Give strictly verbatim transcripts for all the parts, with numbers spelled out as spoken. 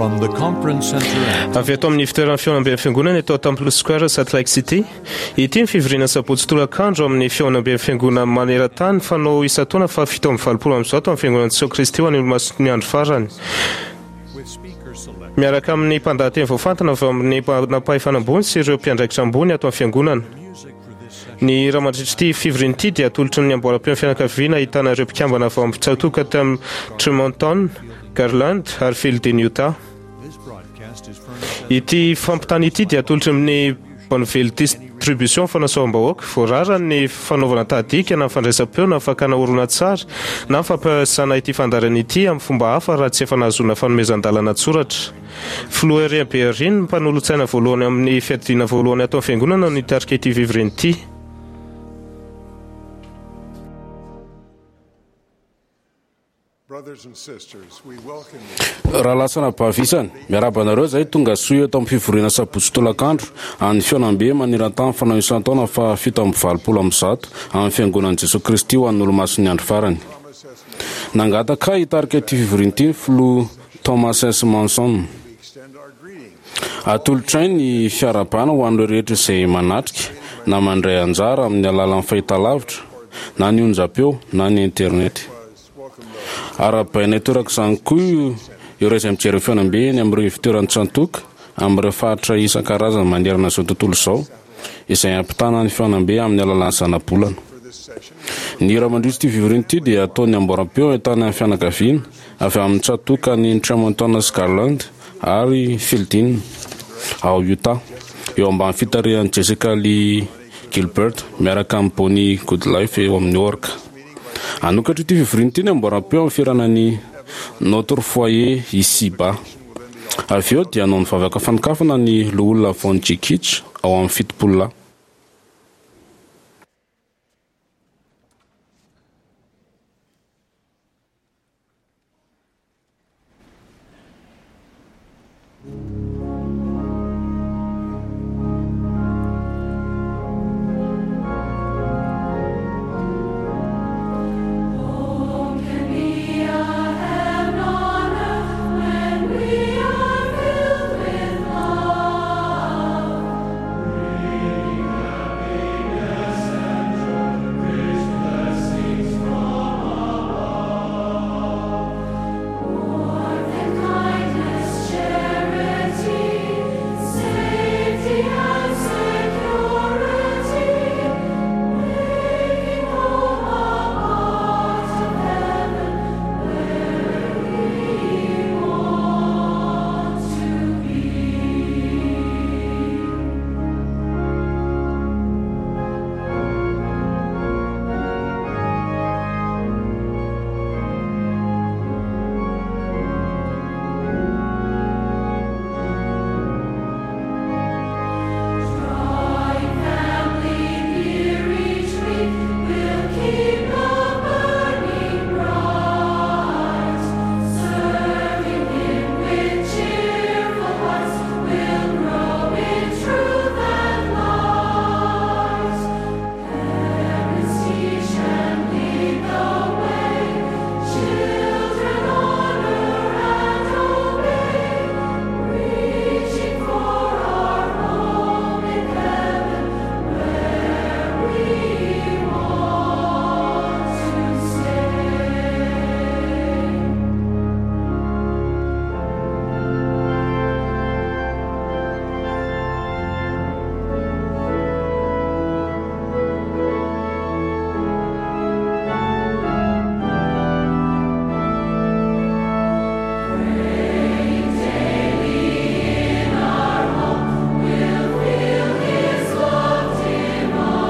From the conference center at Avy ato amin'ny fitoeran'ny fihaonamben'ny fiangonana eto Temple Square, Salt Lake City. Ity ny fivoriana sabotsy tolakandro amin'ny fihaonamben'ny fiangonana maneran-tany fanao isan-taona fa fito amby valopolo amby zato amin'ny fiangonana Jesoa Kristy ho an'ny olomasin'ny andro farany. With speakers selected Miaraka amin'ny mpandahateny voafantina avy amin'ny manampahefana ambony sy ireo mpiandraikitra ambony ato amin'ny fiangonana. Music for this session Ny hira mandritra ity fivoriana ity dia atolotry ny amboaram-peo fianakaviana ahitana ireo mpikambana avy amin'ny tsatòka tamin'ny Tremonton, Garland ary Feilding, Utah. This broadcast is furnished as Ity fampitana ity dia atolotry amin'ny Bonneville Distribution fanasoavam-bahoaka. Voarara ny fanaovana tahadika na fandraisam-peo na fakana horonan-tsary na fampiasana ity fandaharana ity amin'ny fomba hafa raha tsy efa nahazoana fanomezan-dalana tsoratra. Filoha Eyring B. Eyring, mpanolotsaina voalohany amin'ny fiadidiana voalohany ato amin'ny fiangonana no hitarika ity fivoriana ity. Brothers and sisters, we welcome you Rahalahy sy anabavy isany, miarahaba anareo izay tonga soa eto amin'ny fivoriana sabotsy tolakandro an'ny fihaonambe maneran-tany fanao isan-taona fa fito amby valopolo amby zato amin'ny fiangonan'i Jesoa Kristy ho an'ny olomasin'ny andro farany. Nangataka hitarika ity fivoriana ity ny filoha Thomas S. Monson. We extend our greetings Atolotray ny fiarahabana ho an'ireo rehetra izay manatrika na mandray anjara amin'ny alalan'ny fahitalavitra na ny onjam-peo na ny internet. was welcome those Arahabaina torak'izany koa ireo izay mijery ny fihaonambe eny amin'ireo fitoeran'ny tsatòka amin'ireo faritra isan-karazany manerana izao tontolo izao izay ampitana ny fihaonambe amin'ny alalan'ny zanabolana. For this session. Ny hira mandritra ity fivoriana ity dia ataon'ny amboaram-peo ahitana ny fianakaviana avy amin'ny tsatòka ny Tremonton sy Garland ary Feilding ao Utah eo ambany fitarihan'i Jessica Lee Gilbert miaraka amin'ny Bonnie Goodlife eo amin'ny orga. Hanokatra ity fivoriana ity ny amboaram-peo amin'ny fihirana ny Notre foyer ici-bas. Avy eo dia hanao ny vavaka fanokafana ny loholona Von J. Kitch ao amin'ny fitopolo lahy. Can be a heaven on earth when we are filled with love? Bringing happiness and joy, rich blessings from above. Warmth and kindness, charity, safety and security, making home a part of heaven where we want to be. Drawing family near each week will keep love burning bright. Serving Him with cheerful hearts will grow in truth and light. Parents teach and lead the way, children honor and obey, reaching for our home in heaven where we want to stay. Praying daily in our home, we'll feel His love divine.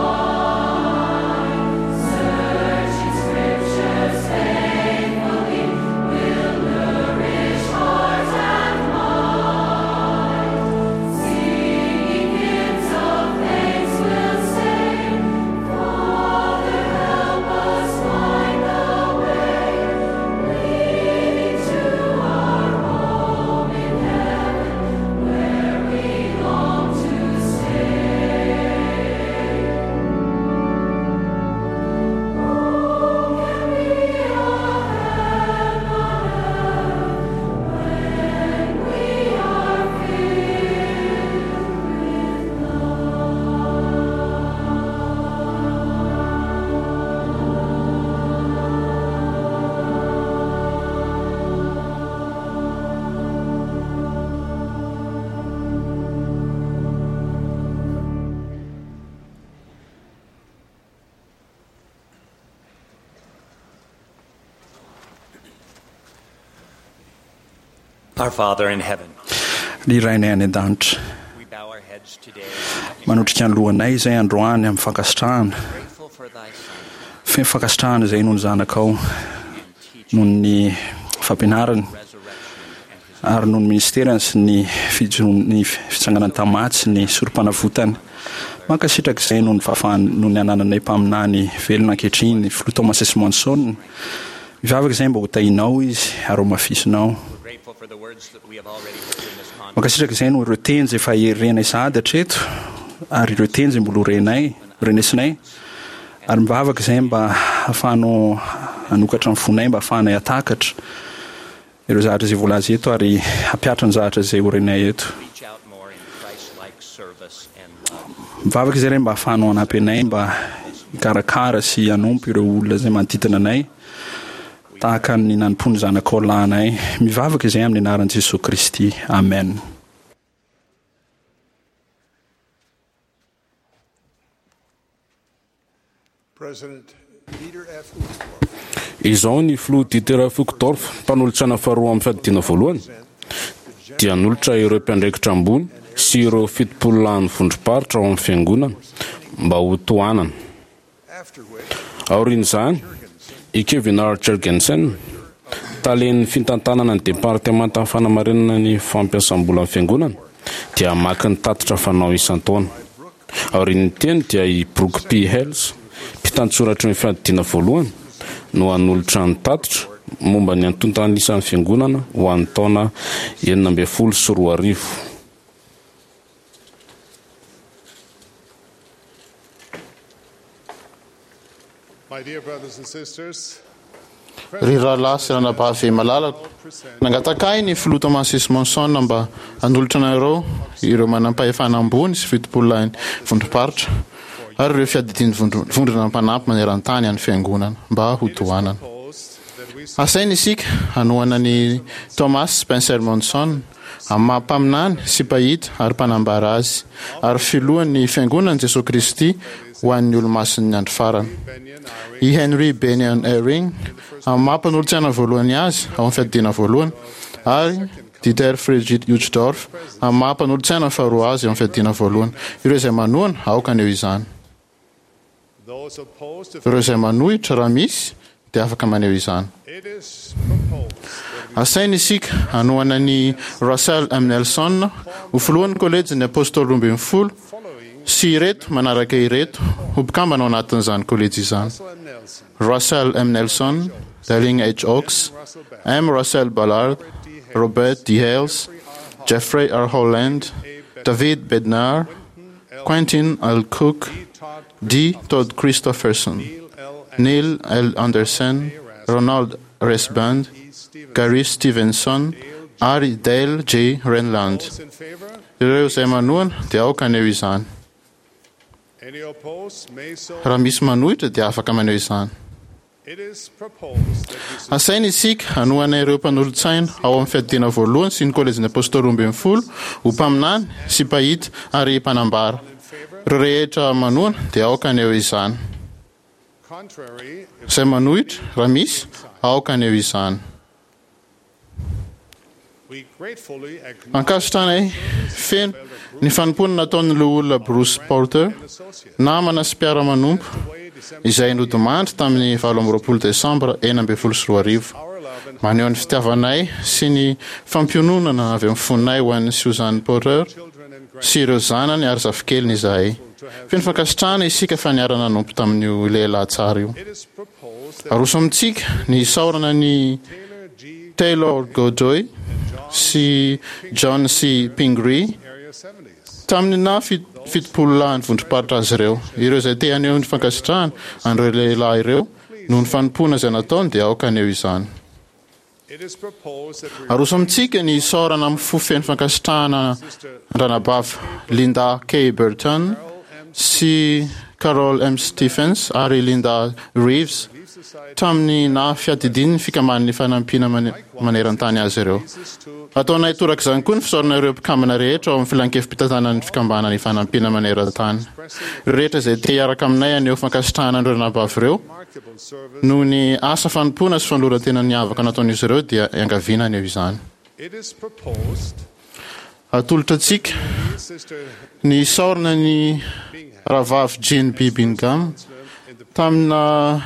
Our Father in heaven, Ry Rainay any an-danitra, we bow our heads today, manotrika ny lohanay izay androany amin'ny fankasitrahana, grateful for thy Son feno fankasitrahana izay noho ny zanakao, and teaching, noho ny fampianarany, resurrection, and his ary noho ny ministerany sy ny fijoroany- ny fitsanganany tamin'ny maty sy ny sorom-panavotany. Mankasitraka izay noho ny fahafahany, noho ny anananay mpaminany velona ankehitriny, filoha Thomas S. Monson. Mivavaka izay mba ho tahinao izy ary ho mafisinao. We're grateful for the words that we have already heard in this conference. Mankasitraka izay noho ireo teny izay efa renay sahady hatreto, ary ireo teny izay mbola ho renay, renesinay. Ary mivavaka izay mba ahafahanao hanokatra ny fonay, mba ahafahanay hatakatra ireo zavatra izay voalaza eto ary hampihatra ny zavatra izay ho renay eto. Reach out more in Christ-like service and love. Mivavaka izay ray mba ahafahanao hanampy anay mba hikarakara sy hanompo ireo olona izay manodidina anay tahaka ny nanompoan'ny zanakao lahy anay. Mivavaka izay amin'ny anaran'i Jesoa Kristy. Amen. President Dieter F. Uchtdorf Izao ny filoha Dieter F. Uchtdorf, mpanolotsaina faharoa amin'ny fiadidiana voalohany, dia nanolotra ireo mpiandraikitra ambony sy ireo fitopolo lahin'ny vondrom-paritra ao amin'ny fiangonana mba ho tohanana. after which Aorian'izany, i Kevin R. Jorgensen, talen'ny fitantanana ny departemantan'ny fanamarinana ny fampiasam-bolan'ny fiangonana, dia hamaky ny tatitra fanao isan-taona. Aorian'ny teny dia i Brooke P. Hales, mpitantsoratry ny fiadidiana voalohany, no hanolotra ny tatitra momba ny antontan'isan'ny fiangonana ho an'ny taona enina ambin'ny folo sy roa arivo. My dear brothers and sisters, Ry rahalahy sy ranabavy malalako, nangataka ahy ny filoha Thomas S. Monson mba hanolotra anareo ireo manam-pahefana ambony sy fitopolo lahin'ny vondrom-paritra ary ireo fiadidian'ny vondro- vondrona mpanampy maneran-tany an'ny fiangonana mba ho tohanana. proposed that we Asaina isika hanohana ny Thomas Spencer Monson amin'ny maha mpaminany sy mpahita ary mpanambara azy ary filohan'ny fiangonan'i Jesoa Kristy ho an'ny olomasin'ny andro farany. Benyon Eyring I Henry Benyon Eyring amin'ny maha mpanolotsaina voalohany azy ao amin'ny fiadidiana voalohany ary Dieter Friedrich Uchtdorf amin'ny maha mpanolotsaina faharoa azy ao amin'ny fiadidiana voalohany. Ireo izay manohana aoka haneho izany. those opposed to Ireo izay manohitra raha misy dia afaka maneho izany. it is proposed that we Asaina isika hanohana ny Russell M. Nelson ho filohan'ny kolejin'ny apôstôly roa ambin'ny folo following sy ireto manaraka ireto ho mpikambana ao anatin'izany kolejy izany. Russell M. Nelson, Russell M. Nelson, Darling H. Oaks, Russell Ballard, M. Russell Ballard, Robert D. Hales, Jeffrey R. Holland, David Bednar, Quentin L. Cook, D. Todd D. Todd Christofferson, Neil L. Neil L. Andersen, Ronald Resband, E. Stevens. Gary Stevenson ary Dale J. Renland. Those in favor, Ireo izay manohana dia aoka haneho izany. any opposed may so. Raha misy manohitra dia afaka maneho izany. It is proposed that we support Asaina isika hanohana ireo mpanolotsaina ao amin'ny fiadidiana voalohany sy ny kolejin'ny apôstôly roa ambin'ny folo ho mpaminany sy mpahita ary mpanambara. in favor, Ireo rehetra manohana dia aoka haneho izany. contrary, if Izay manohitra raha misy aoka haneho izany. we gratefully acknowledge Ankasitranay feno ny fanompoana nataon'ny loholona Bruce Porter, associates namana sy mpiara-manompo away December izay nodimandry tamin'ny valo amby roapolo desambra enina ambin'ny folo sy roa arivo. our love and Maneho ny fitiavanay sy ny fampiononana avy amin'ny fonay ho an'ny Susan Porter children and sy ireo zanany ary zafikeliny izahay. Feno fankasitrahana isika fa niara-nanompo tamin'io lehilahy tsara io. it is proposed that Aroso amintsika ny isaorana ny Taylor G. Taylor Godoy sy John C. Pingree Area seventies. tamin'ny na fit- fitopolo lahin'ny vondrom-paritra azy ireo. Ireo izay te haneho ny fankasitrahana an'ireo lehilahy ireo noho ny fanompoana izay nataony dia aoka haneho izany. It is proposed that we Aroso amintsika ny isaorana amin'ny fo feno fankasitrahana an-dranabavy Linda K. Burton sy Carol M. Stephens ary Linda Reeves Relief Society tamin'ny na fiadidian'ny fikamban'ny fanampiana mane- maneran-tany azy ireo. is to Ataonay torak'izany koa ny fisaorana ireo mpikambana rehetra ao amin'ny filankevi-pitantanan'ny fikambanana fanampiana maneran-tany. Ireo rehetra izay te hiaraka aminay haneho fankasitrahana an'ireo ranabavy ireo remarkable service noho ny asa fanompoana sy fanoloran-tena niavaka nataon'izy ireo dia iangaviana haneho izany. Atolotra antsika ny isaorana ny rahavavy Jean B. Bingham tamina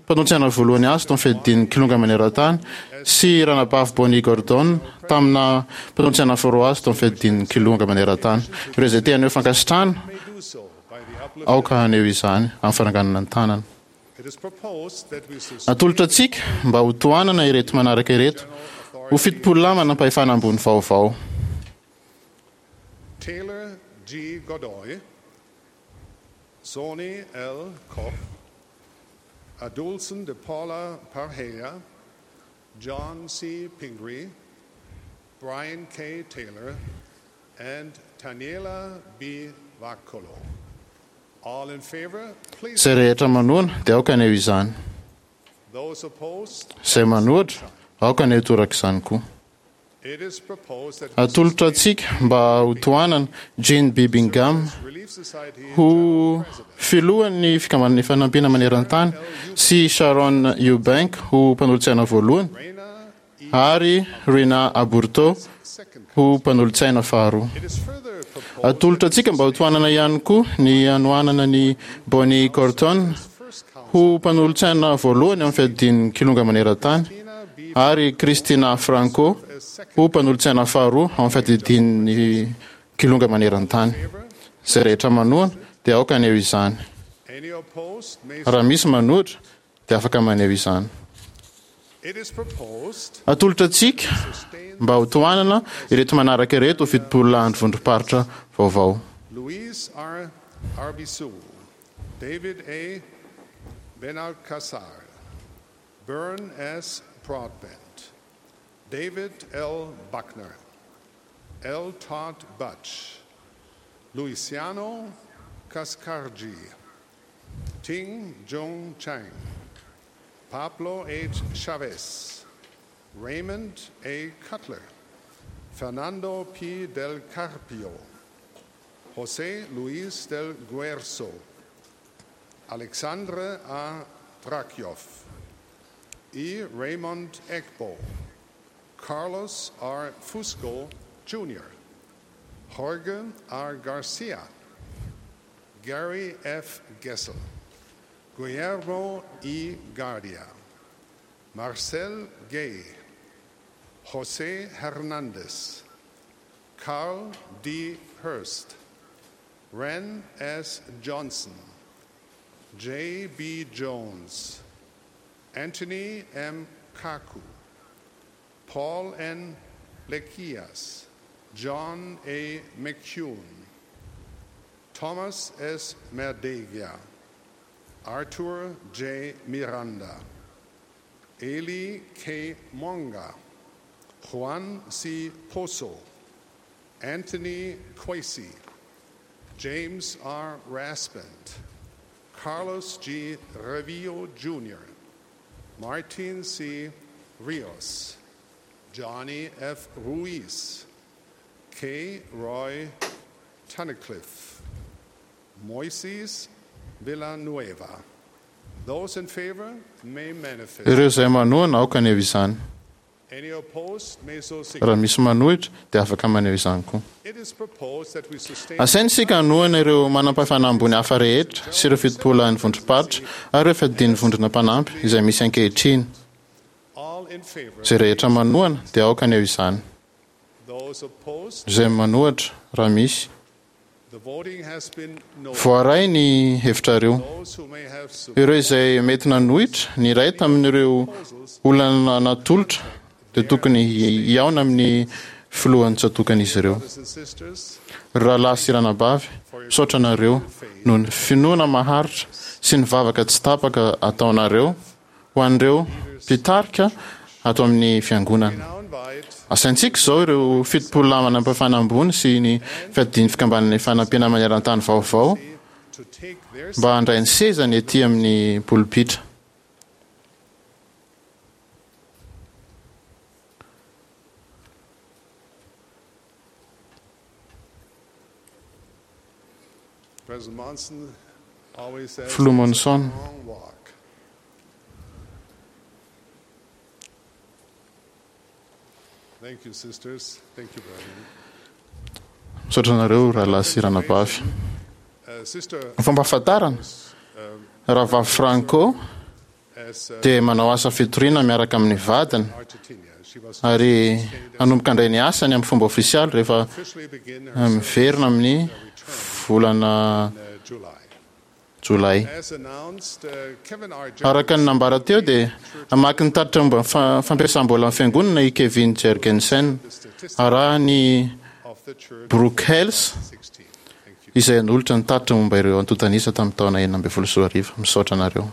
mpanolotsaina voalohany azy tao amin'ny fiadidian'ny Kilonga maneran-tany sy ranabavy Bonnie Gordon tamina mpanolotsaina faharoa azy tao amin'ny fiadidian'ny Kilonga maneran-tany. Ireo izay te haneho fankasitrahana, aoka haneho izany amin'ny fananganana ny tanana. Atolotra antsika mba ho tohanana ireto manaraka ireto ho fitopolo lahy manam-pahefana ambony vaovao. Taylor G. Godoy, Sony L. Koch, Adulson de Paula Parhea, John C. Pingree, Brian K. Taylor, and Taniela B. Vakolo. All in favor, please. Izay rehetra manohana dia aoka haneho izany. Those opposed, Izay manohitra, aoka haneho toraka izany koa. it is proposed that we Atolotra antsika mba ho tohanana Jean B. Bingham Relief Society ho filohan'ny fikambanan'ny fanampiana maneran-tany sy Sharon Eubank ho mpanolotsaina voalohany ary Rina Aburto ho mpanolotsaina faharoa. Atolotra antsika mba ho tohanana ihany koa ny hanohanana ny Bonnie Corton ho mpanolotsaina voalohany amin'ny fiadidian'ny Kilonga maneran-tany ary Christina Franco ho mpanolotsaina faharoa amin'ny fiadidian'ny Kilonga maneran-tany. Izay rehetra manohana dia aoka haneho izany. Any opposed may Raha misy manohitra dia afaka maneho izany. It is proposed Atolotra antsika mba ho tohanana ireto manaraka ireto ho fitopolo lahy ny vondrom-paritra vaovao. Luis R. Arbizu, David A. Benalcazar, Bern S. Broadbent, David L. Buckner, L. Todd Butch, Luciano Cascargi, Ting Jung Chang, Pablo H. Chavez, Raymond A. Cutler, Fernando P. Del Carpio, José Luis del Guerzo, Alexandre A. Drakioff, E. Raymond Egbo, Carlos R. Fusco, Junior, Jorge R. Garcia, Gary F. Gessel, Guillermo E. Guardia, Marcel Gay, Jose Hernandez, Carl D. Hurst, Ren S. Johnson, J. B. Jones, Anthony M. Kaku, Paul N. Lekias, John A. McCune, Thomas S. Merdegia, Arthur J. Miranda, Eli K. Monga, Juan C. Pozo, Anthony Quasi, James R. Raspent, Carlos G. Revillo Junior, Martin C. Rios, Johnny F. Ruiz, K. Roy Tunnicliffe, Moises Villanueva. Those in favor may manifest. Ireo izay manohana aoka haneho izany. Any opposed may so Raha signify. misy manohitra dia afaka maneho izany koa. It is proposed that we sustain Asaina isika hanohana ireo manam-pahefana ambony hafa rehetra sy ireo fitopolo lahin'ny vondrom-paritra ary ireo fiadidian'ny vondrona mpanampy izay misy ankehitriny. all in favor. Izay rehetra manohana dia aoka haneho izany. Those opposed, Izay manohitra raha misy. the voting has been noted. Voaray ny hevitrareo. Those who may have Ireo izay mety nanohitra ny iray tamin'ireo olana natolotra dia tokony hihaona amin'ny filohan'ny tsatòkan'izy ireo. brothers and sisters, Rahalahy sy ranabavy, misaotra anareo noho ny finoana maharitra sy ny vavaka tsy tapaka ataonareo ho an'ireo mpitarika ato amin'ny fiangonana. now invite Asaintsika izao ireo fitopolo lahy manam-pahefana ambony sy ny fiadidian'ny fikambanana fanampiana maneran-tany vaovao to take their mba handray ny sezany ety amin'ny polipitra. President Monson always says Filoha Monson. long walk. Misaotra anareo rahalahy sy ranabavy. Ny fampahafantarana, Rahavavy Franco dia manao asa fitoriana miaraka amin'ny vadiny ary hanomboka handray ny asany amin'ny fomba ofisialy rehefa miverina amin'ny volana Jolay. Araka ny nambara teo dia hamaky ny tatitra momba ny fampiasam-bolan'ny fiangonana i Kevin Jergensen, arahin'i Brooke Hales izay hanolotra ny tatitra momba ireo antontan'isa tamin'ny taona enina ambin'ny folo sy roa arivo. Misaotra anareo.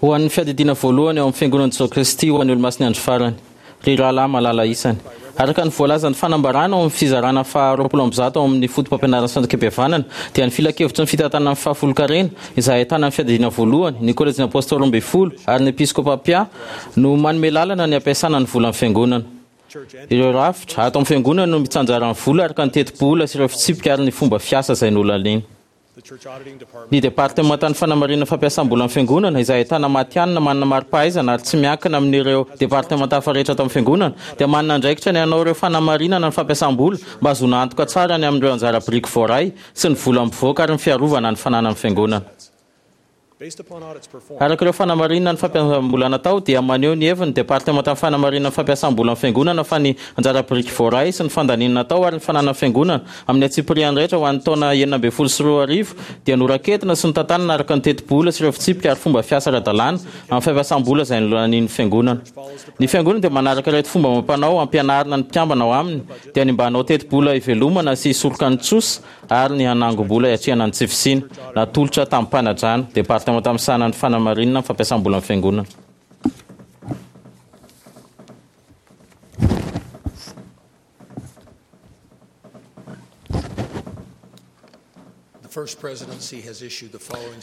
Ho an'ny Fiadidiana Voalohany ao amin'ny Fiangonan'i Jesoa Kristy ho an'ny Olomasin'ny Andro Farany, ry rahalahy malala isany. Araka ny voalazan'ny fanambarana ao amin'ny fizarana faha roapolo amby zato ao amin'ny Fotopampianaran'ny Sandrik'Ampihavanana, dia ny Filankevitry ny Fitantanana ny Fahafolonkarena, izay ahitana ny Fiadidiana Voalohany, ny Kolejin'ny Apôstôly Roambinifolo ary ny Episkôpà Mpiahy, no manome lalana ny hampiasana ny volan'ny Fiangonana. Ireo rafitra ato amin'ny Fiangonana no mitsanjara ny vola araka ny tetibola sy ireo fitsipika ary ny fomba fiasa izay nolaniana. Ny Departemantan'ny Fanamarinana Fampiasam-bolan'ny Fiangonana, izay ahitana matihanina manana mari-pahaizana ary tsy miankina amin'ireo departemanta hafa rehetra ato amin'ny Fiangonana, dia manana andraikitra ny hanao ireo fanamarinana ny fampiasam-bola mba hahazoana antoka tsara ny amin'ireo anjara biriky voaray sy ny vola mivoaka ary ny fiarovana ny fananan'ny Fiangonana. Araka ireo fanamarinana ny fampiasam-bola natao dia maneho ny heviny ny Departemantan'ny Fanamarinana ny Fampiasam-bolan'ny Fiangonana fa ny anjara biriky voaray sy ny fandaniana natao ary ny fananan'ny Fiangonana amin'ny antsipiriany rehetra ho an'ny taona enina ambin'ny folo sy roa arivo dia noraketina sy notantanana araka ny tetibola sy ireo fitsipika ary fomba fiasa ara-dalàna amin'ny fampiasam-bola izay nolanian'ny Fiangonana. Ny Fiangonana dia manaraka ireto fomba amam-panao ampianarina ny mpikambana ao aminy dia ny mba hanao tetibola hivelomana sy hisoroka ny trosa ary ny hanangom-bola hiatrehana ny tsy fisiana, natolotra tamim-panajana, Departemanta misahana ny fanamarinana ny fampiasam-bolan'ny Fiangonana.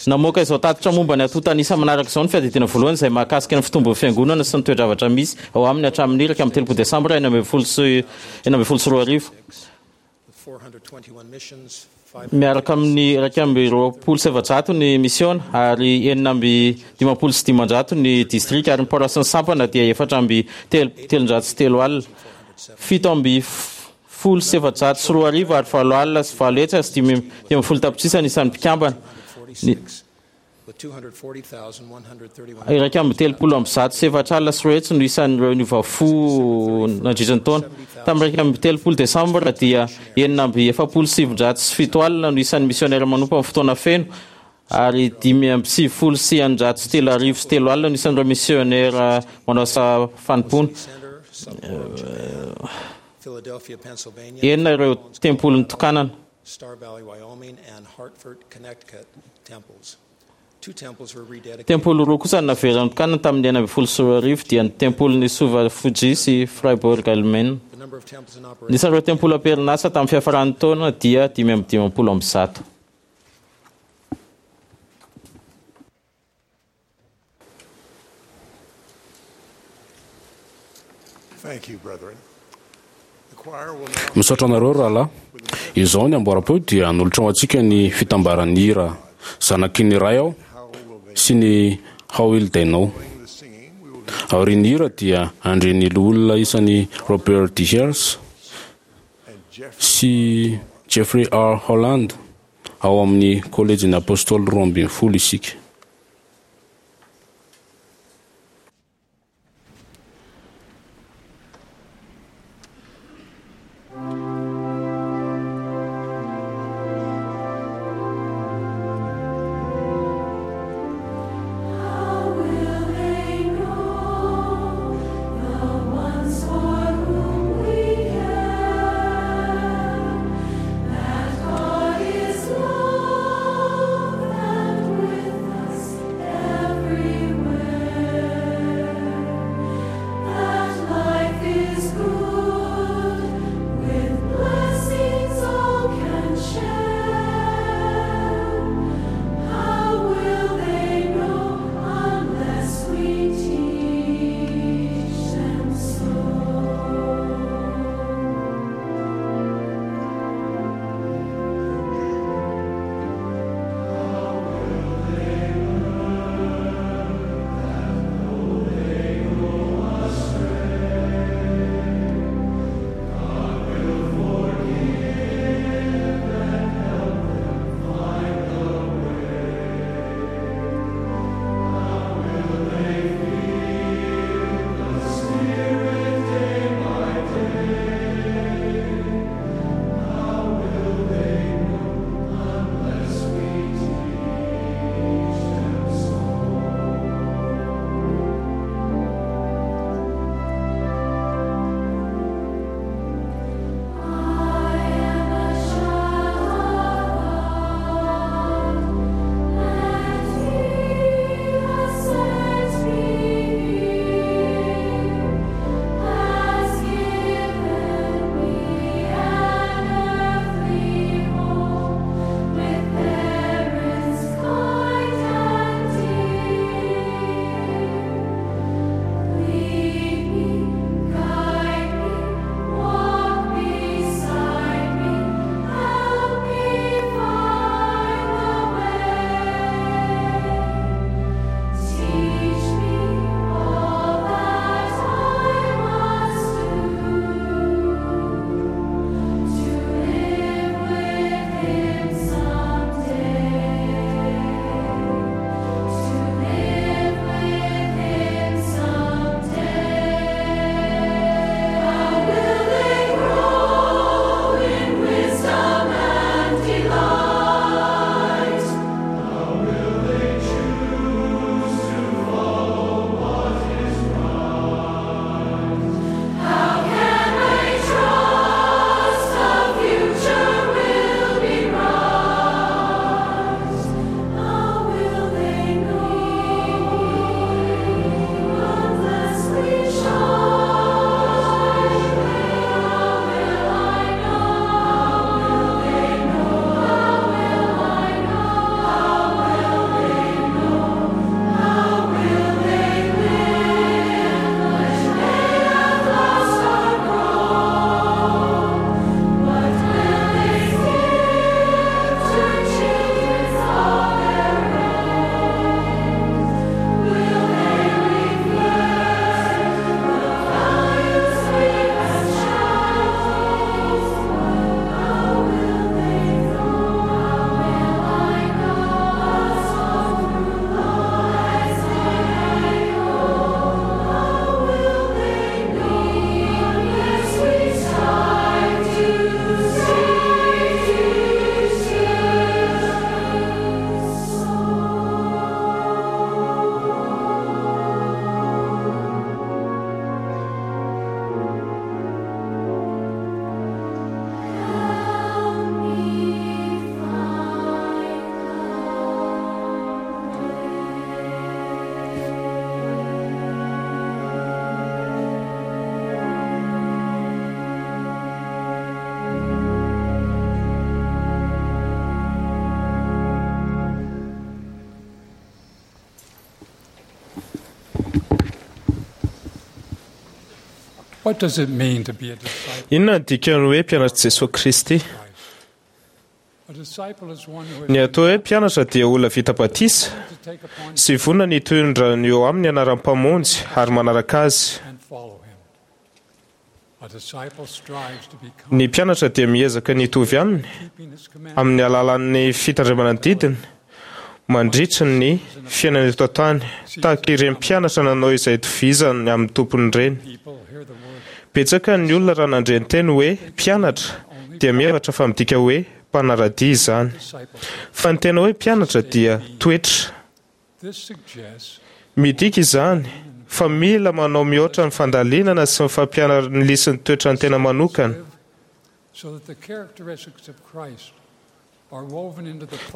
Namoaka izao tatitra momba ny antontan'isa manaraka izao ny Fiadidiana Voalohany izay mahakasika ny fitombon'ny Fiangonana sy ny toe-javatra misy ao aminy hatramin'ny iraika amby telopolo Desambra enina ambin'ny folo sy enina ambin'ny folo sy roa arivo. Miaraka amin'ny iraika amby roapolo sy efajato ny misiona ary enina amby dimampolo sy dimanjato ny distrika ary ny paroasin'ny sampana dia efatra amby telonjato sy telo alina, fito amby folo sy efajato sy roa arivo ary valo alina sy valo hetsy sy dimy ambin'ny folo tapitrisa ny isan'ny mpikambana. Ny. Iraika amby telopolo amby zato sy efatra alina sy roa hetsy no isan'ireo niova fo nandritra ny taona. Tamin'ny iraika amby telopolo Desambra dia enina amby efapolo sy sivinjato sy fito alina no isan'ny misionera manompo amin'ny fotoana feno ary dimy amby sivifolo sy eninjato sy telo arivo sy telo alina no isan'ireo misionera manao asa fanompoana. Enina ireo tempoly nitokanana. Tempoly roa kosa no naverina notokanana tamin'ny enina ambin'ny folo sy roa arivo, dia ny tempolin'i Suva Fuji sy Freiburg Alemaina. Ny isan'ireo tempoly am-perinasa tamin'ny fiafaran'ny taona dia dimy amby dimampolo amby zato. Misaotra anareo rahalahy. Izao ny amboaram-peo dia hanolotra ho antsika ny fitambaran'ny hira Zanaky ny Ray Aho sy ny How Will They Know. Aorian'ny hira dia handre ny loholona isany Robert D. Hales sy Jeffrey R. Holland ao amin'ny Kolejin'ny Apôstôly Roa ambin'ny Folo isika. Inona no dikan'ny hoe mpianatr'i Jesoa Kristy? Ny atao hoe mpianatra dia olona vita batisa sy vonona ny hitondra ny eo aminy anaran'ny Mpamonjy ary manaraka Azy. Ny mpianatra dia miezaka ny hitovy aminy amin'ny alalan'ny fitandremana ny didiny mandritra ny fiainana eto an-tany, tahaka ireny mpianatra nanao izay itovizany amin'ny tompony ireny. Betsaka ny olona raha nandre ny teny hoe mpianatra dia mihevitra fa midika hoe mpanara-dia izany. Fa ny tena hoe mpianatra dia toetra. Midika izany fa mila manao mihoatra ny fandalinana sy ny fampianaran'ny lisin'ny toetran'ny tena manokana.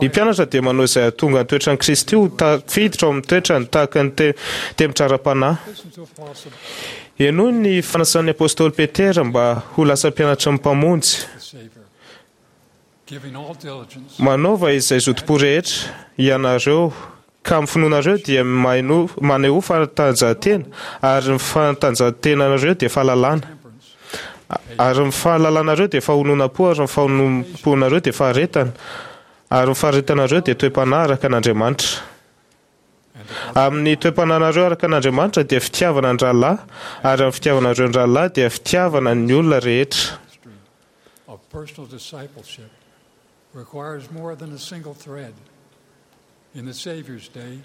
Ny mpianatra dia manao izay hahatonga ny toetran'i Kristy ho tafiditra ao amin'ny toetrany tahaka ny temitra ara-panahy. Henoy ny fanasan'ny apostoly Petera mba ho lasa mpianatry ny Mpamonjy. Manaova izay zotom-po rehetra ianareo, ka amin'ny finoanareo dia manehoa fanatanjahantena, ary ny fanatanjahantenanareo dia fahalalana, ary ny fahalalanareo dia fahononam-po, ary ny fahononam-ponareo dia faharetana, ary ny faharetanareo dia toe-panahy araka an'Andriamanitra. Amin'ny toe-panahinareo araka an'Andriamanitra dia fitiavana ny rahalahy, ary amin'ny fitiavanareo ny rahalahy dia fitiavana ny olona rehetra. of personal discipleship requires more than a single thread. In the Savior's day,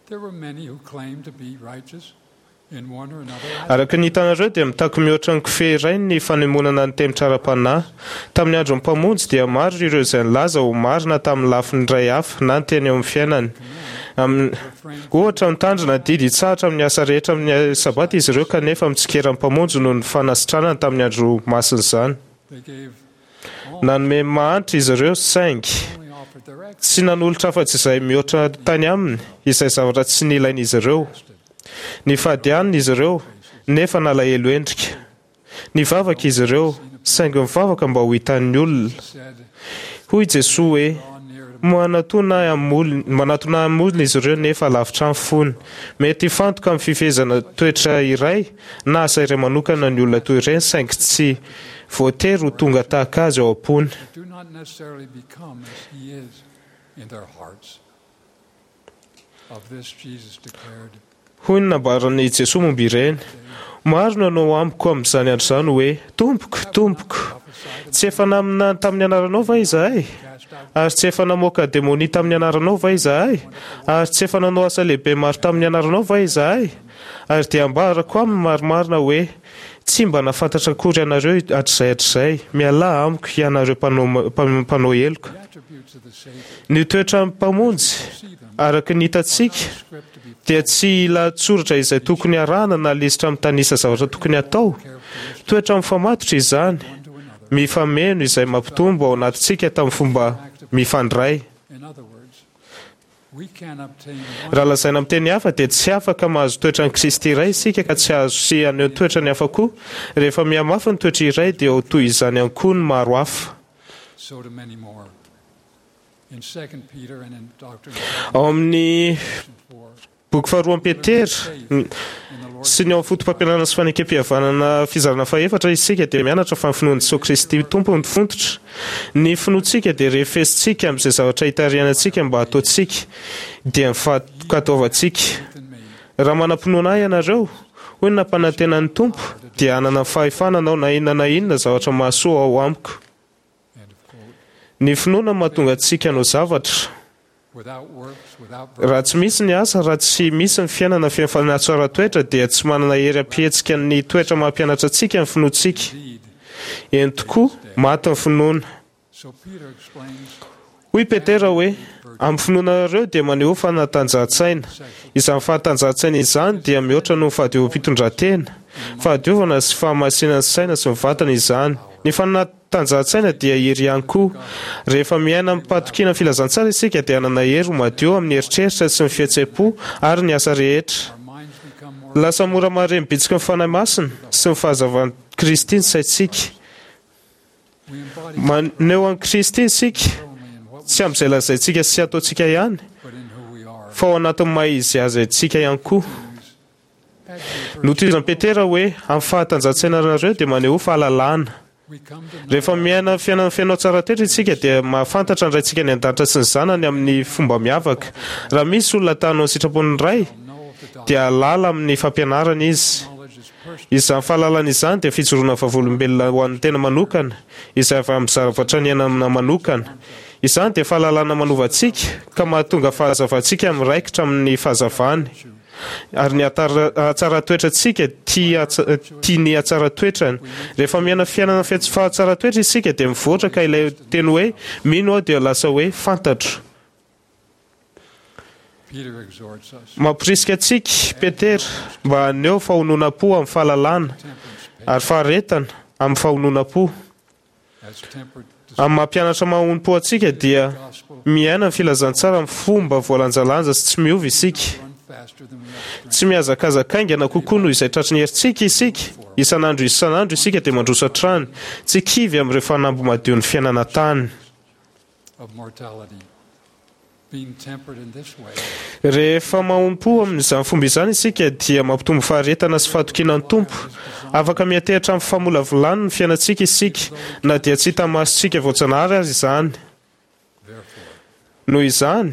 there were many who claimed to be righteous in one or another aspect. Araka ny hitanareo dia mitaky mihoatra ny kofehy iray ny fanemonana ny temitra ara-panahy. Tamin'ny andron'ny Mpamonjy dia maro ireo izay nilaza ho marina tamin'ny lafiny iray hafa na ny teny eo amin'ny fiainany. Amin'ny, ohatra, mitandrina didy hitsahatra amin'ny asa rehetra amin'ny Sabata izy ireo kanefa mitsikera ny Mpamonjy noho ny fanasitranany tamin'ny andro masina izany. Nanome mahantra izy ireo saingy tsy nanolotra afa-tsy izay mihoatra tany aminy, izay zavatra tsy nilain'izy ireo. Nifady hanina izy ireo nefa nalahelo endrika. Nivavaka izy ireo, saingy nivavaka mba ho hitan'ny olona. Hoy Jesoa hoe, Manatona ahy amin'ny manatona ahy amin'ny molony izy ireo nefa lavitra ny fony. Mety hifantoka amin'ny fifehezana toetra iray na asa iray manokana ny olona toy ireny saingy tsy voatery ho tonga tahaka azy ao am-pony. Hoy ny nambaran'i Jesoa momba ireny, Maro no hanao amiko amin'izany andro izany hoe, Tompoko, Tompoko, tsy efa naminany tamin'ny anaranao va izahay? Ary tsy efa namoaka demonia tamin'ny anaranao va izahay? Ary tsy efa nanao asa lehibe maro tamin'ny anaranao va izahay? Ary dia ambarako aminy marimarina hoe, Tsy mba nahafantatra akory anareo hatrizay hatrizay, mialà amiko, hianareo mpanao heloka. Ny toetran'ny Mpamonjy, araka ny hitantsika, dia tsy lahatsoratra izay tokony harahana na lisitra mitanisa zavatra tokony hatao. Toetra mifamatotra izany, mifameno izay mampitombo ao anatintsika tamin'ny fomba mifandray. Raha lazaina amin'ny teny hafa dia tsy afaka mahazo toetran'i Kristy iray isika ka tsy hahazo sy haneho toetrany hafa koa. Rehefa mihamafy ny toetra iray dia ho toy izany ihany koa ny maro hafa. Ao amin'ny Boky faharoa an'i Petera sy ny ao amin'ny Fotopampianarana sy Fanekempihavanana fizarana fahefatra isika dia mianatra fa ny finoan'i Jesoa Kristy Tompo no fototra. Ny finoantsika dia refesintsika amin'izay zavatra itarihana antsika mba hataontsika, dia ny fankatoavantsika. Raha manam-pinoana Ahy ianareo, hoy ny nampanantenan'ny Tompo, dia hanana ny fahefana hanao na inona na inona zavatra mahasoa ao amiko. Ny finoana no mahatonga antsika hanao zavatra. Raha tsy misy ny asa, raha tsy misy ny fiainana feno fanatsaràn-toetra, dia tsy manana hery hampihetsika ny toetra maha-mpianatra antsika ny finoantsika. Eny tokoa, maty ny finoana. Hoy Petera hoe, Amin'ny finoanareo dia manehoa fanatanjahan-tsaina. Izany fanatanjahan-tsaina izany dia mihoatra noho ny fahadiovam-pitondrantena. Fahadiovana sy fahamasinan'ny saina sy ny vatana izany. Ny fanatanjahan-tsaina dia hery ihany koa. Rehefa miaina amim-pahatokiana ny filazantsara isika dia hanana hery ho madio amin'ny eritreritra sy ny fihetseham-po ary ny asa rehetra. Lasa mora mahare ny bitsiky ny Fanahy Masina sy ny fahazavan'i Kristy ny saintsika. Maneho an'i Kristy isika, tsy amin'izay lazaintsika sy ataontsika ihany, fa ao anatin'ny maha-izy azy antsika ihany koa. Notohizan'i Petera hoe, Amin'ny fahatanjahan-tsainareo dia manehoa fahalalana. Rehefa miaina fiainana feno hatsaran-toetra isika dia mahafantatra ny Raintsika any an-danitra sy ny Zanany amin'ny fomba miavaka. Raha misy olona ta hanao ny sitrapon'ny Ray, dia hahalala amin'ny fampianarany izy. Izany fahalalana izany dia fijoroana vavolombelona ho an'ny tena manokana, izay avy amin'ny zavatra niainana manokana. Izany dia fahalalana manova antsika, ka mahatonga fahazavantsika miraikitra amin'ny fahazavany, ary ny hatsaran-toetrantsika tia tia ny hatsaran-toetrany. Rehefa miaina fiainana feno fahatsaran-toetra isika dia mivoatra ka ilay teny hoe mino aho dia lasa hoe fantatro. Mamporisika antsika Petera mba haneho fahononam-po amin'ny fahalalana ary faharetana amin'ny fahononam-po. Amin'ny maha mpianatra mahonom-po antsika dia miaina ny filazantsara amin'ny fomba voalanjalanja sy tsy miova isika. Tsy mihazakazaka haingana kokoa noho izay tratry ny herintsika isika. Isan'andro isan'andro isika dia mandroso hatrany, tsy kivy amin'ireo fanamby madion'ny fiainana an-tany. Rehefa mahompo amin'izany fomba izany isika dia mampitombo faharetana sy fahatokiana ny Tompo. Afaka miantehitra amin'ny famolavolany ny fiainantsika isika, na dia tsy hita masontsika voajanahary aza izany. Noho izany,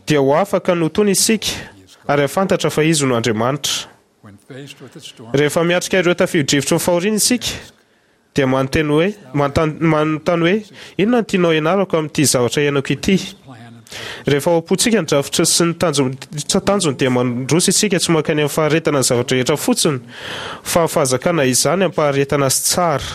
dia ho afaka ny ho tony isika ary hahafantatra fa Izy no Andriamanitra. Rehefa miatrika ireo tafio-drivotry ny fahoriana isika, Dia manonteny hoe, manontany hoe, Inona no tianao hianarako amin'ity zavatra iainako ity? Rehefa ao am-pontsika ny drafitra sy ny tanjony dia mandroso isika tsy mankany amin'ny faharetana ny zava-drehetra fotsiny fa amin'ny fahazakana izany am-paharetana sy tsara.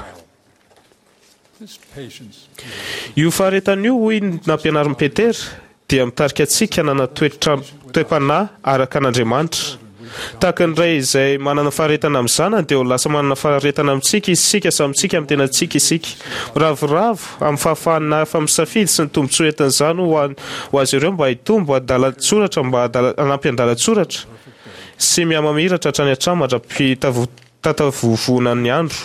Io faharetana io, hoy ny nampianarin'i Petera, dia mitarika antsika hanana toetra toe-panahy araka an'Andriamanitra. Tahaka ny ray izay manana faharetana amin'ny zanany, dia ho lasa manana faharetana amintsika isika samy tsika amin'ny tenantsika isika. Miravoravo amin'ny fahafahana hafa misafidy sy ny tombontsoa entin'izany ho an, ho azy ireo mba hitombo andalan-tsoratra mba hanampy andalan-tsoratra sy mihamamiratra hatrany hatrany mandra-pitavovonan'ny andro.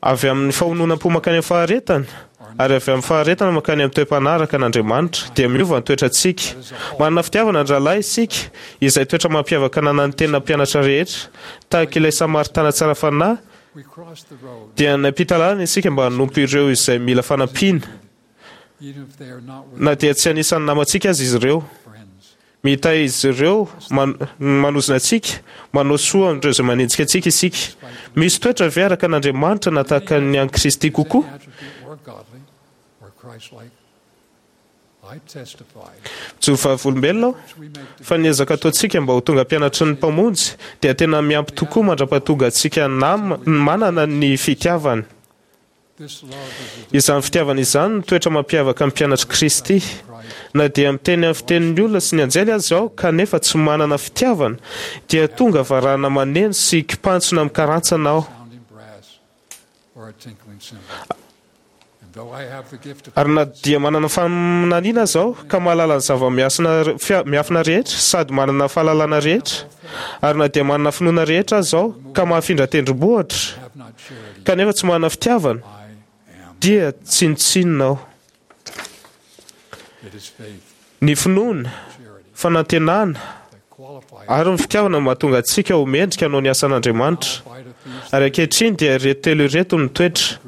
Avy amin'ny fahononam-po mankany amin'ny faharetana, ary avy amin'ny faharetana mankany amin'ny toe-panahy araka an'Andriamanitra, dia miova ny toetrantsika. Manana fitiavana ny rahalahy isika, izay toetra mampiavaka ananan'ny tena mpianatra rehetra. Tahaka ilay Samaritana tsara fanahy, dia nampita lalana isika mba hanompo ireo izay mila fanampiana, na dia tsy anisan'ny namantsika aza izy ireo. Mitahy izy ireo, manozona antsika, manao soa amin'ireo izay manenjika antsika isika. Misy toetra ve araka an'Andriamanitra na tahaka ny an'i Kristy kokoa? Mijoro vavolombelona aho fa ny ezaka ataontsika mba ho tonga mpianatry ny Mpamonjy dia tena miampy tokoa mandra-pahatonga antsika manana ny fitiavany. Izany fitiavana izany no toetra mampiavaka ny mpianatr'i Kristy. Na dia miteny amin'ny fitenin'ny olona sy ny anjely aza aho kanefa tsy manana fitiavana, dia tonga varahana maneno sy kipantsona mikarantsana aho. Ary na dia manana faminaniana aza aho ka mahalala ny zava-miafina rehetra sady manana fahalalana rehetra, ary na dia manana finoana rehetra aza aho ka mahafindra tendrombohitra, kanefa tsy manana fitiavana, dia tsinontsinona aho. Ny finoana, fanantenana, ary ny fitiavana no mahatonga antsika ho mendrika hanao ny asan'Andriamanitra. Ary ankehitriny dia ireto telo ireto no toetra,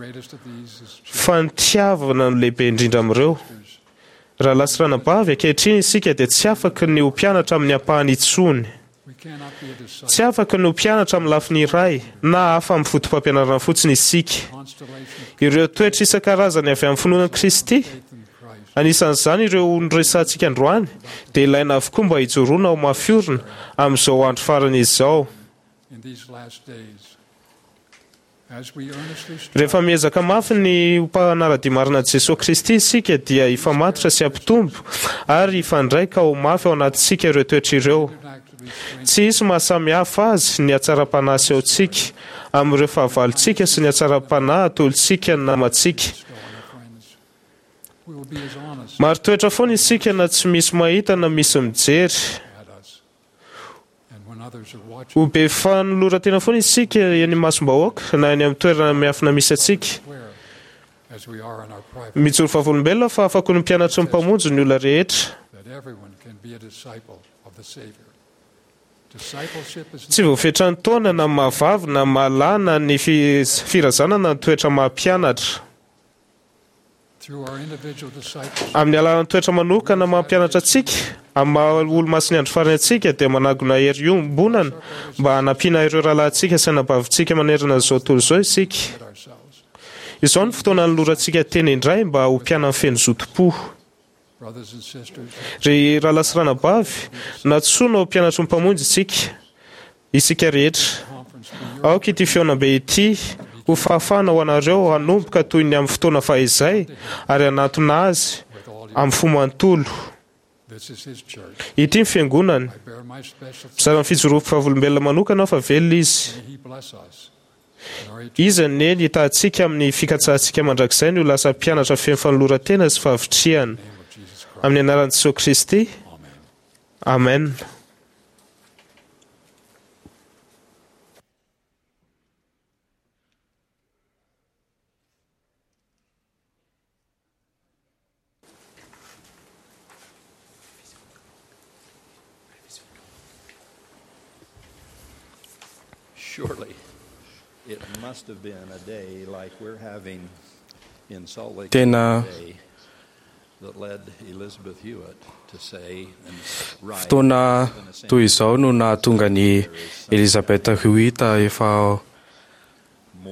fa ny tiavana no lehibe indrindra amin'ireo. Rahalahy sy ranabavy, ankehitriny isika dia tsy afaky ny ho mpianatra amin'ny ampahany intsony. Tsy afaka ny ho mpianatra amin'ny lafiny iray na hafa amin'ny fotopampianarana fotsiny isika. Ireo toetra isan-karazany avy amin'ny finoana an'i Kristy, anisan'izany ireo noresahantsika androany, dia ilaina avokoa mba hijoroana ho mafy orina amin'izao andro farany izao. Rehefa miezaka mafy ny ho mpanara-dia marina an'i Jesoa Kristy isika dia hifamatotra sy hampitombo ary hifandray ka ho mafy ao anatintsika ireo toetra ireo. Tsy hisy maha samy hafa azy ny hatsaram-panahy asehontsika amin'ireo fahavalontsika sy ny hatsaram-panahy atolotsika ny namantsika. Marin-toetra foana isika na tsy misy mahita na misy mijery. Ho be fanoloran-tena foana isika eny imasom-bahoaka na eny amin'ny toerana miafina misy antsika. Mijoro vavolombelona fa afaka ho ny mpianatry ny Mpamonjy ny olona rehetra. Tsy voafetran'ny taona na maha-vavy na maha-lahy na ny firazanana ny toetra maha-mpianatra. Amin'ny alalan'ny toetra manokana maha-mpianatra antsika, amin'ny maha-Olomasin'ny Andro Farany antsika, dia manangona hery iombonana mba hanampiana ireo rahalahintsika sy anabavintsika manerana an'izao tontolo izao isika. Izao no fotoana hanolorantsika tena indray mba ho mpianany feno zotom-po. Ry rahalahy sy ranabavy, nantsoina ho mpianatry ny Mpamonjy isika, isika rehetra. Aoka ity fihaonambe ity ho fahafahana ho anareo hanomboka toy ny amin'ny fotoana fahizay ary hanatona Azy amin'ny fo manontolo. Ity ny Fiangonany. Mizara ny fijoroako vavolombelona manokana aho fa velona Izy. Iza anie ny hitahantsika amin'ny fikatsahantsika mandrakizay ny ho lasa mpianatra feno fanoloran-tena sy fahavitrihana. Amin'ny anaran'i Jesoa Kristy. Amen. Tena fotoana toy izao no nahatonga an'i Elizabeth Hewitt efa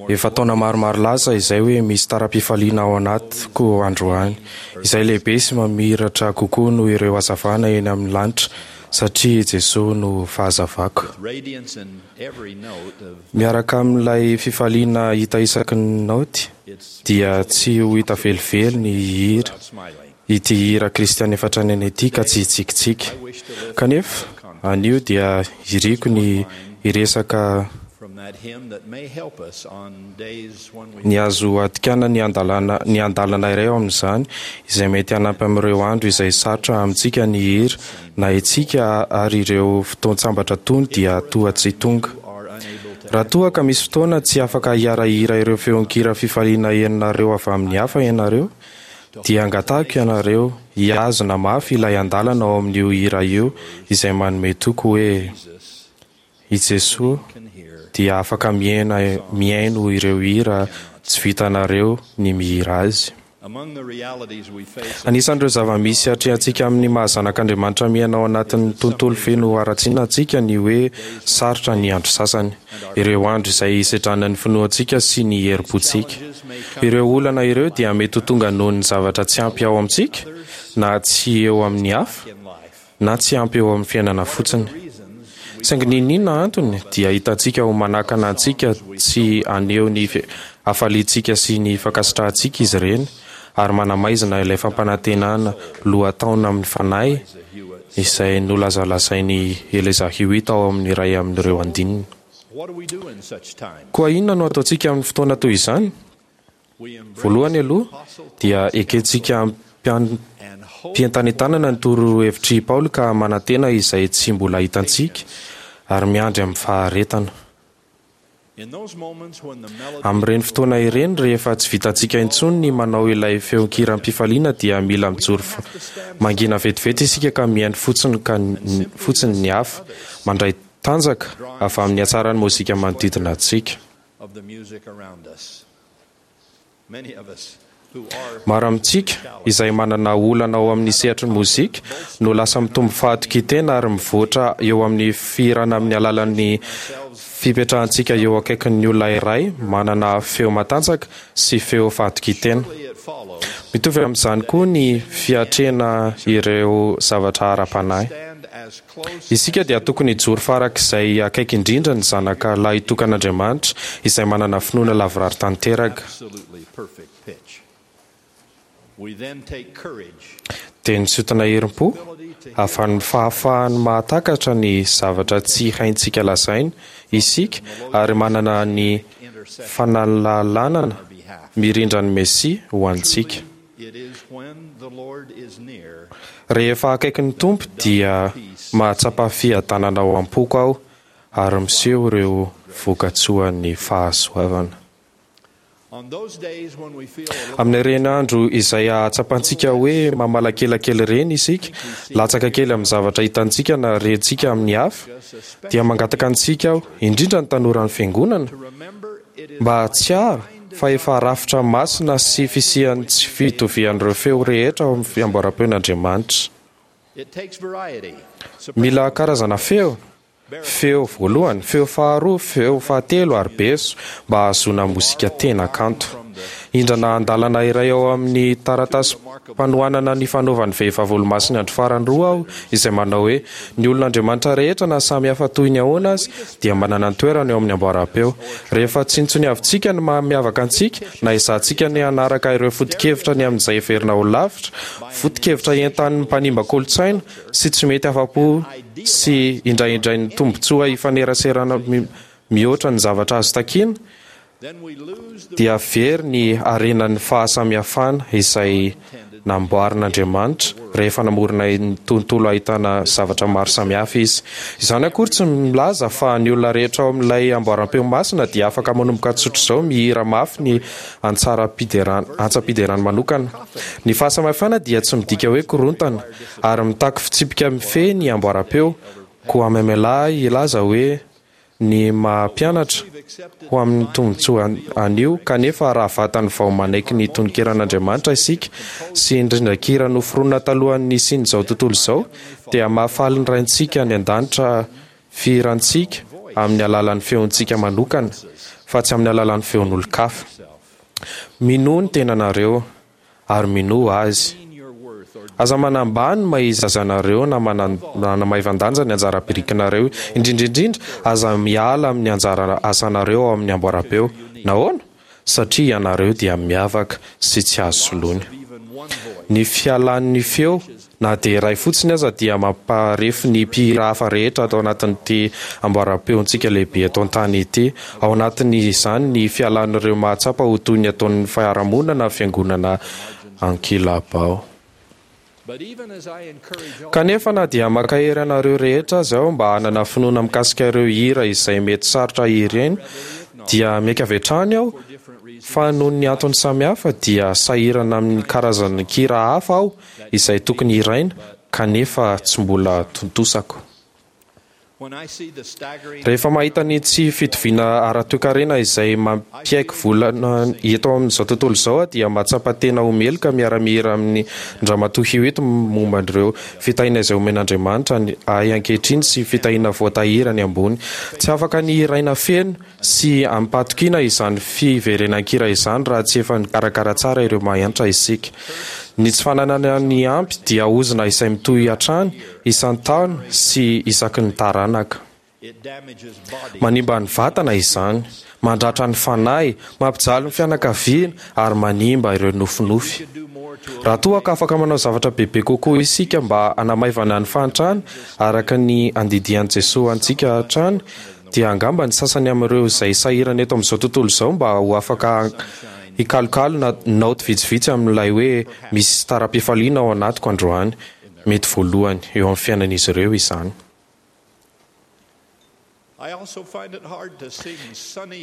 Efa taona maromaro lasa izay hoe misy tara-pifaliana ao anatiko androany, izay lehibe sy mamiratra kokoa noho ireo hazavana eny amin'ny lanitra, satria i Jesoa no fahazavako. Miaraka amin'ilay fifaliana hita isaky ny naoty, dia tsy ho hita velively ny hihira ity hira kristiana efa tranainy ity ka tsy hitsikitsiky. Kanefa, anio dia iriko ny hiresaka ny azo adikana ny andalana ny andalana iray ao amin'izany izay mety hanampy amin'ireo andro izay sarotra amintsika ny hihira na itsika ary ireo fotoan-tsambatra tony dia toa tsy tonga. Raha toa ka misy fotoana tsy afaka hiara-hihira ireo feon-kira fifaliana henonareo avy amin'ny hafa ianareo, dia angatahiko ianareo hihazona mafy ilay andalana ao amin'io hira io izay manome toky hoe i Jesoa dia afaka miaina mihaino ireo hira tsy vitanareo ny mihira azy. Anisan'ireo zava-misy atrehantsika amin'ny maha zanak'Andriamanitra miaina ao anatin'ny tontolo feno haratsiana antsika ny hoe sarotra ny andro sasany, ireo andro izay hisedrana ny finoantsika sy ny herim-pontsika. Ireo olana ireo dia mety ho tonga noho ny zavatra tsy ampy ao amintsika, na tsy eo amin'ny hafa, na tsy ampy eo amin'ny fiainana fotsiny. Saingy n'inon'inona antony, dia hitantsika ho manakana antsika tsy haneho ny hafaliantsika sy ny fankasitrahantsika izy ireny, ary manamaizina ilay fampanantenana lohataona amin'ny fanahy izay nolazalazain'i Eleza Hewitt ao amin'ny iray amin'ireo andininy. Koa inona no ataontsika amin'ny fotoana toy izany? Voalohany aloha, dia ekentsika amim-pientanentanana ny torohevitr'i Paoly ka manantena izay tsy mbola hitantsika, ary miandry amin'ny faharetana. Amin'ireny fotoana ireny, rehefa tsy vitantsika intsony ny manao ilay feon-kiram-pifaliana dia mila mijoro mangina vetivety isika ka mihaino fotsiny ka fotsiny ny hafa, mandray tanjaka avy amin'ny hatsaran'ny mozika manodidina antsika. Maro amintsika izay manana olana ao amin'ny sehatry ny mozika no lasa mitombo fahatokian-tena ary mivoatra eo amin'ny fihirana amin'ny alalan'ny fipetrahantsika eo akaikin'ny olona iray manana feo matanjaka sy feo fahatokian-tena. Mitovy amin'izany koa ny fiatrehana ireo zavatra ara-panahy. Isika dia tokony hijoro farak'izay akaiky indrindra ny Zanaka lahitokan'Andriamanitra izay manana finoana lavorary tanteraka. Dia nisintona herim-po avy amin'ny fahafahany mahatakatra ny zavatra tsy haintsika lazaina isika ary manana ny fanalalanana mirindra ny Mesia ho antsika. Rehefa akaiky ny Tompo dia mahatsapa fiadanana ao am-poko aho ary miseho ireo vokatsoan'ny fahasoavana. Amin'ireny andro izay ahatsapantsika hoe mamalakelakely ireny isika, latsaka kely amin'ny zavatra hitantsika na rentsika amin'ny hafa, dia mangataka antsika aho, indrindra ny tanoran'ny fiangonana, mba hahatsiaro fa efa rafitra masina sy fisian'ny tsy fitovian'ireo feo rehetra ao amin'ny fiamboaram-peon'Andriamanitra. Mila karazana feo, feo voalohany, feo faharoa, feo fahatelo ary beso mba hahazoana mozika tena kanto. Indrana andalana iray ao amin'ny taratasy-panohanana ny fanaovan'ny vehivavy olomasin'ny andro farany roa aho izay manao hoe ny olon'Andriamanitra rehetra na samy hafa toy ny ahoana azy dia manana ny toerany eo amin'ny amboaram-peo. Rehefa tsinontsiniavintsika ny maha miavaka antsika na ezahantsika ny hanaraka ireo foto-kevitra ny amin'izay heverina ho lavitra, foto-kevitra entanin'ny mpanimba kolontsaina sy tsy mety afa-po sy indraindrain'ny tombontsoa ifaneraserana mihoatra ny zavatra azo takiana, dia very ny harenan'ny fahasamihafana izay namboarin'Andriamanitra rehefa namorona ny tontolo ahitana zavatra maro samihafa izy. Izany akory tsy milaza fa ny olona rehetra ao amin'ilay amboaram-peo masina dia afaka manomboka tsotra izao mihira mafy ny antsaram-piderana, antsam-piderana manokana. Ny fahasamihafana dia tsy midika hoe korontana ary mitaky fitsipika mifehy ny amboaram-peo, koa mamelà ahy hilaza hoe ny maha-mpianatra ho amin'ny tombontsoa anio, kanefa raha vatany vao manaiky ny tononkiran'Andriamanitra isika sy ny rindran-kira noforonina talohan'ny nisian'izao tontolo izao, dia mahafaly ny Raintsika any an-danitra fihirantsika amin'ny alalan'ny feontsika manokana, fa tsy amin'ny alalan'ny feon'olon-kafa. Minoa ny tenanareo ary minoa Azy. Aza manambany ny maha izy azy anareo na manamaivan-danja ny anjara birikinareo, indrindra indrindra aza miala amin'ny anjara asanareo ao amin'ny amboaram-peo. Nahoana? Satria ianareo dia miavaka sy tsy azo soloina. Ny fialan'ny feo na dia iray fotsiny aza dia mamparefo ny mpihira hafa rehetra ato anatin'ity amboaram-peontsika lehibe eto an-tany ity. Ao anatin'izany ny fialan'ireo mahatsapa ho toy ny ataon'ny fiarahamonina na fiangonana ankilabao. Kanefa na dia mankahery anareo rehetra aza aho mba hanana finoana mikasika ireo hira izay mety sarotra ireny, dia miaiky avy hatrany aho fa noho ny antony samihafa dia sahirana amin'ny karazan-kira hafa aho izay tokony hiraina kanefa tsy mbola tontosako. Rehefa mahita ny tsy fitoviana ara-toekarena izay mampiaiky volana eto amin'izao tontolo izao aho dia mahatsapa tena ho meloka miara-mihira amin'ny Andriamatoa Hewitt momba ireo fitahiana izay omen'Andriamanitra ahy ankehitriny sy fitahiana voatahiry any ambony. Tsy afaka ny hiraina feno sy amim-pahatokiana izany fiverenan-kira izany raha tsy efa nikarakara tsara ireo mahantra isika. Ny tsy fananana ny ampy dia ozona izay mitohy hatrany isan-taona sy isaky ny taranaka. Manimba ny vatana izany, mandratra ny fanahy, mampijaly ny fianakaviana ary manimba ireo nofinofy. Raha toa ka afaka manao zavatra bebe kokoa isika mba hanamaivana ny fahantrana araka ny andidian'i Jesoa antsika hatrany, dia angamba ny sasany amin'ireo izay sahirana eto amin'izao tontolo izao mba ho afaka hikalokalo na naoty vitsivitsy amin'ilay hoe misy tara-pifaliana ao anatiko androany. Mety voalohany eo amin'ny fiainan'izy ireo izany.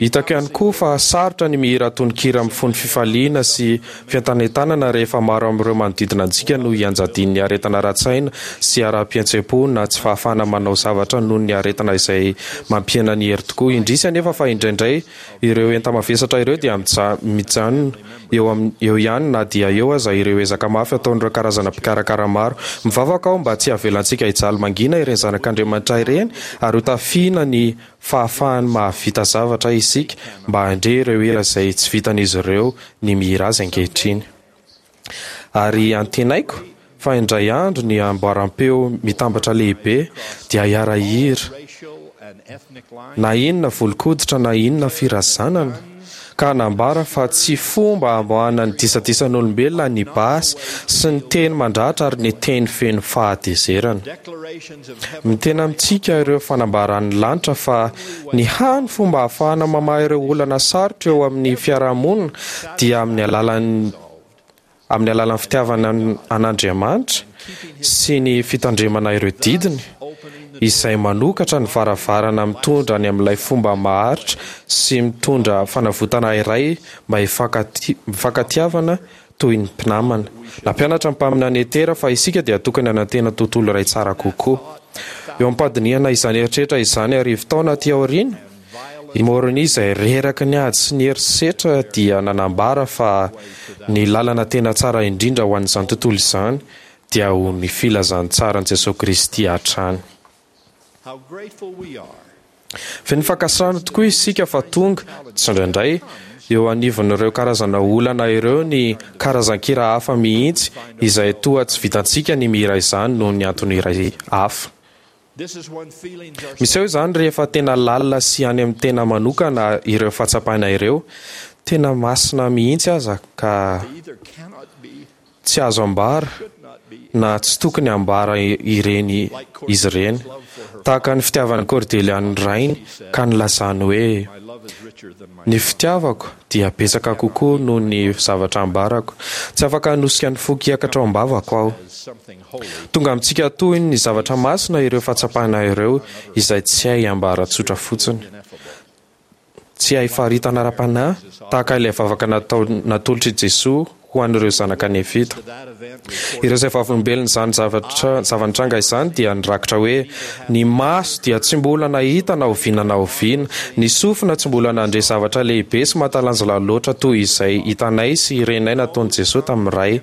Hitako ihany koa fa sarotra ny mihira tononkira mifono fifaliana sy fientanentanana rehefa maro amin'ireo manodidina antsika no ianjadian'ny aretina ara-tsaina sy ara-pihetseham-po na tsy fahafahana manao zavatra noho ny aretina izay mampihena ny hery tokoa. Indrisy anefa fa indraindray ireo enta-mavesatra ireo dia mijanona eo amin'ny eo ihany na dia eo aza ireo ezaka mafy ataon'ireo karazana mpikarakara maro. Mivavaka aho mba tsy havelantsika hijaly mangina ireny zanak'Andriamanitra ireny ary hotafiana ny fahafahany mahavita zavatra isika mba handre ireo hira izay tsy vitan'izy ireo ny mihira azy ankehitriny. Ary antenaiko fa indray andro ny amboaram-peo mitambatra lehibe dia hiara-hira na inona volon-koditra na inona firazanana, ka hanambara fa tsy fomba hamoahana ny disadisan'olombelona ny basy sy ny teny mandratra ary ny teny feno fahatezerana. Miteny amintsika ireo fanambaran'ny lanitra fa ny hany fomba ahafahana mamaha ireo olana sarotra eo amin'ny fiarahamonina dia amin'ny alalan'ny amin'ny alalan'ny fitiavana an'Andriamanitra sy ny fitandremana ireo didiny, izay manokatra ny varavarana mitondra any amin'ilay fomba maharitra sy mitondra fanavotana iray mba hifankatiavana toy ny mpinamana. Nampianatra ny mpaminany Etera fa isika dia tokony hanantena tontolo iray tsara kokoa. Eo am-pandinihana izany eritreritra izany arivo taona aty aoriana, i Môrônia izay reraky ny ady sy ny herisetra dia nanambara fa ny lalana tena tsara indrindra ho an'izany tontolo izany dia ho ny filazantsaran'i Jesoa Kristy hatrany. Feno fankasitrahana tokoa isika fa tonga, tsindraindray, eo anivon'ireo karazana olana ireo ny karazan-kira hafa mihitsy izay toa tsy vitantsika ny mihira izany noho ny antony iray hafa. Miseho izany rehefa tena lalina sy any amin'ny tena manokana ireo fahatsapana ireo, tena masina mihitsy aza ka tsy azo ambara na tsy tokony ambara ireny izy ireny. Tahaka ny fitiavan'i Cordelia ny rainy ka nilazany hoe, Ny fitiavako dia betsaka kokoa noho ny zavatra ambarako. Tsy afaka hanosika ny foko hiakatra ao am-bavako aho. Tonga amintsika toy ny zavatra masina ireo fahatsapana ireo izay tsy hay ambara tsotra fotsiny. Tsy hay faritana ara-panahy tahaka ilay vavaka natao natolotr'i Jesoa ho an'ireo zanaka Nefita. Ireo izay vavolombelon'izany zavatra zava-nitranga izany dia nirakitra hoe, Ny maso dia tsy mbola nahita na oviana na oviana, ny sofina tsy mbola nandre zavatra lehibe sy mahatalanjona loatra toy izay hitanay sy renay nataon'i Jesoa tamin'ny Ray.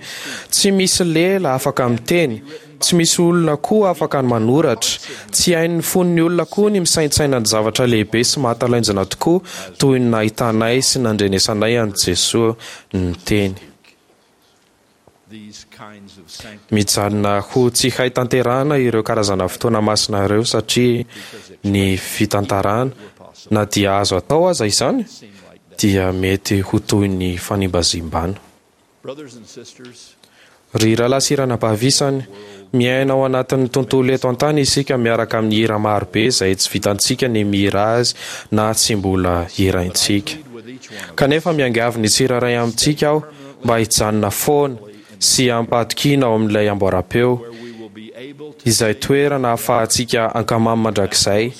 Tsy misy lela afaka miteny, Tsy misy olona koa afaka ny manoratra. Tsy hain'ny fon'ny olona koa ny misaintsaina ny zavatra lehibe sy mahatalanjona tokoa toy ny nahitanay sy nandrenesanay an'i Jesoa niteny. Mijanona ho tsy hay tanterahana ireo karazana fotoana masina ireo satria ny fitantarana, na dia azo atao aza izany, dia mety ho toy ny fanimbazimbana. Ry rahalahy sy ranabavy isany, miaina ao anatin'ny tontolo eto an-tany isika miaraka amin'ny hira maro be izay tsy vitantsika ny mihira azy na tsy mbola hiraintsika. Kanefa miangavy ny tsirairay amintsika aho mba hijanona foana sy hampahatokiana ao amin'ilay amboaram-peo, izay toerana ahafahantsika ankamamy mandrakizay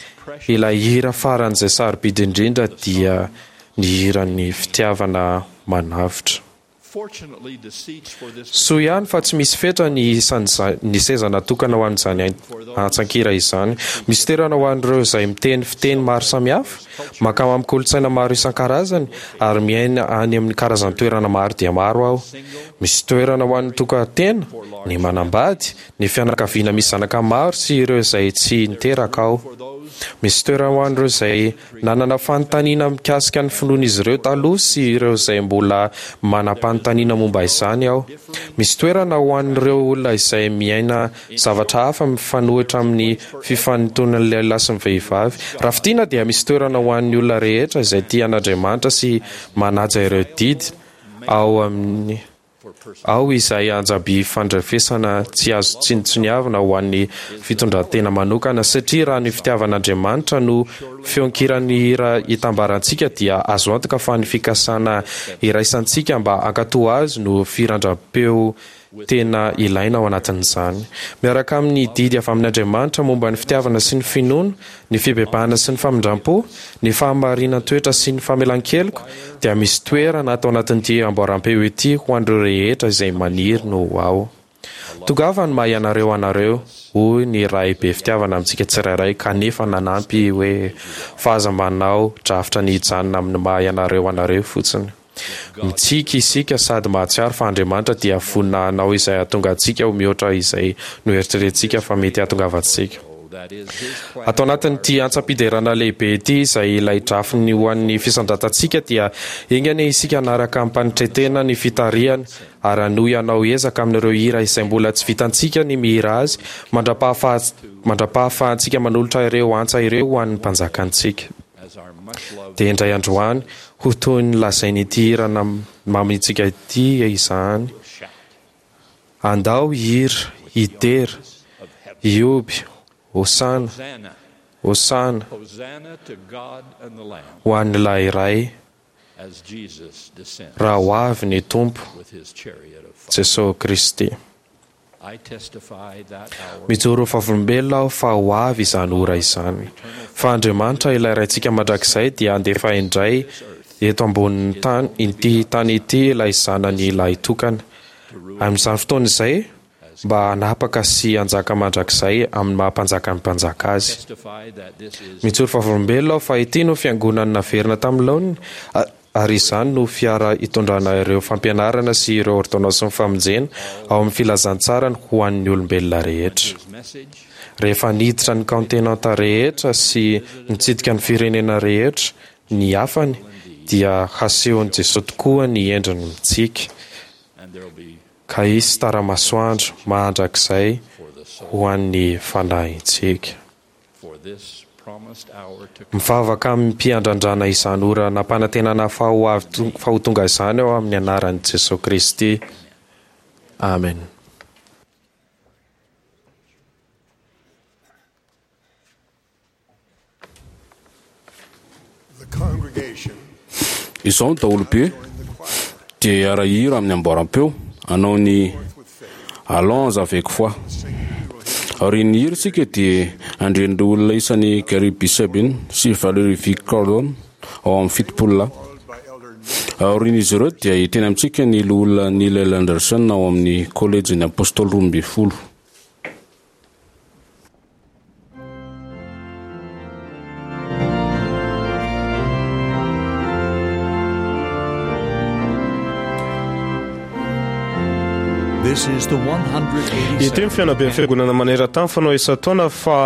ilay hira faran'izay sarobidy indrindra dia ny hiran'ny fitiavana manavotra. Soa ihany fa tsy misy fetra ny isan'ny seza natokana ho an'izany antsan-kira izany. Misy toerana ho an'ireo izay miteny fiteny maro samihafa, mankamamy kolontsaina maro isan-karazany, ary miaina any amin'ny karazan-toerana maro dia maro aho. Misy toerana ho an'ny tokan-tena, ny manambady, ny fianakaviana misy zanaka maro sy ireo izay tsy niteraka aho. Misy toerana ho an'ireo izay Nanana fanontaniana mikasika ny finoan'izy ireo taloha sy ireo izay mbola manam-panontaniana momba izany aho. Misy toerana ho an'ireo olona izay miaina zavatra hafa mifanohitra amin'ny fifanintonan'ny lehilahy sy ny vehivavy. Raha fintinina dia misy toerana ho an'ny olona rehetra izay tia an'Andriamanitra sy manaja ireo didy ao amin'ny Ao izay anjaby fandrefesana tsy azo tsinontsiniavina ho an'ny fitondran-tena manokana, satria raha ny fitiavan'Andriamanitra no feon-kiran'ny hira itambarantsika dia azo antoka fa ny fikasana iraisantsika mba hankatò azy no firandram-peo tena ilaina ao anatin'izany. Miaraka amin'ny didy avy amin'Andriamanitra momba ny fitiavana sy ny finoana, ny fibebahana sy ny famindram-po, ny fahamarinan-toetra sy ny famelan-keloka, dia misy toerana ato anatin'ity amboaram-peo ity ho an'ireo rehetra izay maniry ny ho ao. Tongava ny maha ianareo anareo, hoy ny Ray be fitiavana amintsika tsirairay, kanefa nanampy hoe, Fa aza manao drafitra ny hijanona amin'ny maha ianareo anareo fotsiny. Mitsiky isika sady mahatsiaro fa Andriamanitra dia vonona hanao izay hahatonga antsika ho mihoatra izay noeritreretintsika fa mety hahatongavantsika. Ato anatin'ity antsam-piderana lehibe ity izay ilay drafiny ho an'ny fisandratantsika dia enga anie isika hanaraka amim-panetren-tena ny fitarihany ary hanohy hanao ezaka amin'ireo hira izay mbola tsy vitantsika ny mihira azy mandra-pahafahantsika manolotra ireo antsa ireo ho an'ny Mpanjakantsika. Dia indray androany, ho toy ny lazain'ity hira mamintsika ity izany, Andao hihira, hidera, hihoby, Hosana, Hosana, ho an'ilay Ray, raha ho avy ny Tompo, Jesosy Kristy. Mijoro vavolombelona aho fa ho avy izany ora izany. Fa Andriamanitra ilay Raintsika mandrakizay dia handefa indray eto ambonin'ny tany ity tany ity ilay zanany lahitokana. Amin'izany fotoana izay, mba hanapaka sy hanjaka mandrakizay amin'ny maha-mpanjakan'ny mpanjaka azy. Mijoro vavolombelona aho fa ity no fiangonana naverina tamin'ny laoniny, ary izany no fiara hitondrana ireo fampianarana sy ireo ôrdônansin'ny famonjena ao amin'ny filazantsarany ho an'ny olombelona rehetra. Rehefa niditra ny kaontinanta rehetra sy nitsidika ny firenena rehetra ny hafany, dia hasehon'i Jesoa tokoa ny endriny mitsiky, ka hisy tara-masoandro mandrakizay ho an'ny fanahintsika. Mivavaka amim-piandrandrana izany ora nampanantenana fa ho avy fa ho tonga izany aho amin'ny anaran'i Jesoa Kristy. Amen. Izao ny daholobe dia hiara-hira amin'ny amboaram-peo hanao ny Allons avec foi. Aorian'ny hira isika dia handre an'ireo olona isan'i Gary B. Sabin sy Valerie V. Cordon ao amin'ny fitopolo lahy. Aorian'izy ireo dia hiteny amintsika ny loholona Neil L. Anderson ao amin'ny Kolejin'ny Apôstôly roa ambin'ny folo. Ity ny fihaonamben'ny fiangonana maneran-tany fanao isan-taona fa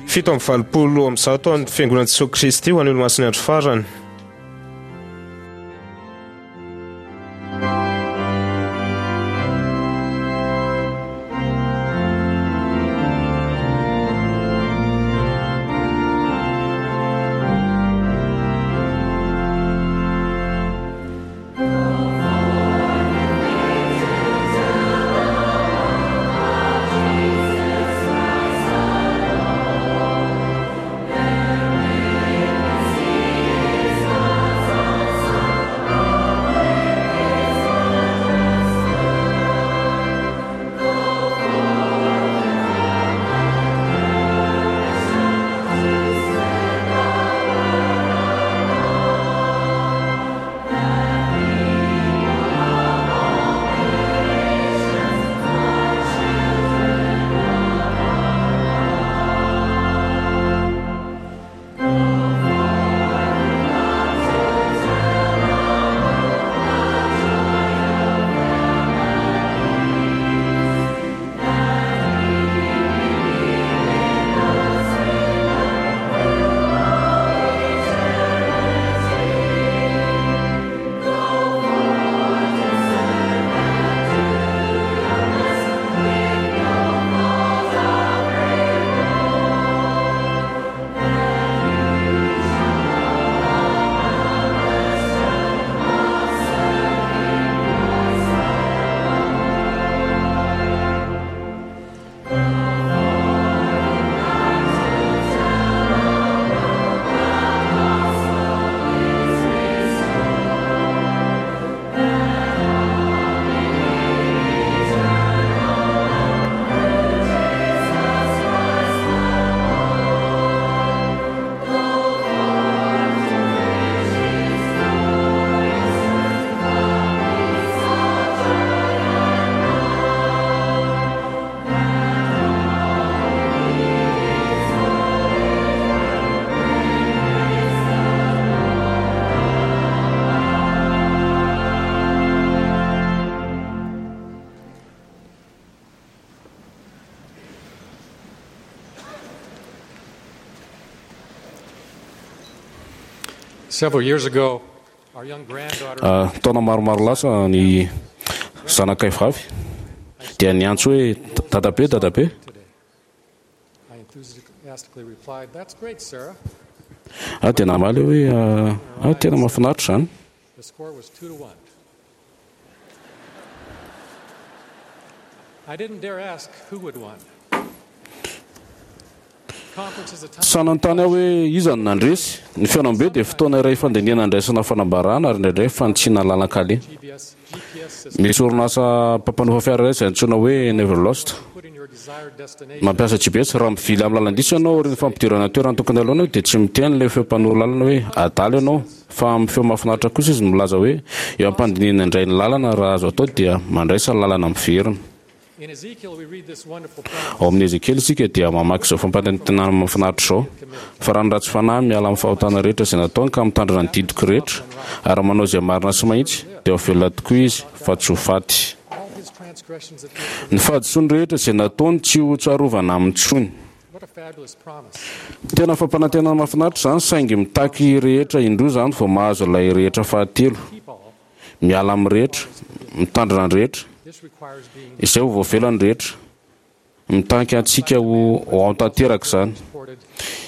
fito amby valopolo amby zato an'ny fiangonan'i Jesoa Kristy ho an'ny Olomasin'ny Andro Farany. Taona maromaro lasa ny zanakay vavy dia niantso hoe dadabe, dadabe. Ah, dia namaly hoe ah, tena mahafinaritra izany. Tsy nanontany aho hoe iza no nandresy. Ny fihaonambe dia fotoana iray fandinihana andraisana fanambarana ary indraindray fanitsiana lalan-kaleha. Misy orinasa mpampanofa fiara iray izay antsoina hoe Neverlost. Mampiasa G P S. Raha mivily amin'ny lalan-diso ianao aorian'ny fampidirana toerana tokony aloha dia tsy miteny ilay feo mpanoro lalana hoe adala ianao, fa amin'ny feo mahafinaritra kosa izy milaza hoe eo am-pandinihana indray ny lalana, raha azo atao dia mandraisa lalana miverina. Ao amin'ny Ezekiela isika dia mamaky izao fampanantenana mahafinaritra izao: "Fa raha ny ratsy fanahy miala amin'ny fahotana rehetra izay nataony ka mitandrina ny didiko rehetra ary manao izay marina sy mahitsy, dia ho velona tokoa izy fa tsy ho faty. Ny fahadisoany rehetra izay nataony tsy ho tsarovana aminy intsony." Tena fampanantenana mahafinaritra izany, saingy mitaky rehetra indroa izany vao mahazo ilay rehetra fahatelo. Miala amin'ny rehetra, mitandrina ny rehetra, izay ho voavela ny rehetra. Mitaky antsika ho ao tanteraka izany.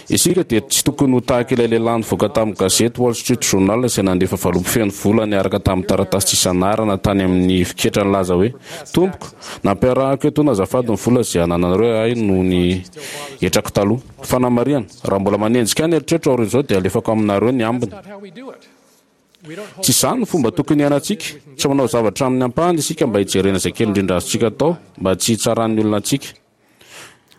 Isika dia tsy tokony ho tahaka ilay lehilahy nivoaka tamin'ny gazety Wall Street Journal izay nandefa valopy feno vola niaraka tamin'ny taratasy tsisy anarana tany amin'ny fiketra nilaza hoe: "Tompoko, nampiarahako etoana azafady ny vola izay anananareo ahy noho ny hetrako taloha. Fanamarihana, raha mbola manenjika ahy ny eritreritro aorian'izao dia alefako aminareo ny ambiny." Tsy izany no fomba tokony hiainantsika. Tsy manao zavatra amin'ny ampahany isika mba hijerena izay kely indrindra azontsika atao mba tsy hitsaran'ny olona antsika.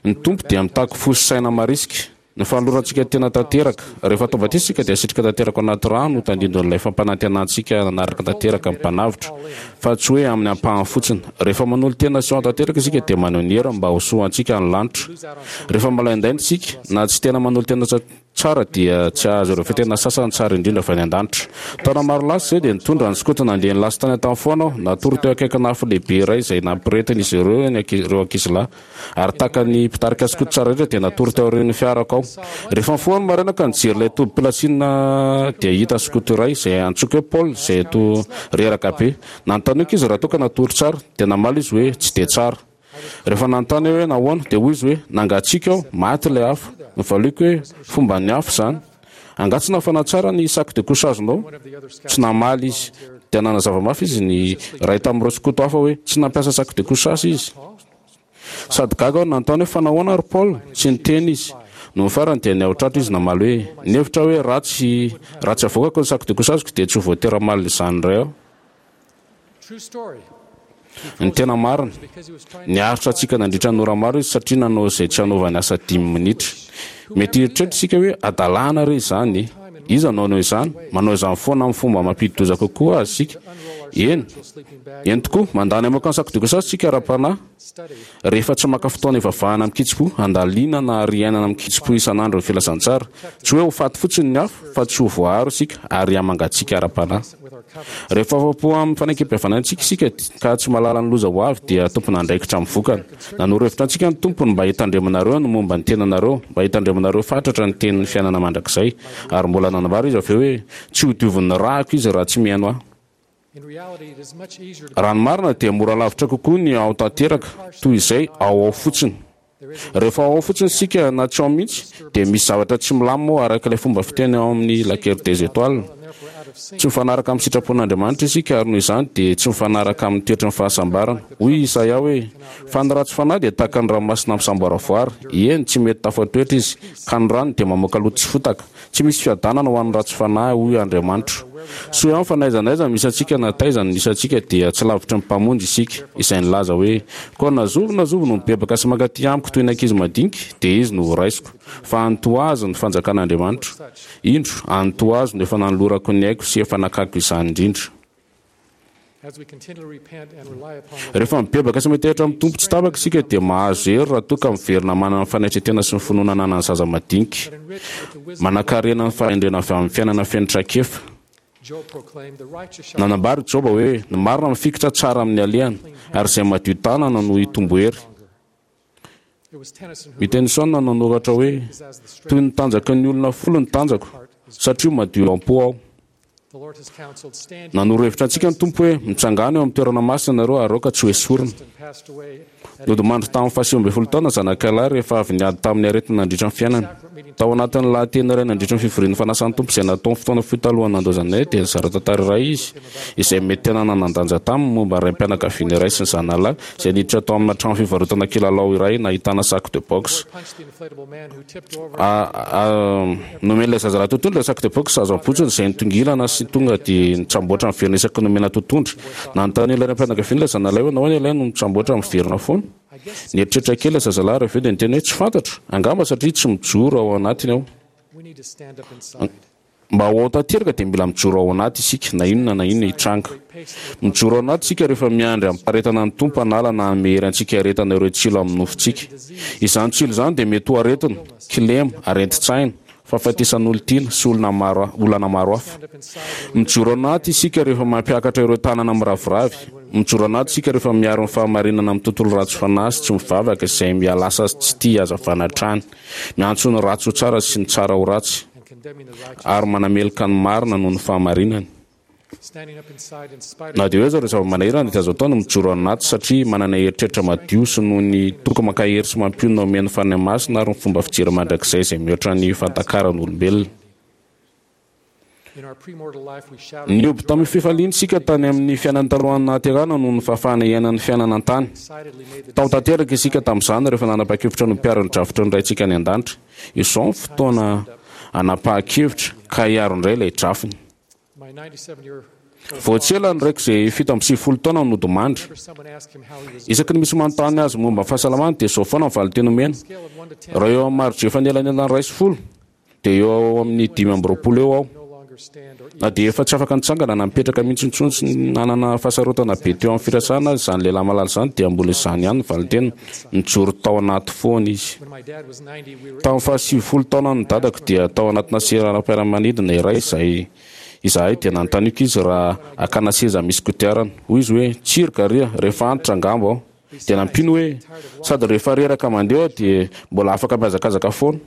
Ny Tompo dia mitaky fo sy saina marisika. Ny fanolorantsika tena tanteraka. Rehefa atao batisa isika dia asitrika tanteraka ao anaty rano ho tandindon'ilay fampanantenantsika nanaraka tanteraka ny Mpanavotra, fa tsy hoe amin'ny ampahany fotsiny. Rehefa manolo-tena sy ao tanteraka isika dia maneho ny heriny mba ho soa ho antsika ny lanitra. Rehefa malaindaina isika, na tsy tena manolo-tena tsara dia tsy hahazo ireo fitena sasany tsara indrindra avy any an-danitra. Taona maro lasa izay dia nitondra ny skoto nandeha nilasy tany an-tany foana aho. Natory teo akaikin'afo lehibe iray izay nampiretin'izy ireo ny ireo ankizilahy. Ary tahaka ny mpitarika skoto tsara rehetra dia natory teo aorian'ny fiarako aho. Rehefa nifoha ny maraina ka nijery ilay tobim-pilasiana dia hita skoto iray izay antsoiko hoe Paul izay toa reraka be. Nanontaniako izy raha toa ka natory tsara. Dia namaly izy hoe tsy dia tsara. Rehefa nanontany aho hoe nahoana, dia hoy izy hoe, Nangatsiaka aho, maty ilay afo. Novaliako hoe, Fomban'ny afo izany. Angaha tsy nafana tsara ny sac de couchage-nao? Tsy namaly izy. Dia nanazava mafy izy ny iray tamin'ireo skoto hafa hoe tsy nampiasa sac de couchage izy. Sady gaga aho nanontany hoe, Fa nahoana ry Paul? Tsy niteny izy. Nony farany dia niahotratra izy namaly hoe, Nihevitra aho hoe raha tsy raha tsy avoakako ny sac de couchage-ko dia tsy ho voatery hamaly izany indray aho. Ny tena marina, niaritra hatsiaka nandritra ny ora maro izy satria nanao izay tsy hanaovany asa dimy minitra. Mety hieritreritra isika hoe, 'Hadalana re izany e! Iza no hanao izany? Manao izany foana amin'ny fomba mampidi-doza kokoa aza isika. Eny, eny tokoa, mandany hamoaka ny sakodoka isika ara-panahy. Rehefa tsy maka fotoana hivavahana amin-kitsim-po, handalinana ary hiainana amin-kitsim-po isan'andro ny filazantsara, tsy hoe ho faty fotsiny ny hafa, fa tsy ho voaaro isika ary hihamangatsiaka ara-panahy. Rehefa afa-po amin'ny fanekempihavanantsika isika ka tsy mahalala ny loza ho avy dia tompon'andraikitra amin'ny vokany. Nanoro hevitra antsika ny Tompo ny mba hitandremanareo ny momba ny tenanareo, mba hitandremanareo fatratra ny tenin'ny fiainana mandrakizay. Ary mbola nanambara Izy avy eo hoe, Tsy hodiovin'ny rako izy raha tsy mihaino Ahy. Raha ny marina dia mora lavitra kokoa ny ao tanteraka toy izay ao ao fotsiny. Rehefa ao ao fotsiny isika na tsy ao mihitsy dia misy zavatra tsy milamina ao araka ilay fomba fiteny ao amin'ny La Guerre des Étoiles. Tsy mifanaraka amin'ny sitrapon'Andriamanitra isika ary noho izany dia tsy mifanaraka amin'ny toetry ny fahasambarana. Hoy i Isaia hoe, Fa ny ratsy fanahy dia tahaka ny ranomasina misamboaravoara, eny, tsy mety tafatoetra izy, ka ny ranony dia mamoaka loto sy fotaka. Tsy misy fiadanana ho an'ny ratsy fanahy, hoy Andriamanitra. Soa ihany fa na aiza na aiza misy antsika na taiza no nisy antsika dia tsy lavitry ny Mpamonjy isika, izay nilaza hoe, Koa na zovy na zovy no mibebaka sy mankaty amiko toy ny ankizy madinika, dia izy no horaisiko. Fa an'ny toa azy ny fanjakan'Andriamanitra. Indro, an'ny toa azy no efa nanolorako ny aiko sy efa nakako izany indrindra. Rehefa mibebaka sy metehatra amin'ny Tompo tsy tapaka isika dia mahazo hery raha toa ka miverina manana ny fanetren-tena sy ny finoana ananan'ny zaza madinika. Manankarena ny fahendrena avy amin'ny fiainana feno traikefa. Nanambara i Joba hoe, Ny marina mifikitra tsara amin'ny alehany, ary izay madio tanana no hitombo hery. I Tennyson no nanoratra hoe, Toy ny tanjaky ny olona folo ny tanjako, satria madio am-po aho. Nanoro hevitra antsika ny Tompo hoe, Mitsangàna eo amin'ny toerana masina ianareo ary aoka tsy hoesorina. Nodimandry tamin'ny fahasivy ambin'ny folo taona zanakalahy rehefa avy niady tamin'ny aretina nandritra ny fiainany. Tao anatin'ny lahateny iray nandritra ny fivorian'ny fanasan'ny Tompo izay nataony fotoana fohy talohan'ny nandaozanay dia nizara tantara iray izy izay mety tena nanan-danja taminy momba ny raim-pianakaviana iray sy ny zanany lahy izay niditra tao amina trano fivarotana kilalao iray nahitana sac de boxe. Nomen'ilay zazalahy tontolo ilay sac de boxe azo am-potsiny izay nitongilana sy sy tonga dia nitsamboatra miverina isaky ny nomena totohondry. Nanontany ilay raim-pianakaviana ilay zanalahy hoe nahoana ilay no mitsamboatra miverina foana. Nieritreritra kely ilay zazalahy ary avy eo dia niteny hoe tsy fantatro, angamba satria tsy mijoro ao anatiny aho. Mba ho ao tanteraka dia mila mijoro ao anaty isika, na inona na inona hitranga. Mijoro ao anaty isika rehefa miandry amim-paharetana ny Tompo hanala na hanome hery antsika hiaretana ireo tsilo amin'ny nofontsika. Izany tsilo izany dia mety ho aretina, kilema, aretin-tsaina, fahafatesan'olon-tiana, sy olona maro olana maro hafa. Mijoro ao anaty isika rehefa mampiakatra ireo tanana miraviravy. Mijoro anaty isika rehefa miaro ny fahamarinana amin'ny tontolo ratsy fanahy sy tsy mivavaka izay mihalasa tsy tia hazavana hatrany. Miantso ny ratsy ho tsara sy ny tsara ho ratsy, ary manameloka ny marina noho ny fahamarinany. Na dia eo aza ireo zava-manahirana dia azo atao ny mijoro anaty satria manana eritreritra madio sy noho ny toky mankahery sy mampionona omen'ny Fanahy Masina ary ny fomba fijery mandrakizay izay mihoatra ny fahatakaran'olombelona. Nihoby tamin'ny fifaliana isika tany amin'ny fiainana talohan'ny nahaterahana noho ny fahafahana hiaina ny fiainana an-tany. Tao tanteraka isika tamin'izany rehefa nanapa-kevitra ny ho mpiaro ny drafitry ny Raintsika any an-danitra. Izao ny fotoana hanapahan-kevitra ka hiaro indray ilay drafiny. Vao tsy ela ny raiko izay fito amby sivifolo taona no nodimandry. Isaky ny misy manontany azy momba ny fahasalamany dia izao foana ny valin-teny omena, Raha eo amin'ny mari-drefa anelanelan'ny iray sy folo, dia eo amin'ny dimy amby roapolo eo aho. Na dia efa tsy afaka nitsangana na nipetraka mihitsy intsony sy nanana fahasarotana be teo amin'ny firasana aza izany lehilahy malala izany dia mbola izany ihany ny valin-teniny, nijoro tao anaty foana izy. Tamin'ny fahasivifolo taonan'ny dadako dia tao anatina seranam-piaramanidina iray izay izahay dia nanontaniako izy raha hakana seza misy kodiarana. Hoy izy hoe, Tsia ry Garia, rehefa antitra angamba aho. Dia nampiany hoe, Sady rehefa reraka mandeha aho dia mbola afaka mihazakazaka foana.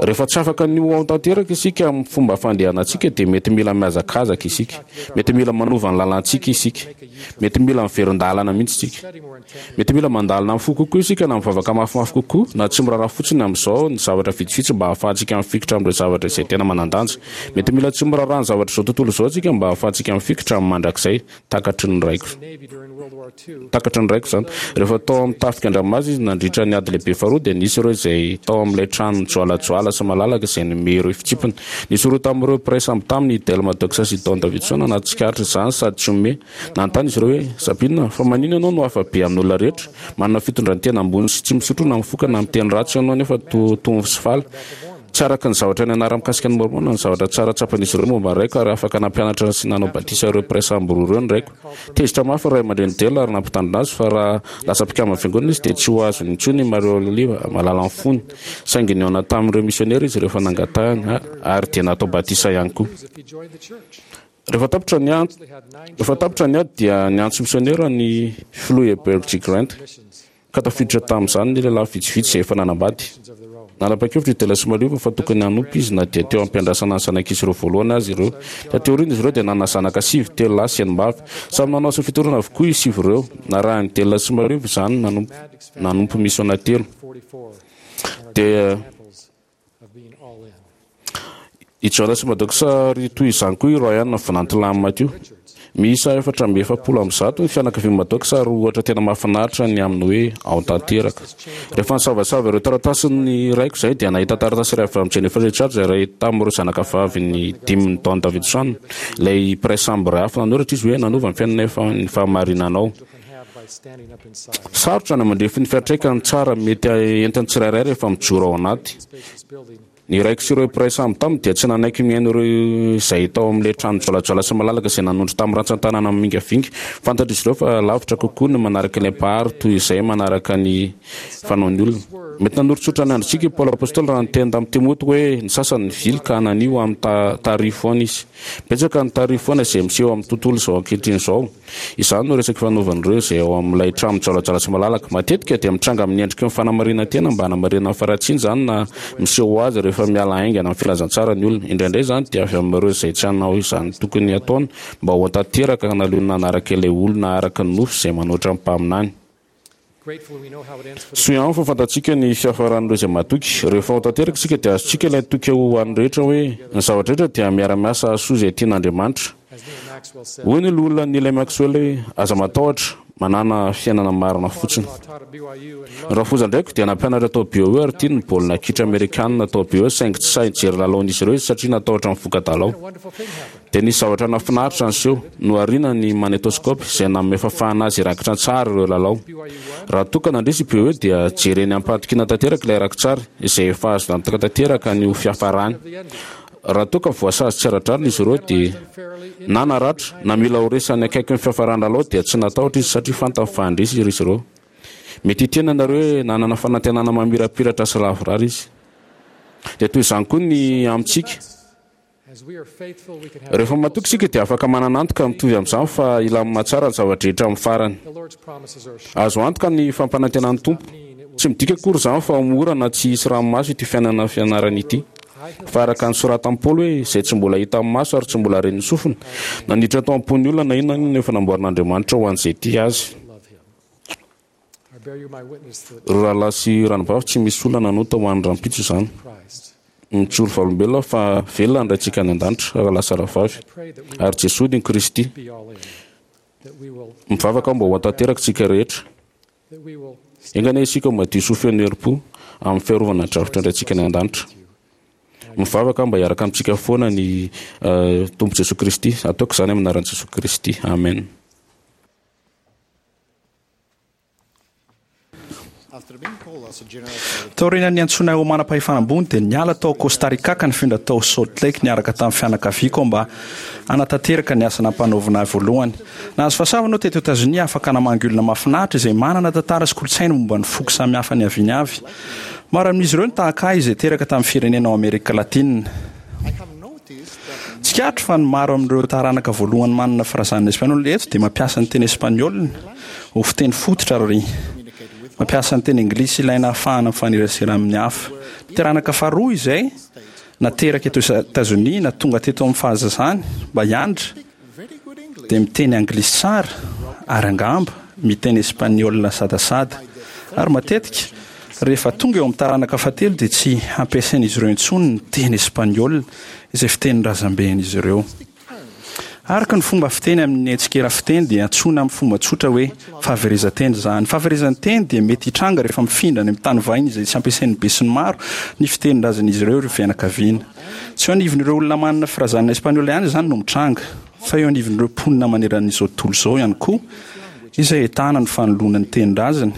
Rehefa tsy afaka ny ho ao tanteraka isika amin'ny fomba fandehanantsika dia mety mila mihazakazaka isika. Mety mila manova ny lalantsika isika. Mety mila miverin-dalana mihitsy isika. Mety mila mandalina amin'ny fo kokoa isika na mivavaka mafimafy kokoa na tsy miraharaha fotsiny amin'izao ny zavatra vitsivitsy mba hahafahantsika mifikitra amin'ireo zavatra izay tena manan-danja. Mety mila tsy miraharaha ny zavatr'izao tontolo izao isika mba hahafahantsika mifikitra amin'ny mandrakizay. Takatry ny raiko. Takatry ny raiko izany. Rehefa tao amin'ny tafika an-dranomasina izy nandritra ny ady lehibe faharoa dia nisy ireo izay tao amin'ilay trano mijoalajoala sy malalaka izay nome ireo fitsipiny. Nisy roa tamin'ireo mpiray sambo taminy, i Del Maddox sy i Don Davidson, nahatsikaritra izany sady tsy homehy. Nanontany izy ireo hoe, Sabina, fa maninona ianao no hafa be amin'ny olona rehetra? Manana fitondran-tena ambony sy tsy misotro na mifoka na miteny ratsy ianao nefa toa tony sy faly. Tsy araka ny zavatra nianarany mikasika ny Môrmôna ny zavatra tsara tsapan'izy ireo momba ny raiko ary afaka nampianatra sy nanao batisa ireo mpiray sambo roa ireo ny raiko. Tezitra mafy ny ray aman-drenin'i Dell ary nampitandrina azy fa raha lasa mpikamban'ny fiangonana izy dia tsy ho azony intsony i Maria Oliva malalan'ny fony. Saingy nihaona tamin'ireo misiônera izy rehefa nangatahany ary dia natao batisa ihany koa. Rehefa tapitra ny ady, rehefa tapitra ny ady dia niantso misionera ny Filoha Heber G. Grant, ka tafiditra tamin'izany ny lehilahy vitsivitsy izay efa nanambady. Nanapa-kevitra i Della sy Maliova fa tokony hanompo izy na dia teo am-piandrasana ny zanak'izy ireo voalohany aza ireo. Taty aoriana izy ireo dia nanana zanaka sivy, telo lahy sy enim-bavy. Samy nanao asa fitoriana avokoa izy sivy ireo. Narahin'i Della sy Maliova izany nanompo nanompo misiona telo. Dia. I Jonas Maddox ary toy izany koa i Ryan vinantilahin'i Matthew. Miisa efatra amby efapolo amby zato ny fianakavian'i Maddox ary ohatra tena mahafinaritra ny amin'ny hoe ao tanteraka. Rehefa nisavasava ireo taratasin'ny raiko izahay dia nahita taratasy iray avy amin'i Jennifer Richards iray tamin'ireo zanakavavin'ny dimin'i Don Davidson, ilay mpiray sambo iray hafa. Nanoratra izy hoe, Nanova ny fiainanay ny fahamarinanao. Sarotra ny mandrefy ny fiantraikany tsara mety entin'ny tsirairay rehefa mijoro ao anaty. Ny raiko sy ireo mpiray sambo taminy dia tsy nanaiky mihaino ireo izay tao amin'ilay trano joalajoala sy malalaka izay nanondro tamin'ny rantsan-tanana mimingavinga. Fantatr'izy ireo fa lavitra kokoa ny manaraka ilay Mpahary toy izay manaraka ny fanaon'ny olona. Mety nanoritsoritra ny androntsika i Paoly Apostoly raha niteny tamin'i Timoty hoe ny sasany nivily ka nania ho amin'ny tarihy foana izy. Betsaka ny tarihy foana izay miseho amin'ny tontolo izao ankehitriny izao. Izany no resaka ifanaovan'ireo izay ao amin'ilay trano mijoalajoala sy malalaka. Matetika dia mitranga amin'ny endriky ny fanamarinan-tena mba hanamarinana ny faharatsiana izany na miseho ho azy rehefa miala haingana amin'ny filazantsara ny olona. Indraindray izany dia avy amin'ireo izay tsy hanao izany tokony hataony mba ho tanteraka ka naleony nanaraka ilay olona araka ny nofo izay manoatra ny mpaminany. Soa ihany fa fantatsika ny fiafaran'ireo izay matoky. Rehefa ho tanteraka isika dia azontsika ilay toky ho an'ny rehetra hoe, Ny zavatra rehetra dia miara-miasa hahasoa izay tian'Andriamanitra. Hoy ny Loholona Neil A. Maxwell hoe, Aza matahotra, Manàna fiainana marina fotsiny. Ny rafozan-draiko dia nampianatra tao B Y U ary tiany ny baolina kitra amerikanina tao B Y U saingy tsy sahy nijery lalaon'izy ireo izy satria natahotra ny voka-dalao. Dia nisy zavatra nahafinaritra niseho, nohariana ny magnétoscope izay nanome fahafahana azy hirakitra an-tsary ireo lalao. Raha toa ka nandresy i B Y U dia jereny am-pahatokiana tanteraka ilay rakitsary izay efa azo antoka tanteraka ny ho fiafarany. Raha toa ka voasazy tsy ara-drariny izy ireo dia na naratra na mila ho resy any akaikin'ny fiafaran'ny lalao dia tsy natahotra izy satria fantany fa handresy izy ireo. Mety hiteny ianareo hoe nanana fanantenana mamirapiratra sy lavorary izy. Dia toy izany koa ny amintsika. Rehefa matoky isika dia afaka manana antoka mitovy amin'izany fa hilamina tsara ny zava-drehetra amin'ny farany. Azo antoka ny fampanantenan'ny Tompo. Tsy midika akory izany fa ho mora na tsy hisy ranomaso ity fiainana fianarana ity. Fa araka ny soratan'i Paoly hoe, izay tsy mbola hitan'ny maso ary tsy mbola ren'ny sofina, na niditra tao am-pon'ny olona na inona na inona efa namboarin'Andriamanitra ho an'izay tia Azy. Ry rahalahy sy ranabavy, tsy misy olona nanota ho an'ny rahampitso izany. Mijoro vavolombelona aho fa velona ny Raintsika any an-danitra, rahalahy sy rahavavy, ary Jesoa dia ny Kristy. Mivavaka aho mba ho tanteraka isika rehetra. Enga anie isika ho madio sy ho feno herim-po amin'ny fiarovana ny drafitra ny Raintsika any an-danitra. Mivavaka aho mba hiaraka amintsika foana ny Tompo Jesoa Kristy. Ataoko izany amin'ny anaran'i Jesoa Kristy. Amen. Taorian'ny niantsoana ahy ho manam-pahefana ambony dia niala tao Costa Rica ka nifindra tao Salt Lake niaraka tamin'ny fianakaviako aho mba hanatanteraka ny asa nampanaovina ahy voalohany. Nahazo fahasoavana aho teto Etazonia afaka namangy olona mahafinaritra izay manana tantara sy kolontsaina momba ny foko samihafa niaviany avy. Maro amin'izy ireo no tahaka ahy izay teraka tamin'ny firenena ao Amerika Latina. Tsikaritro fa ny maro amin'ireo taranaka voalohany manana firazanana espaniola eto dia mampiasa ny teny espaniola ho fiteny fototra ary mampiasa ny teny anglisy ilaina hahafahana mifanerasera amin'ny hafa. Ny taranaka faharoa izay nateraka eto Etazonia na tonga teto amin'ny fahazazany mba hianatra dia miteny anglisy tsara ary angamba miteny espaniola sadasada. Ary matetika, rehefa tonga eo amin'ny taranaka fahatelo dia tsy ampiasain'izy ireo intsony ny teny espaniola izay fitenin-drazamben'izy ireo. Araka ny fomba fiteny amin'ny tsikera fiteny dia antsoina amin'ny fomba tsotra hoe fahaverezan-teny izany. Ny fahaverezan-teny dia mety hitranga rehefa mifindra any amin'ny tany vahiny izay tsy ampiasain'ny besinimaro ny fitenin-drazan'izy ireo ireo fianakaviana. Tsy eo anivon'ireo olona manana firazanana espaniola ihany izany no mitranga, fa eo anivon'ireo mponina manerana izao tontolo izao ihany koa, izay ahitana ny fanoloana ny tenin-drazany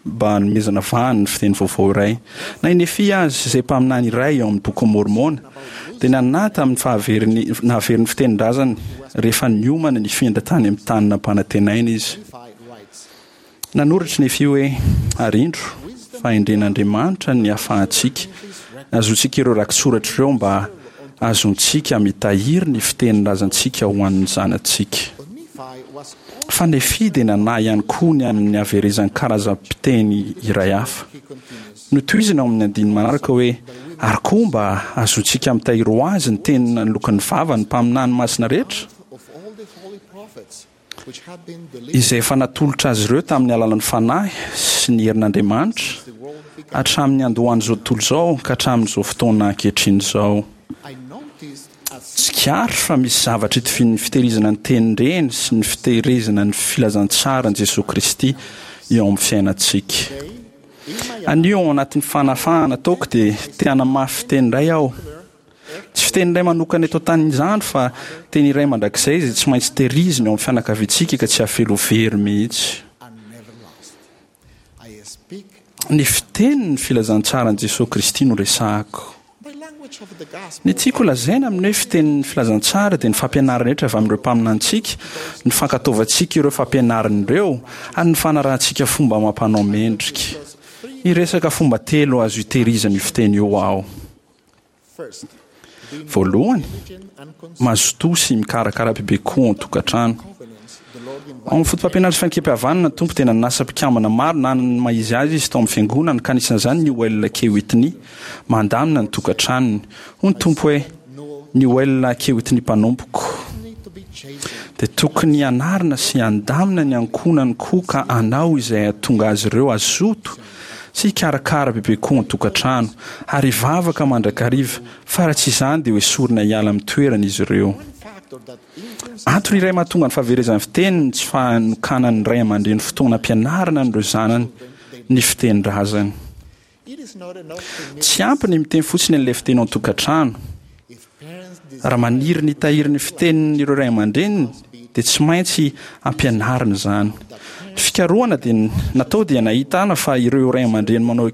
mba hanomezana vahana ny fiteny vaovao iray. Na i Nefia aza, izay mpaminany iray ao amin'ny Bokin'i Môrmôna, dia nanahy tamin'ny fahaveriny nahavery ny fitenin-drazany rehefa niomana ny hifindra tany amin'ny tany nampanantenaina izy. Nanoratra i Nefia hoe, Ary indro, fahendren'Andriamanitra ny hahafahantsika hahazoantsika ireo rakitsoratra ireo mba hahazoantsika mitahiry ny fitenin-drazantsika ho an'ny zanatsika. Fa Nefia dia nanahy ihany koa ny amin'ny haverezan'ny karazam-piteny iray hafa. Notohiziny ao amin'ny andininy manaraka hoe, Ary koa mba hahazoantsika mitahiry ho azy ny teny naloaky ny vavan'ny mpaminany masina rehetra, izay efa natolotra azy ireo tamin'ny alalan'ny Fanahy sy ny herin'Andriamanitra, hatramin'ny niandohan'izao tontolo izao ka hatramin'izao fotoana ankehitriny izao. Tsikaritra fa misy zavatra itovian'ny fitehirizana ny tenin-dreny sy ny fitehirizana ny filazantsaran'i Jesoa Kristy eo amin'ny fiainantsika. Anio ao anatin'ny fanafahana ataoko dia te hanamafy fiteny iray aho. Tsy fiteny iray manokana eto an-tany izany fa teny iray mandrakizay izay tsy maintsy tehirizina eo amin'ny fianakaviantsika ka tsy hafely ho very mihitsy. Ny fitenin'ny filazantsaran'i Jesoa Kristy no resahako. Ny tiako holazaina amin'ny hoe fitenin'ny filazantsara dia ny fampianarana rehetra avy amin'ireo mpaminanintsika, ny fankatoavantsika ireo fampianarana ireo, ary ny fanarahantsika fomba amam-panao mendrika. Hiresaka fomba telo azo itehirizana io fiteny io aho. Voalohany, mazotoa sy mikarakara bebe kokoa ao an-tokantrano. Ao amin'ny fotopampianarana sy fanekempihavanana, ny Tompo dia nanasa mpikambana maro nanana ny maha izy azy izy tao amin'ny Fiangonana, ka anisan'izany Newel K. Whitney, mandamina ny tokantranony. Hoy ny Tompo hoe, Newel K. Whitney mpanompoko dia tokony hanarina sy handamina ny ankohonany koa ka hanao izay hahatonga azy ireo hazoto sy hikarakara bebe koa an-tokantrano, ary hivavaka mandrakariva, fa raha tsy izany dia hoesorina hiala amin'ny toerany izy ireo. Antony iray mahatonga ny fahaverezan'ny fiteny ny tsy fanokanan'ny ray aman-dreny fotoana ampianarana an'ireo zanany ny fitenin-drazany. Tsy ampy ny miteny fotsiny an'ilay fiteny ao an-tokantrano. Raha maniry ny hitahiry ny fiteniny ireo ray aman-dreniny dia tsy maintsy ampianarina izany. Ny fikarohana dia natao dia nahitana fa ireo ray aman-dreny manao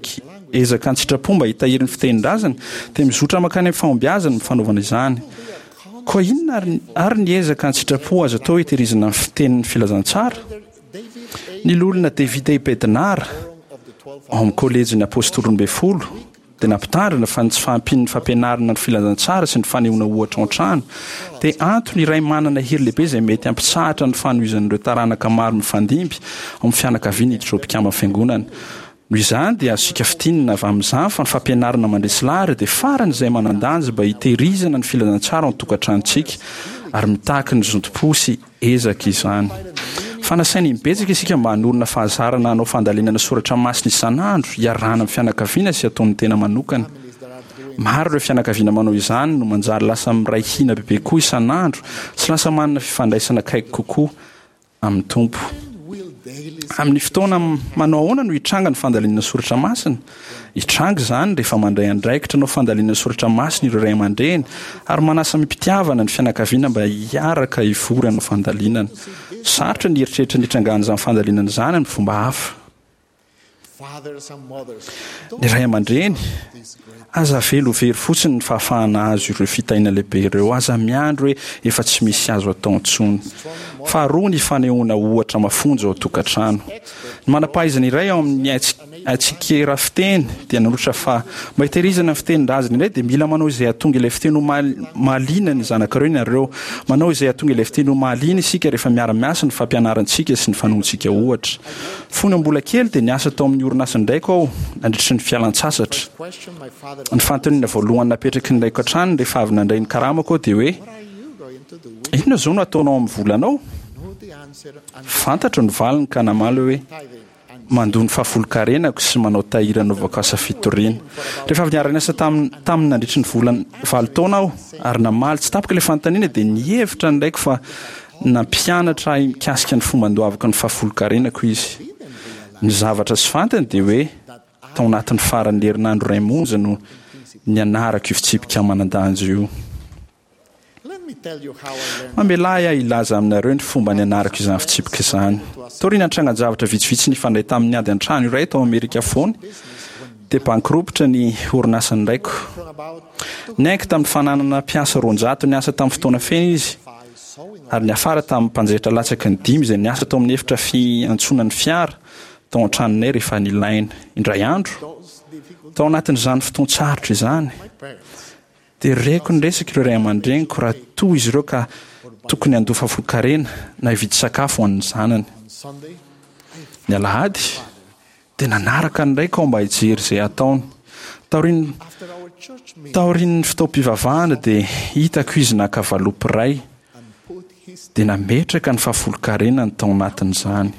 ezaka an-tsitrapo mba hitahiry ny fitenin-drazany dia mizotra mankany amin'ny fahombiazana ny fanaovana izany. Koa inona àry ny ezaka an-tsitrapo azo atao hitehirizana ny fitenin'ny filazantsara? Ny Loholona David A. Bednar, ao amin'ny Kôlejin'ny Apôstôly Roambinifolo, dia nampitandrina fa ny tsy fahampian'ny fampianarana ny filazantsara sy ny fanehoana ohatra ao an-trano dia antony iray manana hery lehibe izay mety hampitsahatra ny fanohizan'ireo taranaka maro mifandimby ao amin'ny fianakaviana hiditra ho mpikamban'ny Fiangonana. Noho izany dia azontsika fintinina avy amin'izany fa ny fampianarana mandresy lahatra dia faran'izay manan-danja mba hitehirizana ny filazantsara ao an-tokantranontsika ary mitaky ny zotom-po sy ezaka izany. Fa nasaina imbetsaka isika mba hanorina fahazarana hanao fandalinana soratra masina isan'andro hiarahana amin'ny fianakaviana sy ataon'ny tena manokana. Maro ireo fianakaviana manao izany no manjary lasa miray hina bebe kokoa isan'andro sy lasa manana fifandraisana akaiky kokoa amin'ny Tompo. Amin'ny fotoana manao ahoana no hitranga ny fandalinana soratra masina? Hitranga izany rehefa mandray andraikitra hanao fandalinana soratra masina ireo ray aman-dreny ary manasa amim-pitiavana ny fianakaviana mba hiaraka hivory hanao fandalinana. Sarotra ny hieritreritra ny hitrangan'izany fandalinana izany amin'ny fomba hafa. Ny ray aman-dreny, aza avela ho very fotsiny ny fahafahana hahazo ireo fitahiana lehibe ireo. Aza miandry hoe efa tsy misy azo atao intsony. Faharoa, ny fanehoana ohatra mafonja ao an-tokantrano. Ny manam-pahaizana iray ao amin'ny haitsikera fiteny dia nanoratra fa mba hitehirizana ny fitenin-drazana indray dia mila manao izay hahatonga ilay fiteny ho mahaliana ny zanakareo ianareo. Manao izay hahatonga ilay fiteny ho mahaliana isika rehefa miara-miasa ny fampianarantsika sy ny fanoantsika ohatra. Fony aho mbola kely dia niasa tao amin'ny orinasan-draiko aho nandritry ny fialan-tsasatra. Ny fanontaniana voalohany napetraky ny raiko hatrany rehefa avy nandray ny karamako aho dia hoe, Inona izao no hataonao amin'ny volanao? Fantatro ny valiny ka namaly aho hoe, Mandoa ny fahafolonkarenako sy manao tahiry hanaovako asa fitoriana. Rehefa avy niara-niasa taminy nandritry ny volana valo taona aho ary namaly tsy tapaka ilay fanontaniana dia nihevitra ny raiko fa Nampianatra ahy mikasika ny fomba andoavako ny fahafolonkarenako izy. Ny zavatra tsy fantany dia hoe tao anatin'ny faran'ny herinandro iray monja no nianarako io fitsipika manan-danja io. Mamelà ahy hilaza aminareo ny fomba nianarako izany fitsipika izany. Taorian'ny trangan-javatra vitsivitsy nifandray tamin'ny ady an-trano iray tao Amerika Afovoany, dia bankirompitra ny orinasan'ny raiko. Niaiky tamin'ny fananana mpiasa roanjato niasa tamin'ny fotoana feno izy, ary niafara tamin'ny mpanjaitra latsaky ny dimy izay niasa tao amin'ny efitra fiantsonan'ny fiara tao an-tranonay rehefa nilaina. Indray andro, tao anatin'izany fotoan-tsarotra izany, dia reko niresaka ireo ray aman-dreniko raha toa izy ireo ka tokony handoa fahafolonkarena na hividy sakafo ho an'ny zanany. Ny alahady, Dia nanaraka ny raiko aho mba hijery izay hataony. Taorian'ny Taorian'ny fotoam-pivavahana dia hitako izy naka valopy iray dia nametraka ny fahafolonkarenany tao anatin'izany.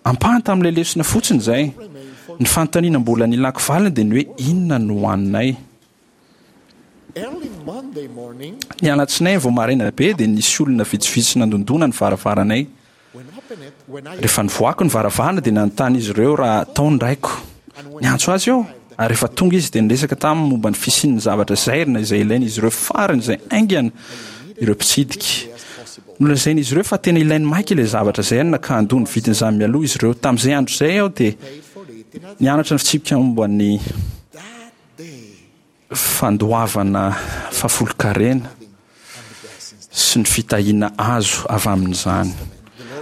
Ampahany tamin'ilay lesona fotsiny izay. Ny fanontaniana mbola nilako valiny dia ny hoe inona no hohaninay. Ny alatsinainy vao maraina be dia nisy olona vitsivitsy nandondona ny varavaranay. Rehefa nivoaka ny varavarana dia nanontany izy ireo raha tao ny raiko. Niantso azy aho ary rehefa tonga izy dia niresaka taminy momba ny fisian'ny zavatra zairina izay ilain'izy ireo faran'izay haingana ireo mpitsidika. Nolazain'izy ireo fa tena ilainy maika ilay zavatra zairina ka handoa ny vidin'izany mialoha izy ireo. Tamin'izay andro izay aho dia nianatra ny fitsipika momba ny fandoavana fahafolonkarena sy ny fitahiana azo avy amin'izany.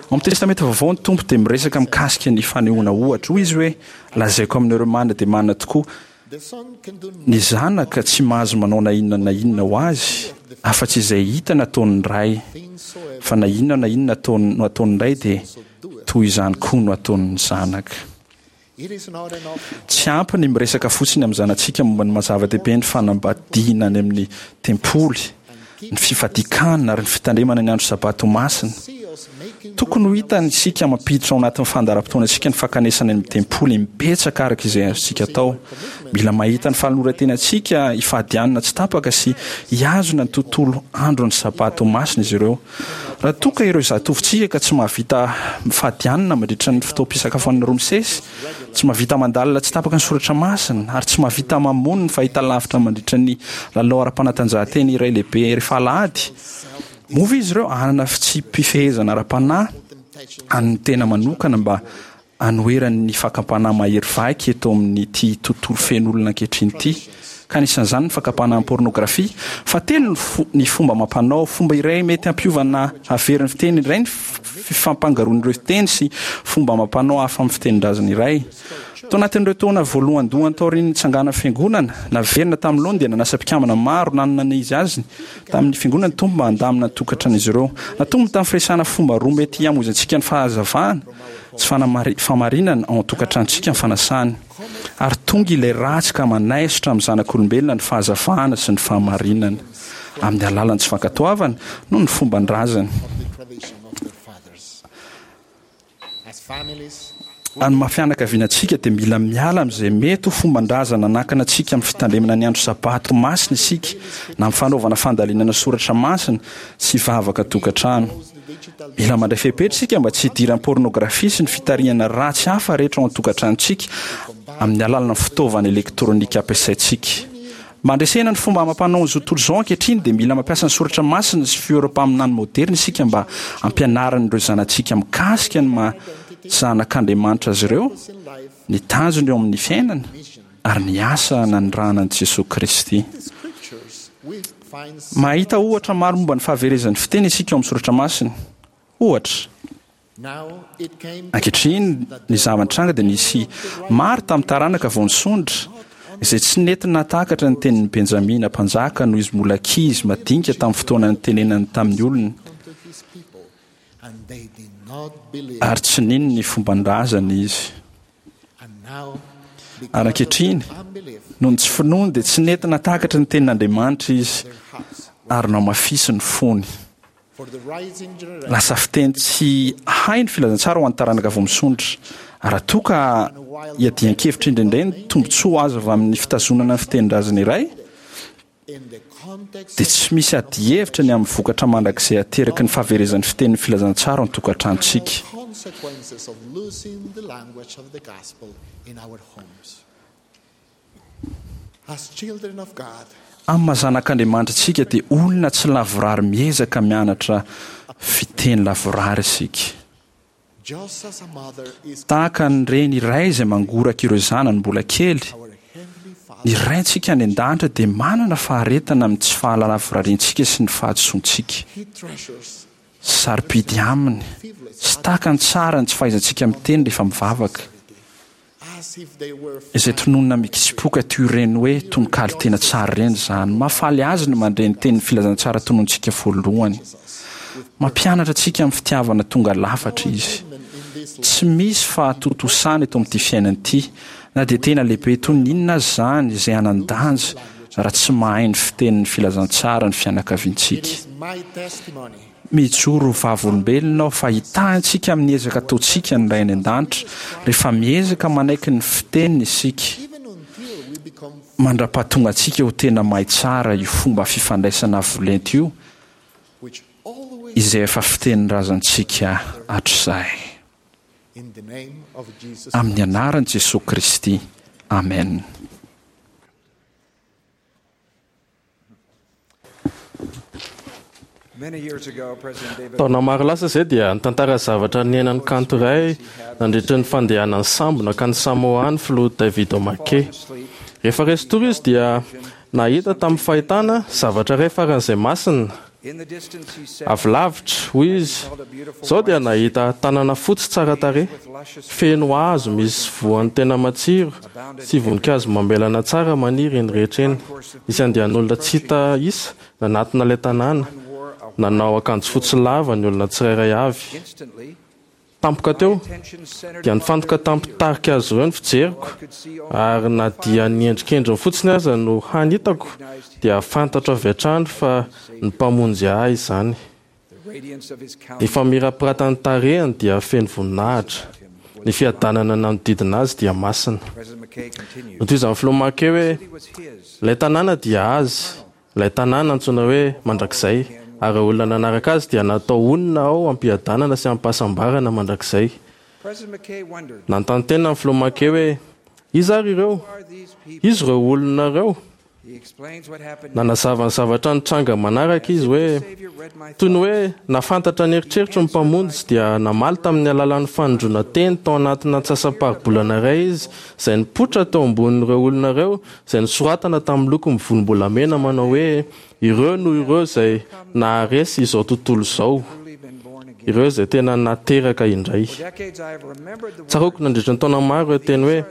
Ao amin'ny Testamenta Vaovao ny Tompo dia miresaka mikasika ny fanehoana ohatra. Hoy Izy hoe, Lazaiko aminareo marina dia marina tokoa, ny Zanaka tsy mahazo manao na inona na inona ho Azy, afa-tsy izay hitany ataon'ny Ray. Fa na inona na inona ataony, no ataon'ny Ray dia toy izany koa no ataon'ny Zanaka. Tsy ampy ny miresaka fotsiny amin'ny zanatsika momba ny maha-zava-dehibe ny fanambadiana any amin'ny tempoly, ny fifadian-kanina ary ny fitandremana ny andro Sabato ho masina. Tokony ho hitany isika mampiditra ao anatin'ny fandaharam-potoanantsika ny fankanesana any amin'ny tempoly imbetsaka araka izay azontsika atao. Mila mahita ny fanoloran-tenantsika hifady hanina tsy tapaka sy hihazona ny tontolo andron'ny Sabata ho masina izy ireo. Raha toa ka ireo zatovontsika ka tsy mahavita mifady hanina mandritra ny fotoam-pisakafoanana roa misesy, tsy mahavita mandalina tsy tapaka ny soratra masina, ary tsy mahavita mamono ny fahitalavitra mandritra ny lalao ara-panatanjahantena iray lehibe rehefa alahady, moa ve izy ireo hanana fitsipi-pifehezana ara-panahy an'ny tena manokana mba hanoherany ny fakam-panahy mahery vaika eto amin'ity tontolo feno olona ankehitriny ity, ka anisan'izany ny fakam-panahy amin'ny pôrnôgrafia? Fahatelo, ny fomba amam-panao. Fomba iray mety hampiova na hahavery ny fiteny indray ny fifampangaroan'ireo fiteny sy fomba amam-panao hafa amin'ny fitenin-drazana iray. Tao anatin'ireo taona voalohandohany taorian'ny nitsanganan'ny Fiangonana, naverina tamin'ny laoniny dia nanasa mpikambana maro nanana ny izy azy tamin'ny Fiangonana ny Tompo mba handamina ny tokantran'izy ireo. Natombony tamin'ny firesahana fomba roa mety hamoizantsika ny fahazavana sy fahamarinana ao an-tokantranontsika ny fanasany. Ary tonga ilay ratsy ka manaisotra amin'ny zanak'olombelona ny fahazavana sy ny fahamarinana, amin'ny alalan'ny tsy fankatoavana noho ny fomban-drazany. Amin'ny maha fianakaviana antsika dia mila miala amin'izay mety ho fomban-drazana nanakana antsika amin'ny fitandremana ny andro Sabato masina isika, na amin'ny fanaovana fandalinana soratra masina sy vavaka an-tokantrano. Mila mandray fepetra isika mba tsy hidiran'ny pôrnôgrafia sy ny fitarihana ratsy hafa rehetra ao an-tokantranontsika amin'ny alalan'ny fitaovana elektrônika ampiasaintsika. Mba handresena ny fomba amam-panaon'izao tontolo izao ankehitriny dia mila mampiasa ny soratra masina sy fioram-paminany moderina isika mba hampianarana ireo zanatsika mikasika ny maha zanak'Andriamanitra azy ireo, ny tanjony eo amin'ny fiainana ary ny asa nanirahana an'i Jesoa Kristy. Mahita ohatra maro momba ny fahaverezan'ny fiteny isika ao amin'ny soratra masina. Ohatra. Ankehitriny, ny zava-nitranga dia nisy maro tamin'ny taranaka vao nisondra, izay tsy nety nahatakatra ny tenin'i Benjamina mpanjaka noho izy mbola ankizy madinika tamin'ny fotoana nitenenany tamin'ny olony, ary tsy nino ny fomban-drazany izy. Ary ankehitriny, noho ny tsy finoany dia tsy nety nahatakatra ny tenin'Andriamanitra izy, ary nohamafisiny ny fony. Lasa fiteny tsy hay ny filazantsara ho an'ny taranaka vao misondrotra. Raha toa ka iadian-kevitra indraindray ny tombontsoa azo avy amin'ny fitazonana ny fitenin-drazana iray, dia tsy misy adihevitra ny amin'ny vokatra mandrakizay ateraky ny fahaverezan'ny fitenin'ny filazantsara ao an-tokantranontsika. Amin'ny maha zanak'Andriamanitra antsika dia olona tsy lavorary miezaka mianatra fiteny lavorary isika. Tahaka ny reny iray izay mangoraka ireo zanany mbola kely, ny Raintsika any an-danitra dia manana faharetana amin'ny tsy fahalalavorariantsika sy ny fahadisoantsika. Sarobidy aminy sy takany tsara ny tsy fahaizantsika miteny rehefa mivavaka. Izay tononina mikitsipoka toy ireny hoe tononkalo tena tsara ireny izany. Mahafaly azy ny mandre ny tenin'ny filazantsara tononintsika voalohany. Mampianatra antsika amin'ny fitiavana tonga lafatra izy. Tsy misy fahatontosana eto amin'ity fiainana ity, na dia tena lehibe toy ny inona aza izany, izay hanan-danja raha tsy mahay ny fitenin'ny filazantsara ny fianakaviantsika. Mijoro ho vavolombelona aho fa hitahy antsika amin'ny ezaka ataontsika ny Ray any An-danitra rehefa miezaka manaiky ny fiteniny isika, mandra-pahatonga antsika ho tena mahay tsara io fomba fifandraisana avo lenta io izay efa fitenin-drazantsika hatrizay. Amin'ny anaran'i Jesoa Kristy, amena. Taona maro lasa izay dia nitantara zavatra niainan'ny kanto iray nandritra ny fandehanany sambo nankany Samoa ny filoha David O'Mackey. Rehefa resy tory izy dia nahita tamin'ny fahitana zavatra iray faran'izay masina. Avy lavitra, hoy izy, izao dia nahita tanana fotsy tsara tarehy, feno hazo misy voany tena matsiro sy voninkazo mamelana tsara maniry eny rehetra eny. Nisy andian'olona tsy hita isa nanatona ilay tanàna. Nanao akanjo fotsy lava ny olona tsirairay avy. Tampoka teo, dia nifantoka tamin'ny mpitarika azy ireo ny fijeriko, ary na dia ny endrikendriny fotsiny aza no hany hitako, dia fantatro avy hatrany fa ny Mpamonjy ahy izany. Ny famirapiratan'ny tarehiny dia feno voninahitra. Ny fiadanana nanodidina azy dia masina. Notohizan'ny filoha McKay hoe ilay tanàna dia azy, ilay tanàna antsoina hoe mandrakizay, ary ireo olona nanaraka azy dia natao honina ao am-piadanana sy am-pahasambarana mandrakizay. Nanontany tena ny filoha McKay hoe iza ary ireo? Iza ireo olona ireo? Nanazava ny zavatra nitranga manaraka izy hoe toy ny hoe nahafantatra ny eritreritro ny Mpamonjy dia namaly tamin'ny alalan'ny fanondroana teny tao anatina antsasam-paribolana iray izy izay nipoitra teo ambonin'ireo olona ireo izay nosoratana tamin'ny loko mivolombolamena manao hoe ireo no ireo izay naharesy izao tontolo izao, ireo izay tena nateraka indray. Tsaroako nandritra ny taona maro ireo teny hoe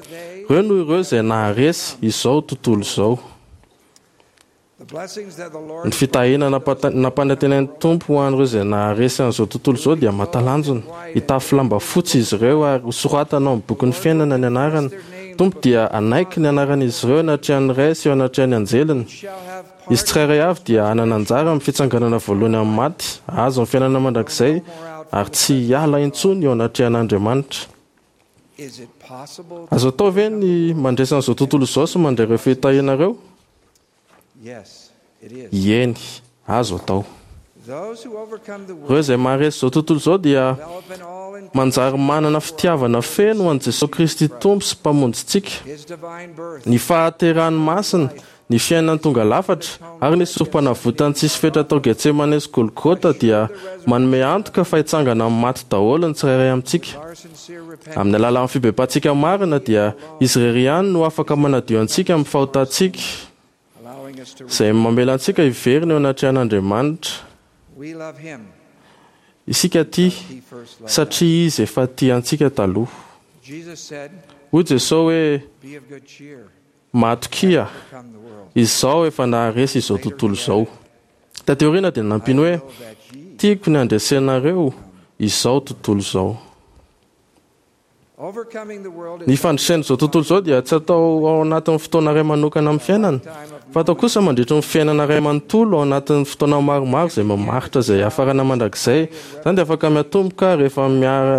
ireo no ireo izay naharesy izao tontolo izao. Ny fitahiana nampanantenain'ny Tompo ho an'ireo izay naharesy an'izao tontolo izao dia mahatalanjona. Hitafy lamba fotsy izy ireo ary hosoratana ao amin'ny bokin'ny fiainana ny anarany. Tompo dia hanaiky ny anaran'izy ireo anatrehan'ny Ray sy eo anatrehan'ny anjeliny. Izy tsirairay avy dia hanana anjara amin'ny fitsanganana voalohany amin'ny maty, hahazo ny fiainana mandrakizay ary tsy hiala intsony eo anatrehan'Andriamanitra. Azo atao ve ny mandresy an'izao tontolo izao sy mandray ireo fitahiana ireo? Eny, azo atao. Ireo izay maharesy izao tontolo izao dia manjary manana fitiavana feno ho an'i Jesosy Kristy Tompo sy Mpamonjintsika. Ny fahaterahany masina, ny fiainany tonga lafatra ary ny sorom-panavotany tsisy fetra tao Getsemane sy Golgota dia manome antoka fa hitsangana amin'ny maty daholo ny tsirairay amintsika. Amin'ny alalan'ny fibebahantsika marina dia izy irery ihany no afaka manadio antsika amin'ny fahotantsika, izay mamela antsika hiverina eo anatrehan'Andriamanitra. Isika tia satria izy efa tia antsika taloha. Hoy Jesosy hoe matokia, izaho efa naharesy izao tontolo izao. Taty aoriana dia nampiany hoe tiako ny handresenareo izao tontolo izao. Ny fandresen'izao tontolo izao dia tsy atao ao anatin'ny fotoana iray manokana amin'ny fiainana, fa atao kosa mandritra ny fiainana iray manontolo ao anatin'ny fotoana maromaro izay mamaritra izay hiafarana mandrakizay. Izany dia afaka miatomboka rehefa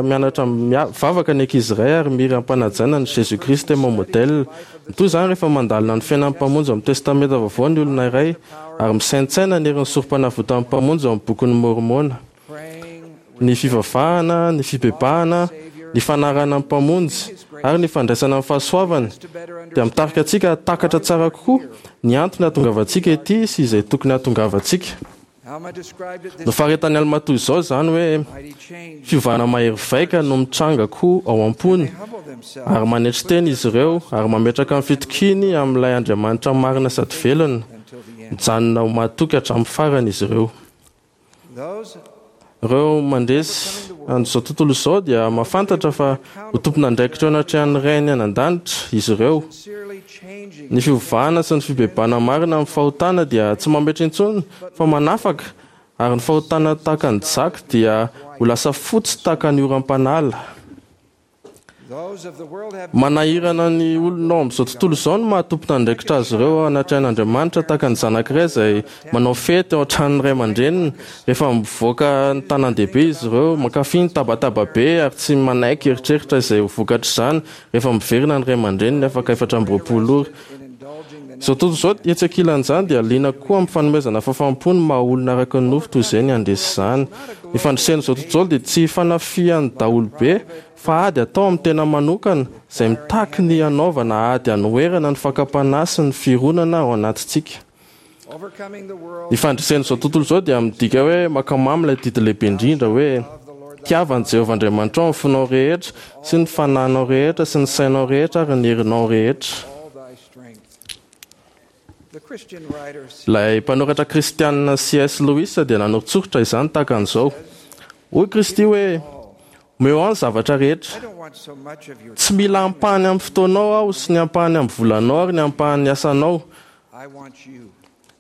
mianatra mivavaka ny ankizy iray ary mihira am-panajana ny Jésus Christ est mon modèle. Mitohy izany rehefa mandalina ny fiainan'ny Mpamonjy ao amin'ny Testamenta Vaovao ny olona iray ary misaintsaina ny herin'ny sorom-panavotan'ny Mpamonjy ao amin'ny bokin'ny Môrmôna. Ny fivavahana, ny fibebahana, ny fanarahana ny Mpamonjy ary ny fandraisana ny fahasoavany dia mitarika antsika hahatakatra tsara kokoa ny antony hahatongavantsika ety sy izay tokony hahatongavantsika. Nofaritany Alma toy izao izany hoe fiovana mahery vaika no mitranga koa ao am-pony ary manetry tena izy ireo ary mametraka ny fitokiany amin'ilay Andriamanitra marina sady velona. Mijanona ho mahatoky hatramin'ny farany izy ireo. Ireo mandresy an'izao tontolo izao dia mahafantatra fa ho tompon'andraikitra eo anatrehan'ny Rainy any an-danitra izy ireo. Ny fiovana sy ny fibebahana marina amin'ny fahotana dia tsy mametra intsony fa manafaka, ary ny fahotana tahaka ny jaky dia ho lasa fotsy tahaka ny oram-panala. Manahirana ny olona ao amin'izao tontolo izao ny maha-tompon'andraikitra azy ireo ao anatrehan'Andriamanitra tahaka ny zanak'iray izay manao fety ao an-tranon'ny ray aman-dreniny rehefa mivoaka ny tanàn-dehibe izy ireo, mankafy ny tabataba be ary tsy manaiky eritreritra izay ho vokatr'izany rehefa miverina ny ray aman-dreniny afaka efatra amby roapolo ora. Izao tontolo izao etsy ankilan'izany dia liana kokoa amin'ny fanomezana fahafaham-po ny maha-olona araka ny nofo toy izay ny handresy izany. Ny fandresen'izao tontolo izao dia tsy fanafihan'ny daholobe fa ady atao amin'ny tena manokana izay mitaky ny hanaovana ady hanoherana ny fakam-panahy sy ny fironana ao anatintsika. Ny fandresen'izao tontolo izao dia midika hoe mankamamy ilay didy lehibe indrindra hoe tiava an'i Jehovah Andriamanitrao amin'ny fonao rehetra sy ny fanahinao rehetra sy ny sainao rehetra ary ny herinao rehetra. Ilay mpanoratra kristianina C S Lewis dia nanoritsoritra izany tahaka an'izao. Hoy Kristy hoe omeo ahy ny zavatra rehetra. Tsy mila ampahany amin'ny fotoanao aho sy ny ampahany amin'ny volanao ary ny ampahan'ny asanao.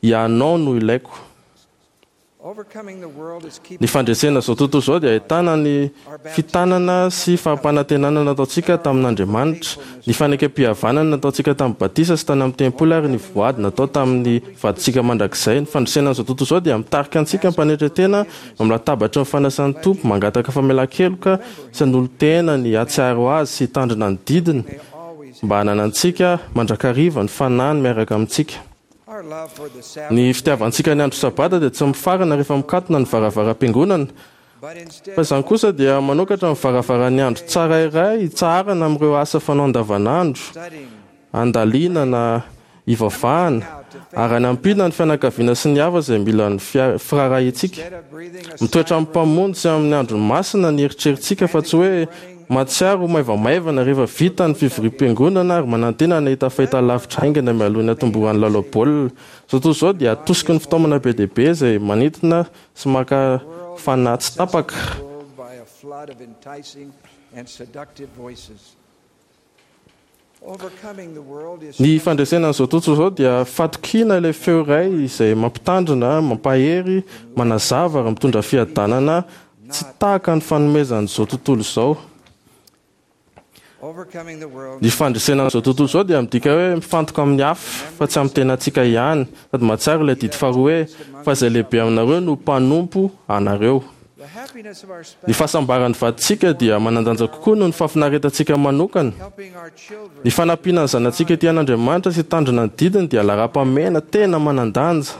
Ianao no ilaiko. Ny fandresena izao tontolo izao dia ahitana ny fitanana sy fampanantenana nataontsika tamin'Andriamanitra, ny fanekem-pihavanana nataontsika tamin'ny batisa sy tany amin'ny tempoly ary ny voady natao tamin'ny vadintsika mandrakizay. Ny fandresena an'izao tontolo izao dia mitarika antsika am-panetren-tena eo amin'ny latabatry ny fanasan'ny Tompo, mangataka famelan-keloka sy hanolo-tena ny hahatsiaro Azy sy hitandrina ny didiny mba hananantsika mandrakariva ny Fanahiny miaraka amintsika. Ny fitiavantsika ny andro Sabata dia tsy mifarana rehefa mikatona ny varavaram-piangonana, fa izany kosa dia manokatra ny varavaran'ny andro tsara iray hitsaharana amin'ireo asa fanao andavanandro, handalinana, hivavahana, ary hanampiana ny fianakaviana sy ny hafa izay mila ny firaharahiantsika. Mitoetra amin'ny Mpamonjy sy amin'ny androny masina ny eritreritsika fa tsy hoe mahatsiaro ho maivamaivana rehefa vita ny fivoriam-piangonana ary manantena ny hahita fahitalavitra haingana mialoha ny hatombohan'ny lalao baolina. Izao tontolo izao dia atosiky ny fitaomana be dia be izay manintona sy maka fanahy tsy tapaka. Ny fandresena an'izao tontolo izao dia fatokiana ilay feo iray izay mampitandrina, mampahery, manazava ary mitondra fiadanana tsy tahaka ny fanomezan'izao tontolo izao. Ny fandresena an'izao tontolo izao dia midika hoe mifantoka amin'ny hafa fa tsy amin'ny tenantsika ihany, sady mahatsiaro ilay didy faharoa hoe, Fa izay lehibe aminareo no mpanompo anareo. Ny fahasambaran'ny vadintsika dia manan-danja kokoa noho ny fahafinaretantsika manokana. Ny fanampiana ny zanatsika ety an'Andriamanitra sy hitandrina ny didiny dia laharam-pahamehana tena manan-danja.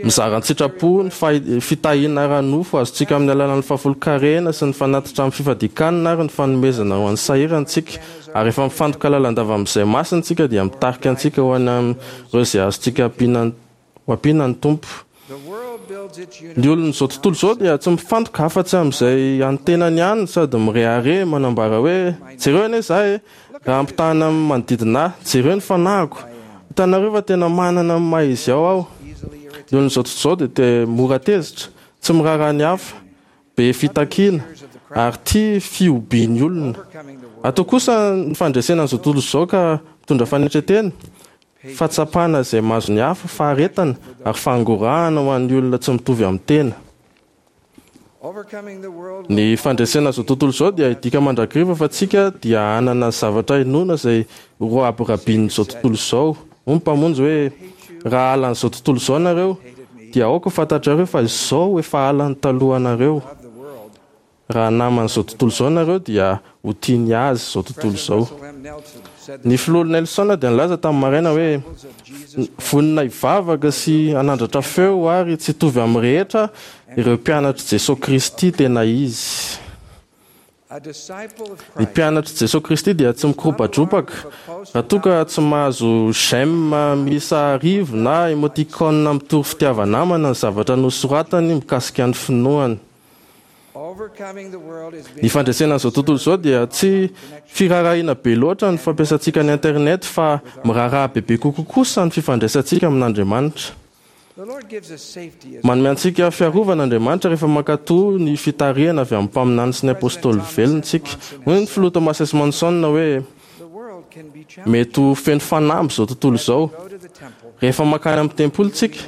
Mizara an-tsitrapo ny fitahiana ara-nofo azontsika amin'ny alalan'ny fahafolonkarena sy ny fanatitra amin'ny fifadian-kanina ary ny fanomezana ho an'ny sahirana isika. Ary rehefa mifantoka lalandava amin'izay masina isika dia mitarika antsika ho any amin'ireo izay azontsika ampiana ho ampiana ny Tompo. Ny olon'izao tontolo izao dia tsy mifantoka afa-tsy amin'izay an'ny tenany ihany sady mirehareha manambara hoe, Jereo anie izaho e! Raha ampitahana amin'ny manodidina ahy, jereo ny fanahiko! Hitanareo fa tena manana ny maha izy ao aho. Ny olon'izao tontolo izao dia te mora tezitra, tsy miraharaha ny hafa, be fitakiana, ary tia fihobian'ny olona. Atao kosa ny fandresena an'izao tontolo izao ka mitondra fanetren-tena, fahatsapana izay mahazo ny hafa, faharetana, ary fangorahana ho an'ny olona tsy mitovy amin'ny tena. Ny fandresena izao tontolo izao dia hidika mandrakariva fa tsika dia hanana zavatra inoana izay roabirabian'izao tontolo izao. Hoy ny Mpamonjy hoe, Raha halan'izao tontolo izao nareo, dia aoka ho fantatrareo fa izao efa halany talohanareo. Raha naman'izao tontolo izao nareo dia ho tia ny azy izao tontolo izao. Ny Filoha Nelson dia nilaza tamin'ny maraina hoe, Vonona hivavaka sy hanandratra feo ary tsy hitovy amin'ny rehetra ireo mpianatr'i Jesoa Kristy tena izy. Ny mpianatr'i Jesoa Kristy dia tsy mikorobadrobaka raha toa ka tsy mahazo j'aime miisa arivo na emoticon mitory fitiava-namana ny zavatra nosoratany mikasika ny finoany. Ny fandresena an'izao tontolo izao dia tsy firaharahiana be loatra ny fampiasantsika ny Internet fa miraharaha bebe kokoa kosa ny fifandraisantsika amin'Andriamanitra. Manome antsika fiarovana Andriamanitra rehefa mankatò ny fitarihana avy amin'ny mpaminany sy ny apostoly velona isika. Hoy ny Filoha Thomas S. Monson hoe, Mety ho feno fanamby izao tontolo izao. Rehefa mankany amin'ny tempoly isika,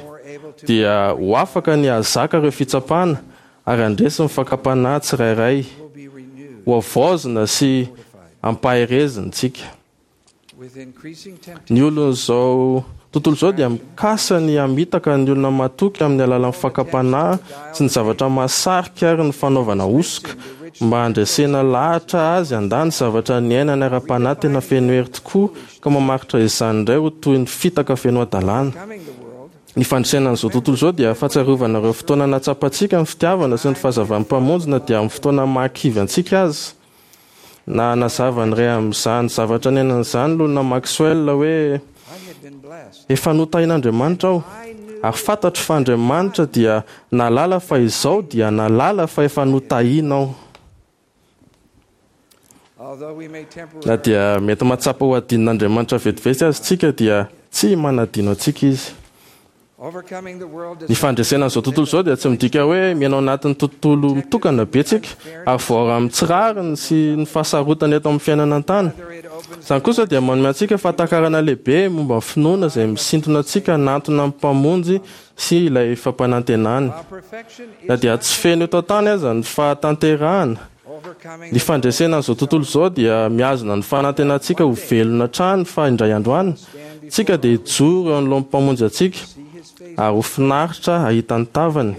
dia ho afaka ny hahazaka ireo fitsapana ary handresy ny fakam-panahy tsirairay. Hohavaozina sy hampaherezina isika. Ny olon'izao tontolo izao dia mikasa ny hamitaka ny olona matoky amin'ny alalan'ny fakam-panahy sy ny zavatra mahasarika ary ny fanaovana hosoka mba handresena lahatra azy handà ny zavatra niainany ara-panahy tena feno hery tokoa ka mamaritra izany indray ho toy ny fitaka feno hadalana. Ny fandresena an'izao tontolo izao dia fahatsiarovana ireo fotoana nahatsapantsika ny fitiavana sy ny fahazavan'ny Mpamonjy na dia amin'ny fotoana mahakivy antsika aza. Na hanazava ny iray amin'izany zavatra niainana izany Lona Maxwell hoe, Efa notahin'Andriamanitra aho, ary fantatro fa Andriamanitra dia nahalala fa izao dia nahalala fa efa notahiana aho. Na dia mety mahatsapa ho adinon'Andriamanitra vetivety aza isika dia tsy manadino antsika Izy. Ny fandresena an'izao tontolo izao dia tsy midika hoe miaina ao anatin'ny tontolo mitokana be tsika ary voaaro amin'ny tsy rariny sy ny fahasarotana eto amin'ny fiainana an-tany. Izany kosa dia manome antsika fahatakarana lehibe momba ny finoana izay misintona antsika hanantona ny Mpamonjy sy ilay fampanantenany. Na dia tsy feno eto an-tany aza ny fahatanterahana, ny fandresena an'izao tontolo izao dia mihazona ny fanantenantsika ho velona hatrany fa indray andro any, tsika dia hijoro eo anoloan'ny Mpamonjy antsika ary ho finaritra hahita ny tavany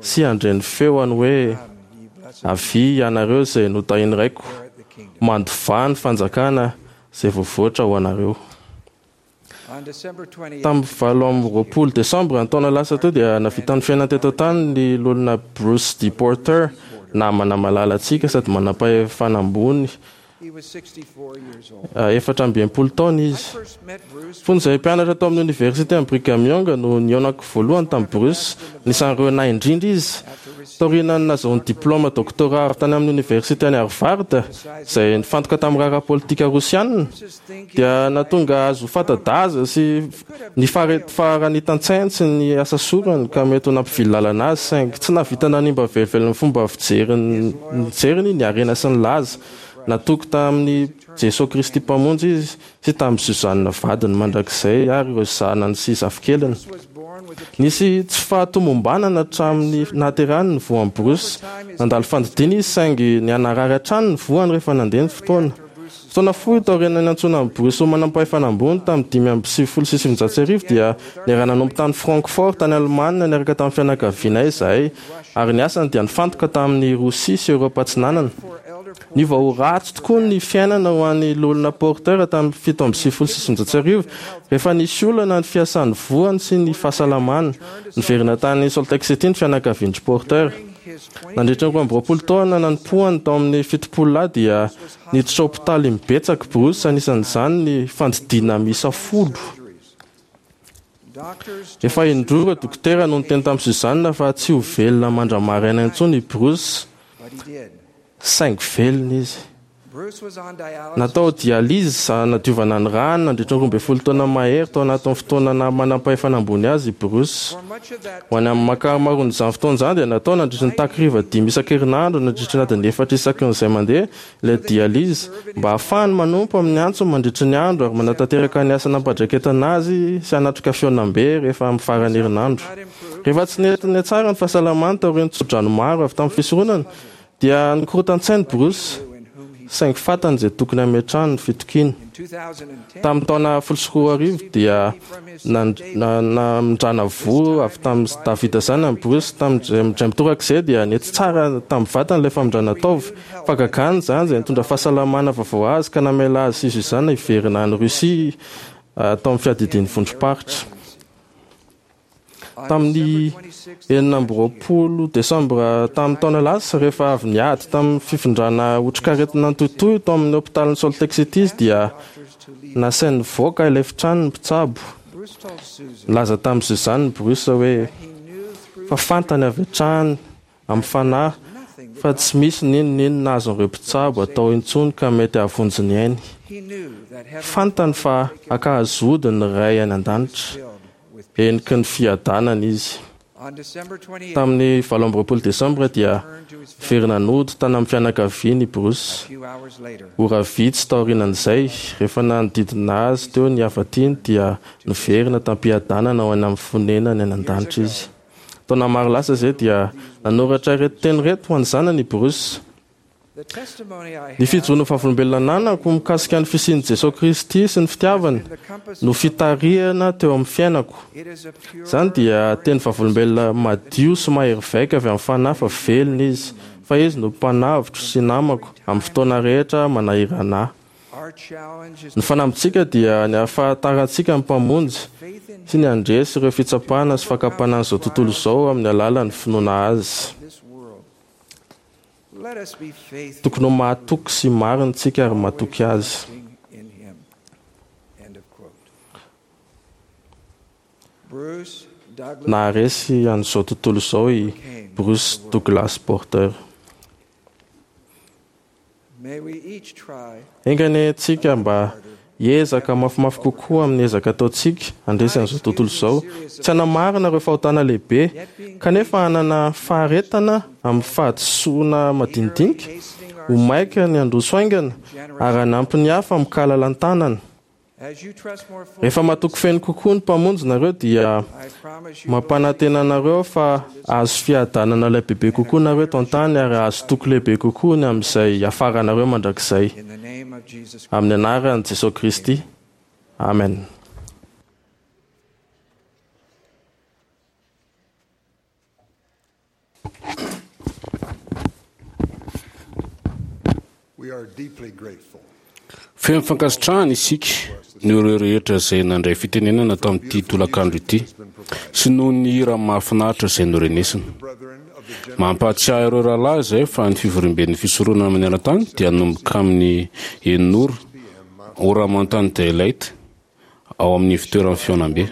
sy handre ny feony hoe: "Avia ianareo izay notahian'ny Raiko, mandovà ny fanjakana izay voavoatra ho anareo." Tamin'ny valo amby roapolo desambra ny taona lasa teo dia nahavita ny fiainana teto an-tany ny loholona Bruce D. Porter, namana malala antsika sady manam-pahefana ambony. Efatra amby enimpolo taona izy. Fony izahay mpianatra tao amin'ny oniversite any Brigham Young no nihaonako voalohany tamin'i Bruce, anisan'ireo nahy indrindra izy. Taorian'ny nahazoany diplaoma doctorat avy tany amin'ny oniversite any Harvard, izay nifantoka tamin'ny raharaha politika rosiana, dia nahatonga azy ho fanta-daza sy ny faharanitan-tsainy sy ny asa sorany ka mety ho nampivily lalana azy, saingy tsy nahavita nanimba velively ny fomba fijeriny nijeriny ny harena sy ny laza. Natoky tamin'i Jesoa Kristy Mpamonjy izy sy tamin'i Suzanne vadiny mandrakizay ary ireo zanany sy zafikeliny. Nisy tsy fahatomombanana hatramin'ny nahaterahany ny voan'i Bruce. Nandalo fandidiana izy saingy nihanarary hatrany ny voany rehefa nandeha ny fotoana. Fotoana fohy taorian'ny niantsoana an'i Bruce ho manampahefana ambony tamin'ny dimy amby sivifolo sy sivinjato sy arivo dia niara-nanompo tany Francfort tany Alemana niaraka tamin'ny fianakavianay izahay ary ny asany dia nifantoka tamin'i Rosia sy Eoropa Atsinanana. Niova ho ratsy tokoa ny fiainana ho an'ny Loholona Porter tamin'ny fito amby sivifolo sy sivinjato sy arivo rehefa nisy olana ny fiasan'ny voany sy ny fahasalamany. Niverina tany Salt Lake City ny fianakavian-dry Porter. Nandritra ny roa amby roapolo taona nanompoany tao amin'ny fitopolo lahy dia niditra hopitaly imbetsaka Bruce, anisan'izany ny fandidiana miisa folo. Efa indroa ireo dokotera no niteny tamin'i Suzanne fa tsy ho velona mandra-maraina intsony i Bruce, saingy velona izy. Natao dialyse hanadiovana ny rany nandritra ny roa ambin'ny folo taona mahery tao anatin'ny fotoana naha manam-pahefana ambony azy i Bruce. Ho an'ny ankamaroan'izany fotoana izany dia natao nandritra ny takariva dimy isan-kerinandro nandritra ny adiny efatra isaky ny izay mandeha ilay dialyse mba hahafahany manompo amin'ny antsony mandritra ny andro ary manatanteraka ny asa nampandraiketana azy sy hanatrika fihaonambe rehefa amin'ny faran'ny herinandro. Rehefa tsy nety nihatsara ny fahasalamany taorian'ny tsodrano maro avy tamin'ny fisoronana dia nikorotan-tsaina Bruce, saingy fantany izay tokony hametrahany ny fitokiany. Tamin'ny taona folo sy roa arivo dia namindrana voa avy tamin'i Davida zanany Bruce. Tamin'izay mitoraka izay dia nety tsara tamin'ny vatany ilay famindrana taova. Fahagagana izany izay nitondra fahasalamana vaovao azy ka namela azy sy Suzanne hiverina any Russie tao amin'ny fiadidian'ny vondrom-paritra. Tamin'ny enina amby roapolo desambra tamin'ny taona lasa, rehefa avy niady tamin'ny fifindrana otrikaretina nitohitohy tao amin'ny hopitalin'i Salt Lake City izy dia nasainy nivoaka ilay efitrano ny mpitsabo. Nilaza tamin'i Suzanne Bruce hoe fa fantany avy hatrany amin'ny fanahy fa tsy misy n'inon'inona azon'ireo mpitsabo atao intsony ka mety hahavonjy ny ainy. Fantany fa hankahazo ody ny Ray any an-danitra. Heniky ny fiadanana izy. Tamin'ny valo amby roapolo desambra dia niverina nody tany amin'ny fianakaviany i Bruce. Ora vitsy taorianan'izay, rehefa nanodidina azy teo ny hafa-tiany dia niverina tam-piadanana ho any amin'ny fonenany any an-danitra izy. Taona maro lasa izay dia nanoratra ireto teny ireto ho an'ny zanany i Bruce. Ny fijoroan'ny vavolombelona ananako mikasika ny fisian'i Jesoa Kristy sy ny fitiavany no fitarihana teo amin'ny fiainako. Izany dia teny vavolombelona madio sy mahery vaika avy amin'ny Fanahy fa velona Izy, fa Izy no Mpanavotro sy namako amin'ny fotoana rehetra manahirana ahy. Ny fanambintsika dia ny hahafantarantsika ny Mpamonjy sy ny handresy ireo fitsapana sy fakam-panahin'izao tontolo izao amin'ny alalan'ny finoana Azy. Tokony ho mahatoky sy marina isika ary matoky Azy. Naharesy an'izao tontolo izao i Bruce Douglas Porter. Enga anie isika mba Hiezaka mafimafy kokoa amin'ny ezaka ataontsika handresy an'izao tontolo izao, tsy hanamarina ireo fahotana lehibe, kanefa hanana faharetana amin'ny fahadisoana madinidinika, ho maika ny handroso haingana, ary hanampy ny hafa amin-kalalan-tanana. Rehefa matoky feno kokoa ny Mpamonjy nareo dia mampanantena anareo aho fa hahazo fiadanana lehibe kokoa nareo eto an-tany ary hahazo toky lehibe kokoa ny amin'izay hiafaranareo mandrakizay. Amin'ny anaran'i Jesosy Kristy. Amen. Feno fankasitrahana isika noho ireo rehetra izay nandray fitenenana tamin'ity tolakandro ity sy noho ny hira mahafinaritra izay norenesina. Mampahatsiahy ireo rahalahy izay fa ny fivoriamben'ny fisoronana maneran-tany dia hanomboka amin'ny enina ora, ora Mountain Daylight, ao amin'ny fitoeran'ny fihaonambe.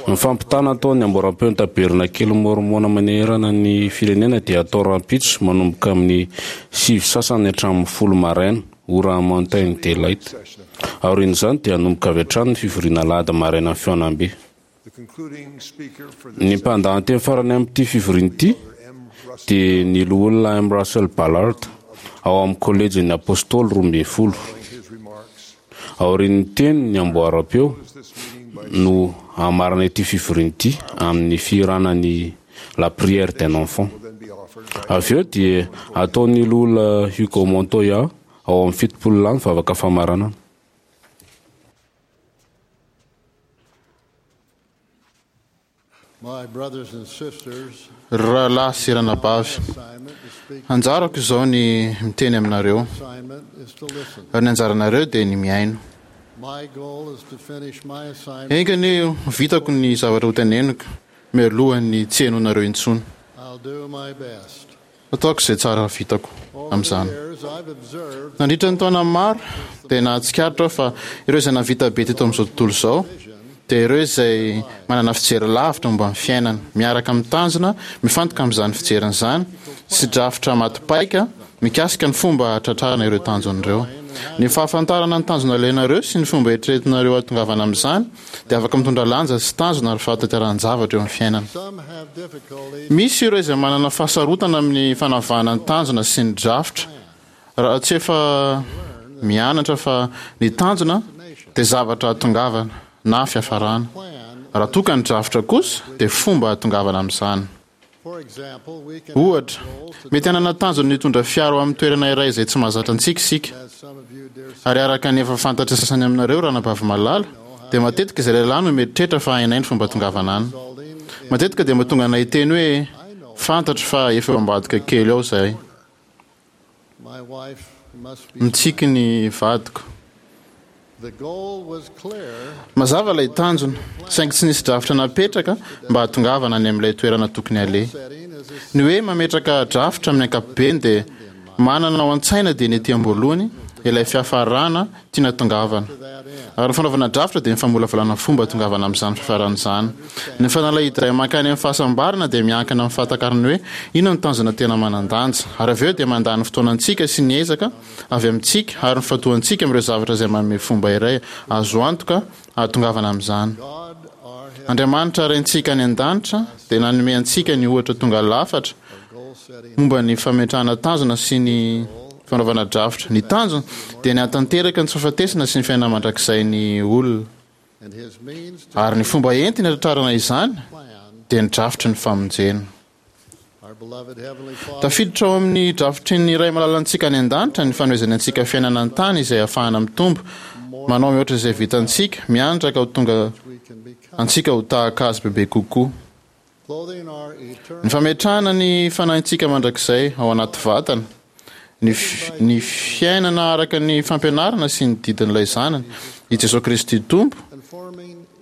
Ny fampitana ataon'ny amboaram-peon'ny tabernakely mormona manerana ny firenena dia atao rahampitso manomboka amin'ny sivy sasany hatramin'ny folo maraina, ora Mountain Daylight. Aorian'izany dia hanomboka avy hatrany ny fivoriana alahady maraina ny fihaonambe. Ny mpandahateny farany amin'ity fivoriana ity dia ny loholona M. Russell Ballard ao amin'ny kolejin'ny Apôstôly roa ambin'ny folo. Aorian'ny teny ny amboaram-peo no hamarana ity fivoriana ity amin'ny fihirana ny La prière d'un enfant. Avy eo dia ataon'ny loholona Hugo Montoya ao amin'ny fitopolo lahy ny vavaka famaranana. Ry rahalahy sy ranabavy, anjarako izao ny miteny aminareo, ary ny anjaranareo dia ny mihaino. Enga anie ho vitako ny zavatra hoteneniko mialohan'ny tsy henoinareo intsony. Ataoko izay tsara vitako amin'izany. Nandritra ny taona maro dia nahatsikaritra aho fa ireo izay nahavita be teto amin'izao tontolo izao dia ireo izay manana fijery lavitra momba ny fiainana, miaraka amin'ny tanjona mifantoka amin'izany fijeriny izany sy drafitra maty paika mikasika ny fomba hahatratrarana ireo tanjona ireo. Ny fahafantarana ny tanjona ilainareo sy ny fomba eritreretinareo hahatongavana amin'izany dia afaka mitondra lanja sy tanjona ary fahatanterahan-javatra eo amin'ny fiainana. Misy ireo izay manana fahasarotana amin'ny fanavahana ny tanjona sy ny drafitra raha tsy efa mianatra fa ny tanjona dia zavatra hahatongavana na fiafarana, raha toa ka ny drafitra kosa dia fomba hahatongavana amin'izany. Ohatra, mety hanana tanjona ny hitondra fiara ho amin'ny toerana iray izay tsy mahazatra antsika isika. Ary araka ny efa fantatry ny sasany aminareo, ranabavy malala, dia matetika izay lehilahy no mieritreritra fa hainay ny fomba tongavana any. Matetika dia mahatonga anay hiteny hoe, Fantatro fa efa eo ambadika kely ao izahay. Mitsiky ny vadiko. Mazava ilay tanjona, saingy tsy nisy drafitra napetraka mba hahatongavana any amin'ilay toerana tokony haleha. Ny hoe mametraka drafitra amin'ny ankapobeny dia manana ao an-tsaina dieny ety am-boalohany ilay fiafarana tiana tongavana. Ary ny fanaovana drafitra dia ny famolavolana fomba tongavana amin'izany fiafarana izany. Ny fanalahidy iray mankany amin'ny fahasambarana dia miankina amin'ny fahatakarana hoe inona no tanjona tena manan-danja. Ary avy eo dia mandany ny fotoanantsika sy ny ezaka avy amintsika ary ny fifantohantsika amin'ireo zavatra izay manome fomba iray azo antoka hahatongavana amin'izany. Andriamanitra Raintsika any An-danitra dia nanome antsika ny ohatra tonga lafatra momba ny fametrahana tanjona sy ny fanaovana drafitra. Ny tanjona dia ny hahatanteraka ny tsy fahafatesana sy ny fiainana mandrakizay ny olona. Ary ny fomba entiny hatratrarana izany dia ny drafitry ny famonjena. Tafiditra ao amin'ny drafitry ny Ray malalantsika any An-danitra ny fanomezany antsika fiainana an-tany izay ahafahana mitombo, manao mihoatra izay vitantsika, mianatra ka ho tonga antsika ho tahaka Azy bebe kokoa. Ny fametrahana ny fanahintsika mandrakizay ao anaty vatana, ny, ny fiainana araka ny fampianarana sy ny didin'ilay Zanany, i Jesoa Kristy Tompo,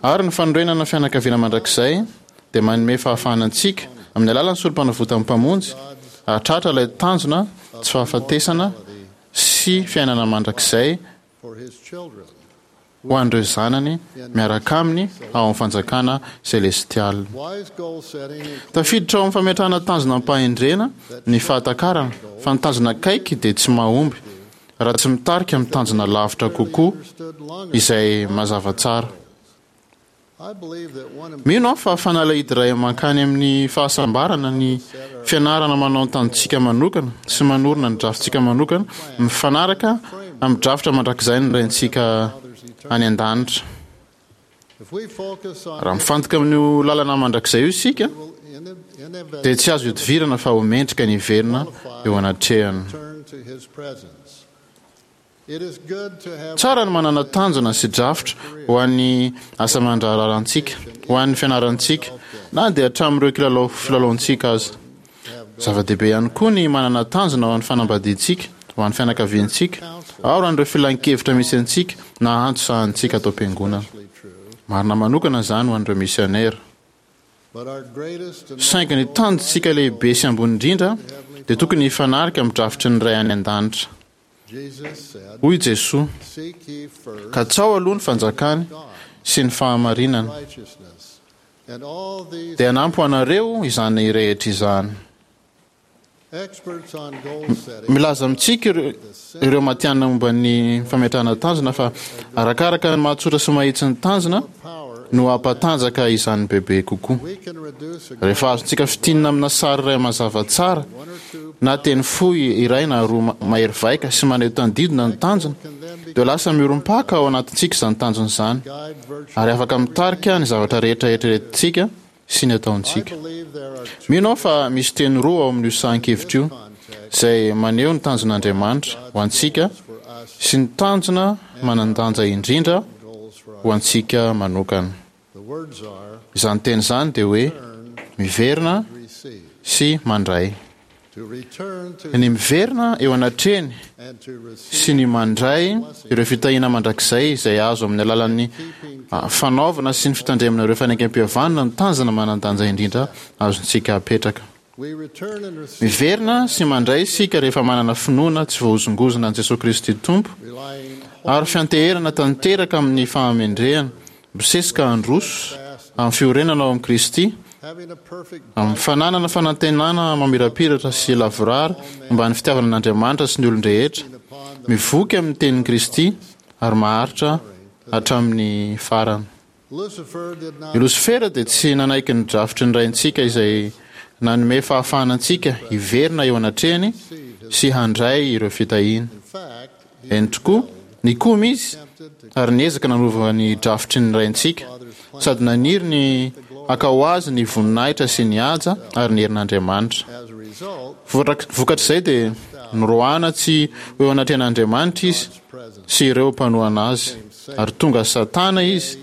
ary ny fanorenana fianakaviana mandrakizay dia manome fahafahana antsika, amin'ny alalan'ny Sorompanavotan'ny Mpamonjy, hahatratra ilay tanjona tsy fahafatesana sy fiainana mandrakizay ho an'ireo zanany miaraka aminy ao amin'ny fanjakana selestialy. Tafiditra ao amin'ny fametrahana tanjona am-pahendrena ny fahatakarana fa ny tanjona akaiky dia tsy mahomby raha tsy mitarika amin'ny tanjona lavitra kokoa izay mazava tsara. Mino aho fa fanalahidy iray mankany amin'ny fahasambarana ny fianarana manao ny tanjontsika manokana sy manorina ny drafintsika manokana mifanaraka amin'ny drafitra mandrakizay ny Raintsika any an-danitra. Raha mifantoka amin'io lalana mandrakizay io isika, dia tsy azo ihodivirana fa ho mendrika ny hiverina eo anatrehany. Tsara ny manana tanjona sy drafitra ho an'ny asa aman-draharahantsika, ho an'ny fianarantsika, na dia hatramin'ireo kilalao filalaontsika aza. Zava-dehibe ihany koa ny manana tanjona ho an'ny fanambadiantsika, ho an'ny fianakaviantsika, ary ho an'ireo filan-kevitra misy antsika na antso sahanintsika ato am-piangonana. Marina manokana izany ho an'ireo misiônera. Saingy ny tanjontsika lehibe sy ambony indrindra dia tokony hifanaraka amin'ny drafitry ny Ray any An-danitra. Hoy Jesoa, Katsaho aloha ny fanjakany sy ny fahamarinany, dia hanampy ho anareo izany rehetra izany. Milaza amintsika ireo matihanina momba ny fametrahana tanjona fa arakaraka ny mahatsotra sy mahitsy ny tanjona no hampatanjaka izany bebe kokoa. Rehefa azontsika fintinina amina sary iray mazava tsara na teny fohy iray na roa mahery vaika sy maneho tandindona ny tanjona, dia lasa miorim-paka ao anatintsika izany tanjona izany, ary afaka mitarika ny zavatra rehetra eritreretintsika sy ny ataontsika. Mino aho fa misy teny roa ao amin'io sahan-kevitra io izay maneho ny tanjon'Andriamanitra ho antsika sy ny tanjona manan-danja indrindra ho antsika manokana. Izany teny izany dia hoe miverina sy mandray. Ny miverina eo anatrehany sy ny mandray ireo fitahiana mandrakizay izay azo amin'ny alalan'ny fanaovana sy ny fitandremana ireo fanekempihavanana no tanjona manan-danja indrindra azontsika apetraka. Miverina sy mandray isika rehefa manana finoana tsy voahozongozona an'i Jesoa Kristy Tompo ary fianteherana tanteraka amin'ny fahamendrehana misesika handroso amin'ny fiorenana ao amin'i Kristy, amin'ny fananana fanantenana mamirapiratra sy lavorary momba ny fitiavana an'Andriamanitra sy ny olon-drehetra, mivoky amin'ny tenin'i Kristy ary maharitra hatramin'ny farany. I Losifera dia tsy nanaiky ny drafitry ny Raintsika izay nanome fahafahana antsika hiverina eo anatrehany sy handray ireo fitahiana. Eny tokoa, nikomy izy ary niezaka nanova ny drafitry ny Raintsika, sady naniry ny haka ho azy ny voninahitra sy ny haja ary ny herin'Andriamanitra. Vokatr'izay dia noroahana tsy ho eo anatrehan'Andriamanitra izy sy ireo mpanohana azy, ary tonga Satana izy,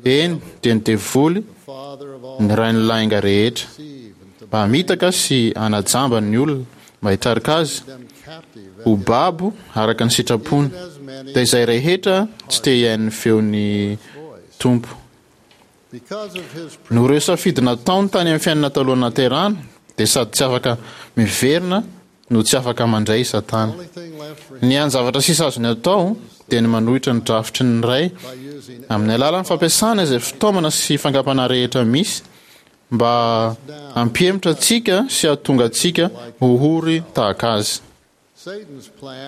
eny, dia ny devoly, ny rain'ny lainga rehetra, mba hamitaka sy hanajamba ny olona mba hitarika azy ho babo araka ny sitrapony, dia izay rehetra tsy te hihaino ny feon'ny Tompo. Noho ireo safidy nataony tany amin'ny fiainana talohan'ny nahaterahana, dia sady tsy afaka miverina no tsy afaka mandray i Satana. Ny hany zavatra sisa azony atao dia ny manohitra ny drafitry ny Ray amin'ny alalan'ny fampiasana izay fitaomana sy fankampanahy rehetra misy mba hampihemotra antsika sy hahatonga antsika ho ory tahaka azy.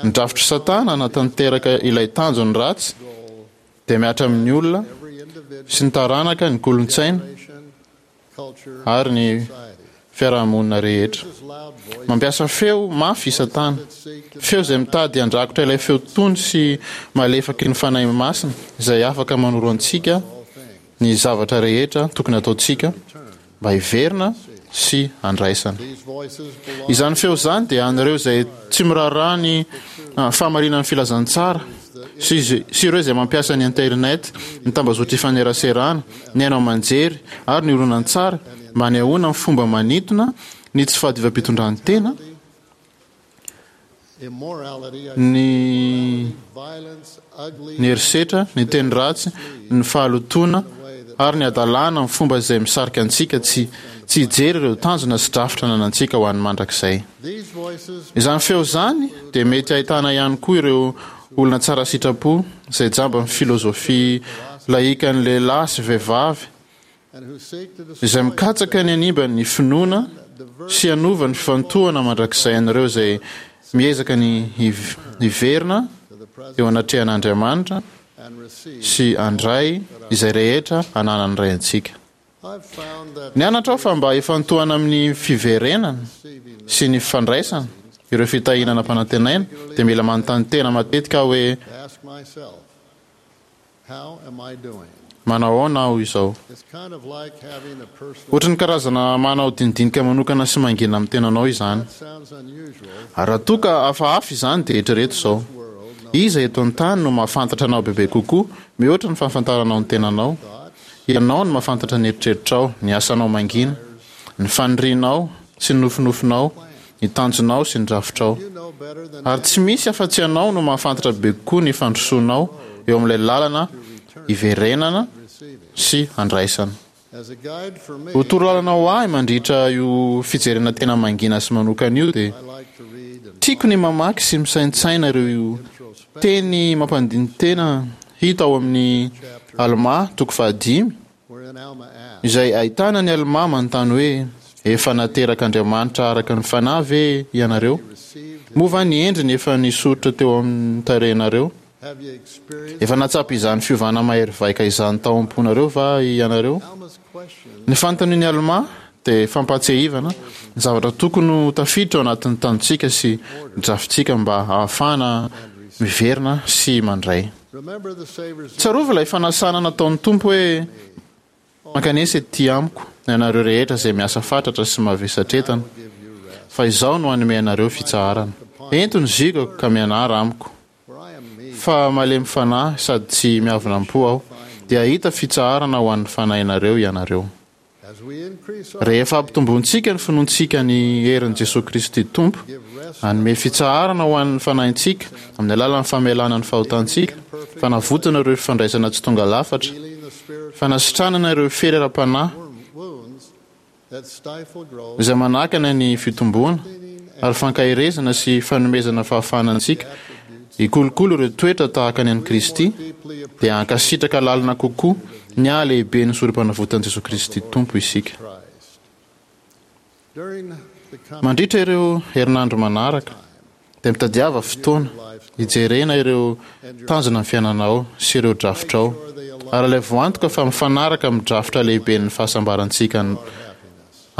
Ny drafitr'i Satana hanatanteraka ilay tanjony ratsy dia mihatra amin'ny olona sy ny taranaka, ny kolontsaina ary ny fiarahamonina rehetra. Mampiasa feo mafy i Satana, feo izay mitady handrakotra ilay feo tony sy malefaky ny Fanahy Masina izay afaka manoro antsika ny zavatra rehetra tokony hataontsika mba hiverina sy handraisana. Izany feo izany dia an'ireo izay tsy miraharaha ny fahamarinan'ny filazantsara sy sy ireo izay mampiasa ny internet, ny tambazotra ifaneraserana, ny haino aman-jery ary ny horonantsary mba hanehoana amin'ny fomba manintona ny tsy fahadiovam-pitondran-tena, ny ny herisetra, ny teny ratsy, ny fahalotoana ary ny hadalana amin'ny fomba izay misarika antsika tsy tsy hijery ireo tanjona sy drafitra ananantsika ho an'ny mandrakizay. Izany feo izany dia mety ahitana ihany koa ireo olona tsara sitrapo izay jamban'ny filôzôfia laïkan'ny lehilahy sy vehivavy izay mikatsaka ny hanimba ny finoana sy hanova ny fifantohana mandrakizay an'ireo izay Miezaka ny hiverina eo anatrehan'Andriamanitra sy handray izay rehetra ananan'ny Ray antsika. Nianatra aho fa mba hifantohana amin'ny fiverenana sy ny fandraisana ireo fitahiana nampanantenaina, dia mila manontany tena matetika aho hoe, Manao ahoana aho izao? Ohatry ny karazana manao dinidinika manokana sy mangina amin'ny tenanao izany. Ary raha toa ka hafahafa izany dia eritrereto izao, Iza eto an-tany no mahafantatra anao bebe kokoa mihoatra ny fahafantaranao ny tenanao? Ianao no mahafantatra ny eritreritrao, ny asanao mangina, ny fanirianao sy ny nofinofinao, ny tanjonao sy ny drafitrao. Ary tsy misy afa-tsy ianao no mahafantatra bebe kokoa ny fandrosoanao eo amin'ilay lalana hiverenana sy handraisana. Ho torolalana ho ahy mandritra io fijerena tena mangina sy manokana io dia tiako ny mamaky sy misaintsaina ireo teny mampandini-tena hita ao amin'ny Almà toko fahadimy, izay ahitana an'i Almà manontany hoe, Efa naterak'Andriamanitra araka ny Fanahy ve ianareo? Moa va ny endriny efa nisoritra teo amin'ny tarehinareo? Efa nahatsapa izany fiovana mahery vaika izany tao am-ponareo va ianareo? Ny fanontanian'i Almà dia fampahatsiahivana ny zavatra tokony ho tafiditra ao anatin'ny tanjontsika sy ny drafintsika mba hahafahana miverina sy mandray. Tsarovy ilay fanasana nataon'ny Tompo hoe, Mankanesa ety amiko, ianareo rehetra izay miasa fatratra sy mavesatretana, fa Izaho no hanome anareo fitsaharana. Ento ny ziogako ka mianara amiko, fa malemy fanahy sady tsy miavona am-po Aho, dia hahita fitsaharana ho an'ny fanahinareo ianareo. Rehefa ampitombointsika ny finoantsika ny herin'i Jesoa Kristy Tompo hanome fitsaharana ho an'ny fanahintsika amin'ny alalan'ny famelana ny fahotantsika, fanavotana ireo fifandraisana tsy tonga lafatra, fanasitranana ireo fery ara-panahy izay manakana ny fitomboana, ary fankaherezana sy fanomezana fahafahana antsika hikolokolo ireo toetra tahaka ny an'i Kristy, dia hankasitraka lalina kokoa ny hahalehiben'ny sorom-panavotan'i Jesoa Kristy Tompo isika. Mandritra ireo herinandro manaraka, dia mitadiava fotoana hijerena ireo tanjona ny fiainanao sy ireo drafitrao, ary alaivo antoka fa mifanaraka amin'ny drafitra lehiben'ny fahasambarantsika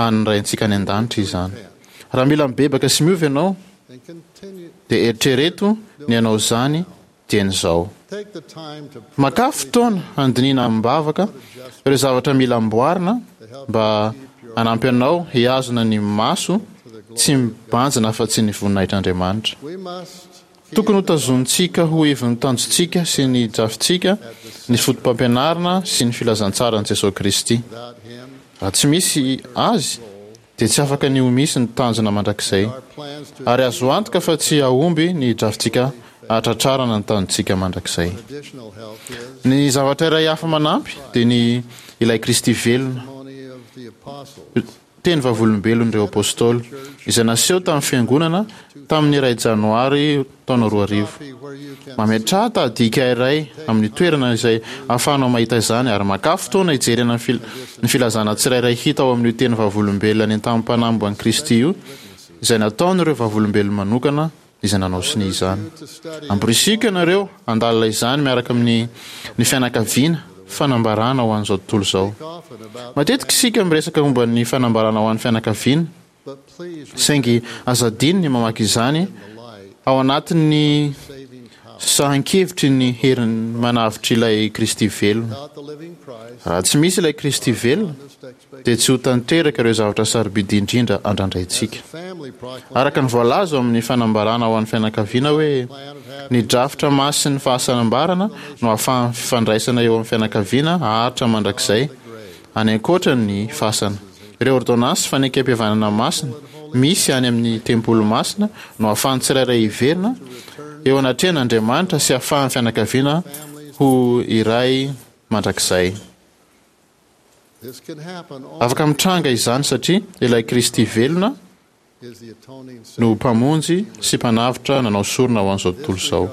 an'ny Raintsika any An-danitra izany. Raha mila mibebaka sy miova ianao, dia eritrereto ny hanao izany dieny izao. Makà fotoana handinihina amim-bavaka ireo zavatra mila amboarina mba hanampy anao hihazona ny maso tsy mibanjina afa-tsy ny voninahitr'Andriamanitra. Tokony hotazonintsika ho ivon'ny tanjontsika sy ny drafintsika ny fotopampianarana sy ny filazantsaran'i Jesoa Kristy. Raha tsy misy Azy, dia tsy afaka ny ho misy ny tanjona mandrakizay, ary azo antoka fa tsy hahomby ny drafintsika hahatratrarana ny tanjontsika mandrakizay. Ny zavatra iray hafa manampy dia ny ilay Kristy velona, teny vavolombelon'ireo Apôstôly, izay naseho tamin'ny Fiangonana tamin'ny iray Janoary taona roa arivo. Mametraha tahadika iray amin'ny toerana izay ahafahanao mahita izany ary makà fotoana hijerena ny filazana tsirairay hita ao amin'io teny vavolombelona nentanam-panahy momba an'i Kristy io izay nataon'ireo vavolombelony manokana izay nanao sonia izany. Amporisihiko ianareo handalina izany miaraka amin'ny ny fianakaviana Fanambarana ho an'izao tontolo izao. Matetika isika miresaka momba ny fanambarana ho an'ny fianakaviana, Saingy aza adino ny mamaky izany ao anatin'ny sahan-kevitry ny heriny manavotr'ilay Kristy velona. Raha tsy misy ilay Kristy velona, dia tsy ho tanteraka ireo zavatra sarobidy indrindra andrandraintsika. Araka ny voalaza ao amin'ny fanambarana ho an'ny fianakaviana hoe, Ny drafitra masin'ny fahasambarana no ahafahan'ny fifandraisana eo amin'ny fianakaviana haharitra mandrakizay, any ankoatra ny fasana. Ireo ôrdônansy fanekempihavanana masina misy any amin'ny tempoly masina no ahafahan'ny tsirairay hiverina eo anatrehan' Andriamanitra sy ahafahan'ny fianakaviana ho iray mandrakizay. Afaka mitranga izany satria ilay Kristy velona no Mpamonjy sy Mpanavotra nanao sorona ho an'izao tontolo izao.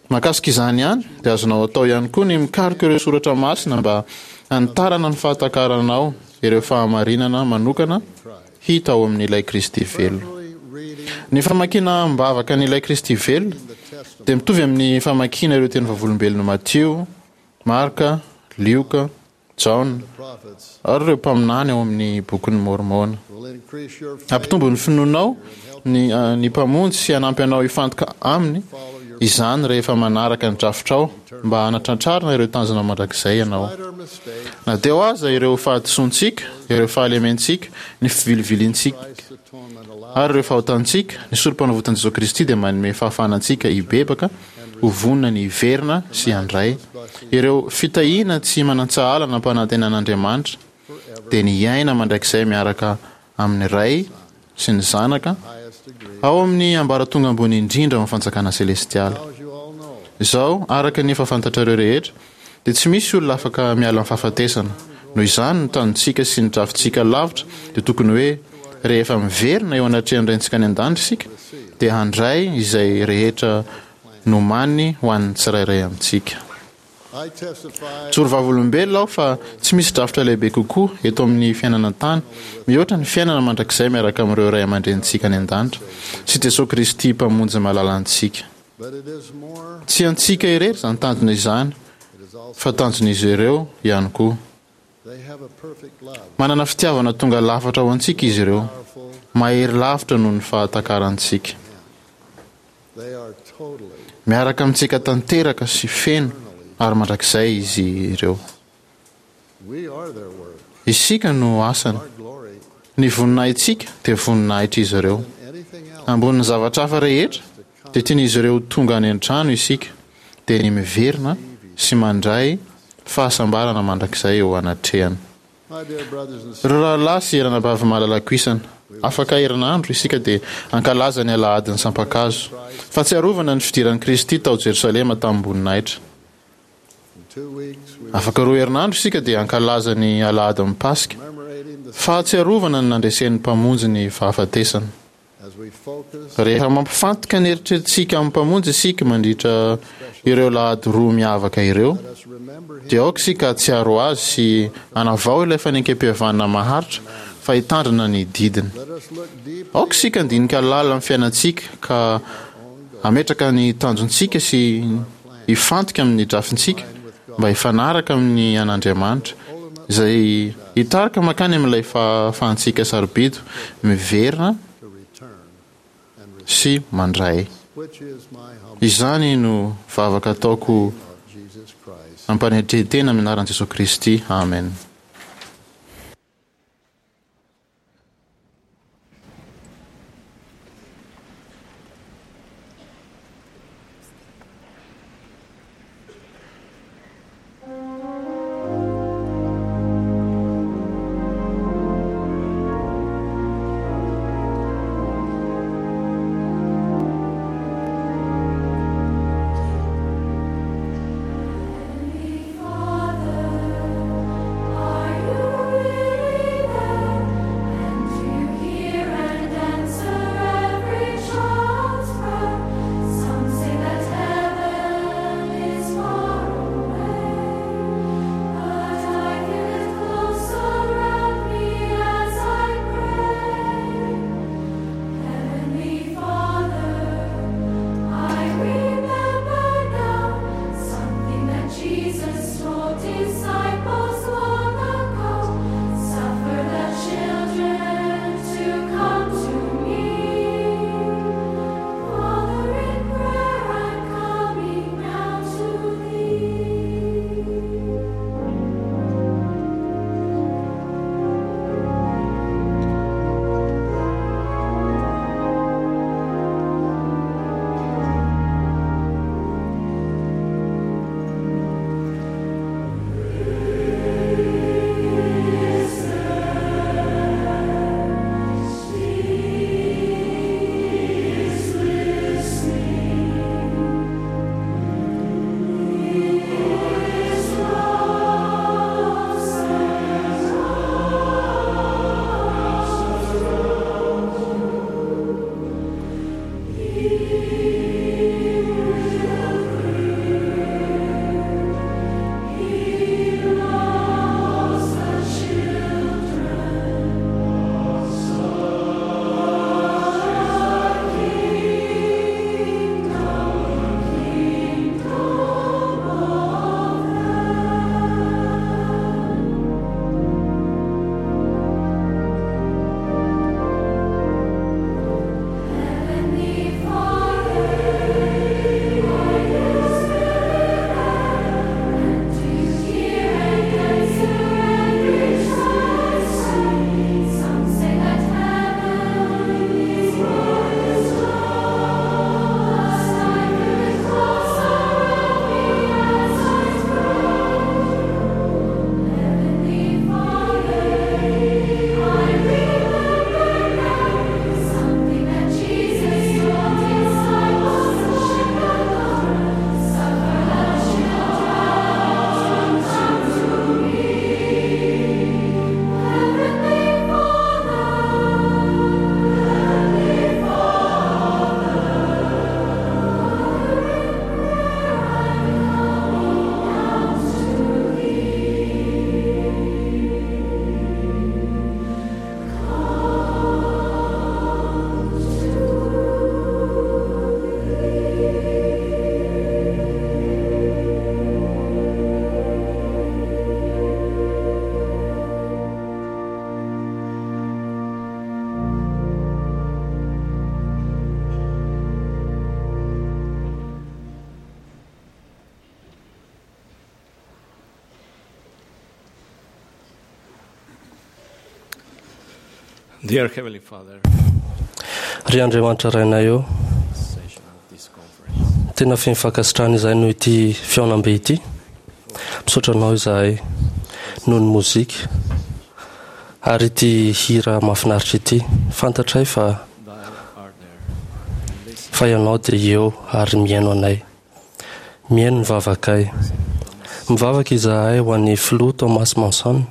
Mahakasika izany ihany, dia azonao atao ihany koa ny mikaroka ireo soratra masina mba hanitarana ny fahatakaranao ireo fahamarinana manokana hita ao amin'ilay Kristy velona. Ny famakiana am-bavaka an'ilay Kristy velona dia mitovy amin'ny famakiana ireo teny vavolombelon'i Matio, Marka, Lioka, Jaona, ary ireo mpaminany ao amin'ny Bokin'i Môrmôna. Hampitombo ny finoanao ny ny Mpamonjy sy hanampy anao hifantoka Aminy izany rehefa manaraka ny drafitrao mba hanatratrarana ireo tanjona mandrakizay ianao. Na teo aza ireo fahadisoantsika, ireo fahalementsika, ny fivilivilintsika, ary ireo fahotantsika, ny Sorompanavotan'i Jesoa Kristy dia manome fahafahana antsika hibebaka, ho vonona ny hiverina sy handray ireo fitahiana tsy manan-tsahala nampanantenan'Andriamanitra, dia ny hiaina mandrakizay miaraka amin'ny Ray sy ny Zanaka ao amin'ny ambaratonga ambony indrindra ao amin'ny fanjakana selestialy. Izao, araka ny efa fantatrareo rehetra, dia tsy misy olona afaka miala amin'ny fahafatesana. Noho izany, ny tanjontsika sy ny drafintsika lavitra dia tokony hoe rehefa miverina eo anatrehan'ny Raintsika any An-danitra isika, dia handray izay rehetra nomaniny ho an'ny tsirairay amintsika. Mijoro vavolombelona aho fa tsy misy drafitra lehibe kokoa eto amin'ny fiainana an-tany mihoatra ny fiainana mandrakizay miaraka amin'ireo ray aman-drenintsika any an-danitra sy Jesoa Kristy Mpamonjy malalantsika. Tsy antsika irery izany tanjona izany fa tanjon'izy ireo ihany koa. Manana fitiavana tonga lafatra ho antsika izy ireo, mahery lavitra noho ny fahatakarantsika. Miaraka amintsika tanteraka sy feno ary mandrakizay izy ireo. Isika no asany. Ny voninahitsika dia voninahitr'izy ireo. Ambonin'ny zavatra hafa rehetra, dia tian'izy ireo ho tonga any an-trano isika, dia ny miverina sy mandray fahasambarana mandrakizay eo anatrehany. Ry rahalahy sy ranabavy malalako isany, afaka herinandro isika dia hankalaza ny Alahadin'ny Sampan-kazo, fahatsiarovana ny fidiran'i Kristy tao Jerosalema tamim-boninahitra. Afaka roa herinandro isika dia hankalaza ny Alahadin'ny Paska, fahatsiarovana ny nandresen'ny Mpamonjy ny fahafatesana. Rehefa mampifantoka ny eritreritsika amin'ny Mpamonjy isika mandritra ireo lahady roa miavaka ireo, dia aoka isika hahatsiaro Azy sy hanavao ilay fanekempihavanana maharitra fa hitandrina ny didiny. Aoka isika handinika lalina ny fiainantsika ka hametraka ny tanjontsika sy hifantoka amin'ny drafintsika mba hifanaraka amin'ny an'Andriamanitra, izay hitarika mankany amin'ilay fahafahantsika sarobidy miverina sy mandray. Izany no vavaka ataoko am-panetren-tena amin'ny anaran'i Jesoa Kristy, amen. Heavenly Father, Dear Heavenly Father, Ry Andriamanitra Rainay ô, session of this conference, tena feno fankasitrahana izahay noho ity fihaonambe ity. Misaotra anao izahay noho ny mozika ary ity hira mahafinaritra ity. Fantatray fa thou art there and listen fa ianao dia eo ary mihaino anay. Mihaino ny vavakay. Mivavaka izahay ho an'ny filoha Thomas Monson.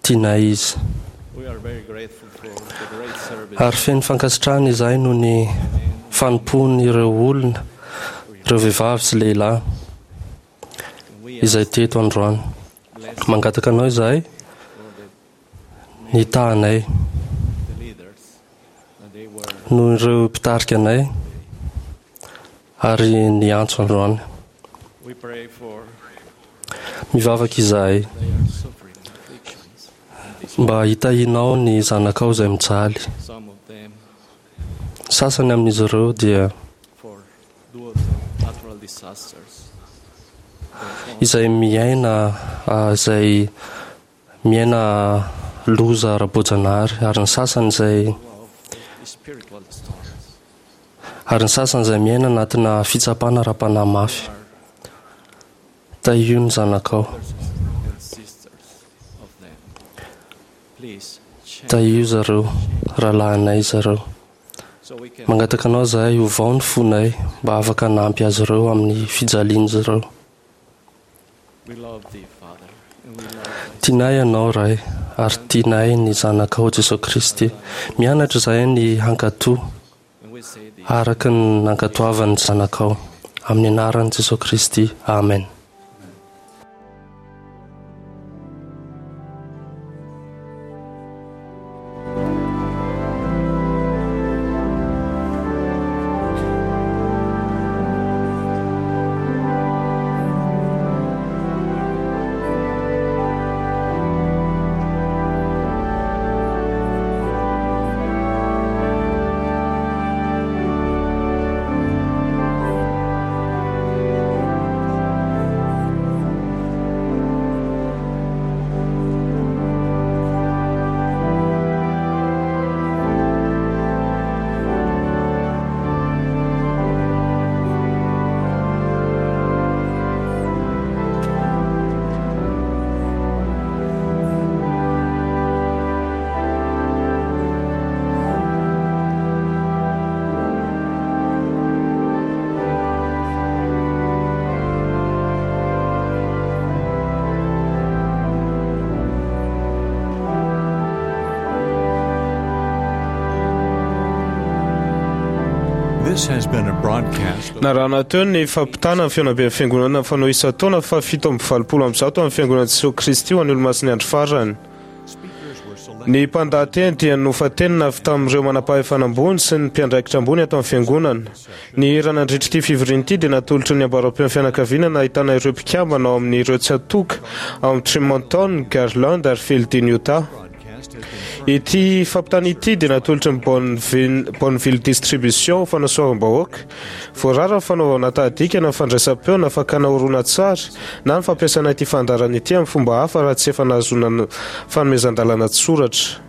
Tianay izy. We are very grateful for the great service Ary feno fankasitrahana izahay noho ny fanompoan'ireo olona, ireo vehivavy sy lehilahy we izay teto androany. bless Mangataka anao izahay for the ny tahanay the leaders that they were noho ireo mpitarika anay ary ny antso androany. we pray for Mivavaka izahay they are suffering afflictions and this mba hitahianao ny zanakao izay mijaly. some of them Sasany amin'izy ireo dia for due to natural disasters their own izay miaina ah, izay miaina loza ara-boajanahary ary ny sasany izay of the spiritual storms ary ny sasany izay miaina anatina fitsapana ara-panahy mafy. Tahio ny zanakao, brothers and sisters of them please change tahio zareo, rahalahinay zareo. so we can Mangataka anao izahay hovao ny fonay mba afaka hanampy azy ireo amin'ny fijalian'izy ireo. we love thee Father and we love thy Tianay ianao Ray ary tianay ny zanakao Jesosy Kristy. Mianatra izahay ny hankatò and we say this araka ny nankatoavan'ny zanakao. Amin'ny anaran'i Jesosy Kristy. Amen. This has been a broadcast of Narahana teo ny fampitana ny fihaonamben'ny fiangonana fanao isan-taona fa fito amby valopolo amby zato amin'ny fiangonana Jesosy Kristy ho an'ny olomasin'ny andro farany. speakers were selected Ny mpandahateny dia nofantenina avy tamin'ireo manam-pahefana ambony sy ny mpiandraikitra ambony ato amin'ny fiangonana. Ny hira nandritra ity fivoriana ity dia natolotry ny ambaram-peon'ny fianakaviana nahitana ireo mpikambana ao amin'ireo tsatoka ao amin'ny Tremonton, Garland ary Feilding, Utah. broadcast has been Ity fampitana ity dia natolotry ny Bonneville, Bonneville Distribution ho fanasoavam-bahoaka. Voarara ny fanaovana tahadika na fandraisam-peo na fakana horonantsary na ny fampiasana ity fandaharana ity amin'ny fomba hafa raha tsy efa nahazoana fanomezan-dalana tsoratra.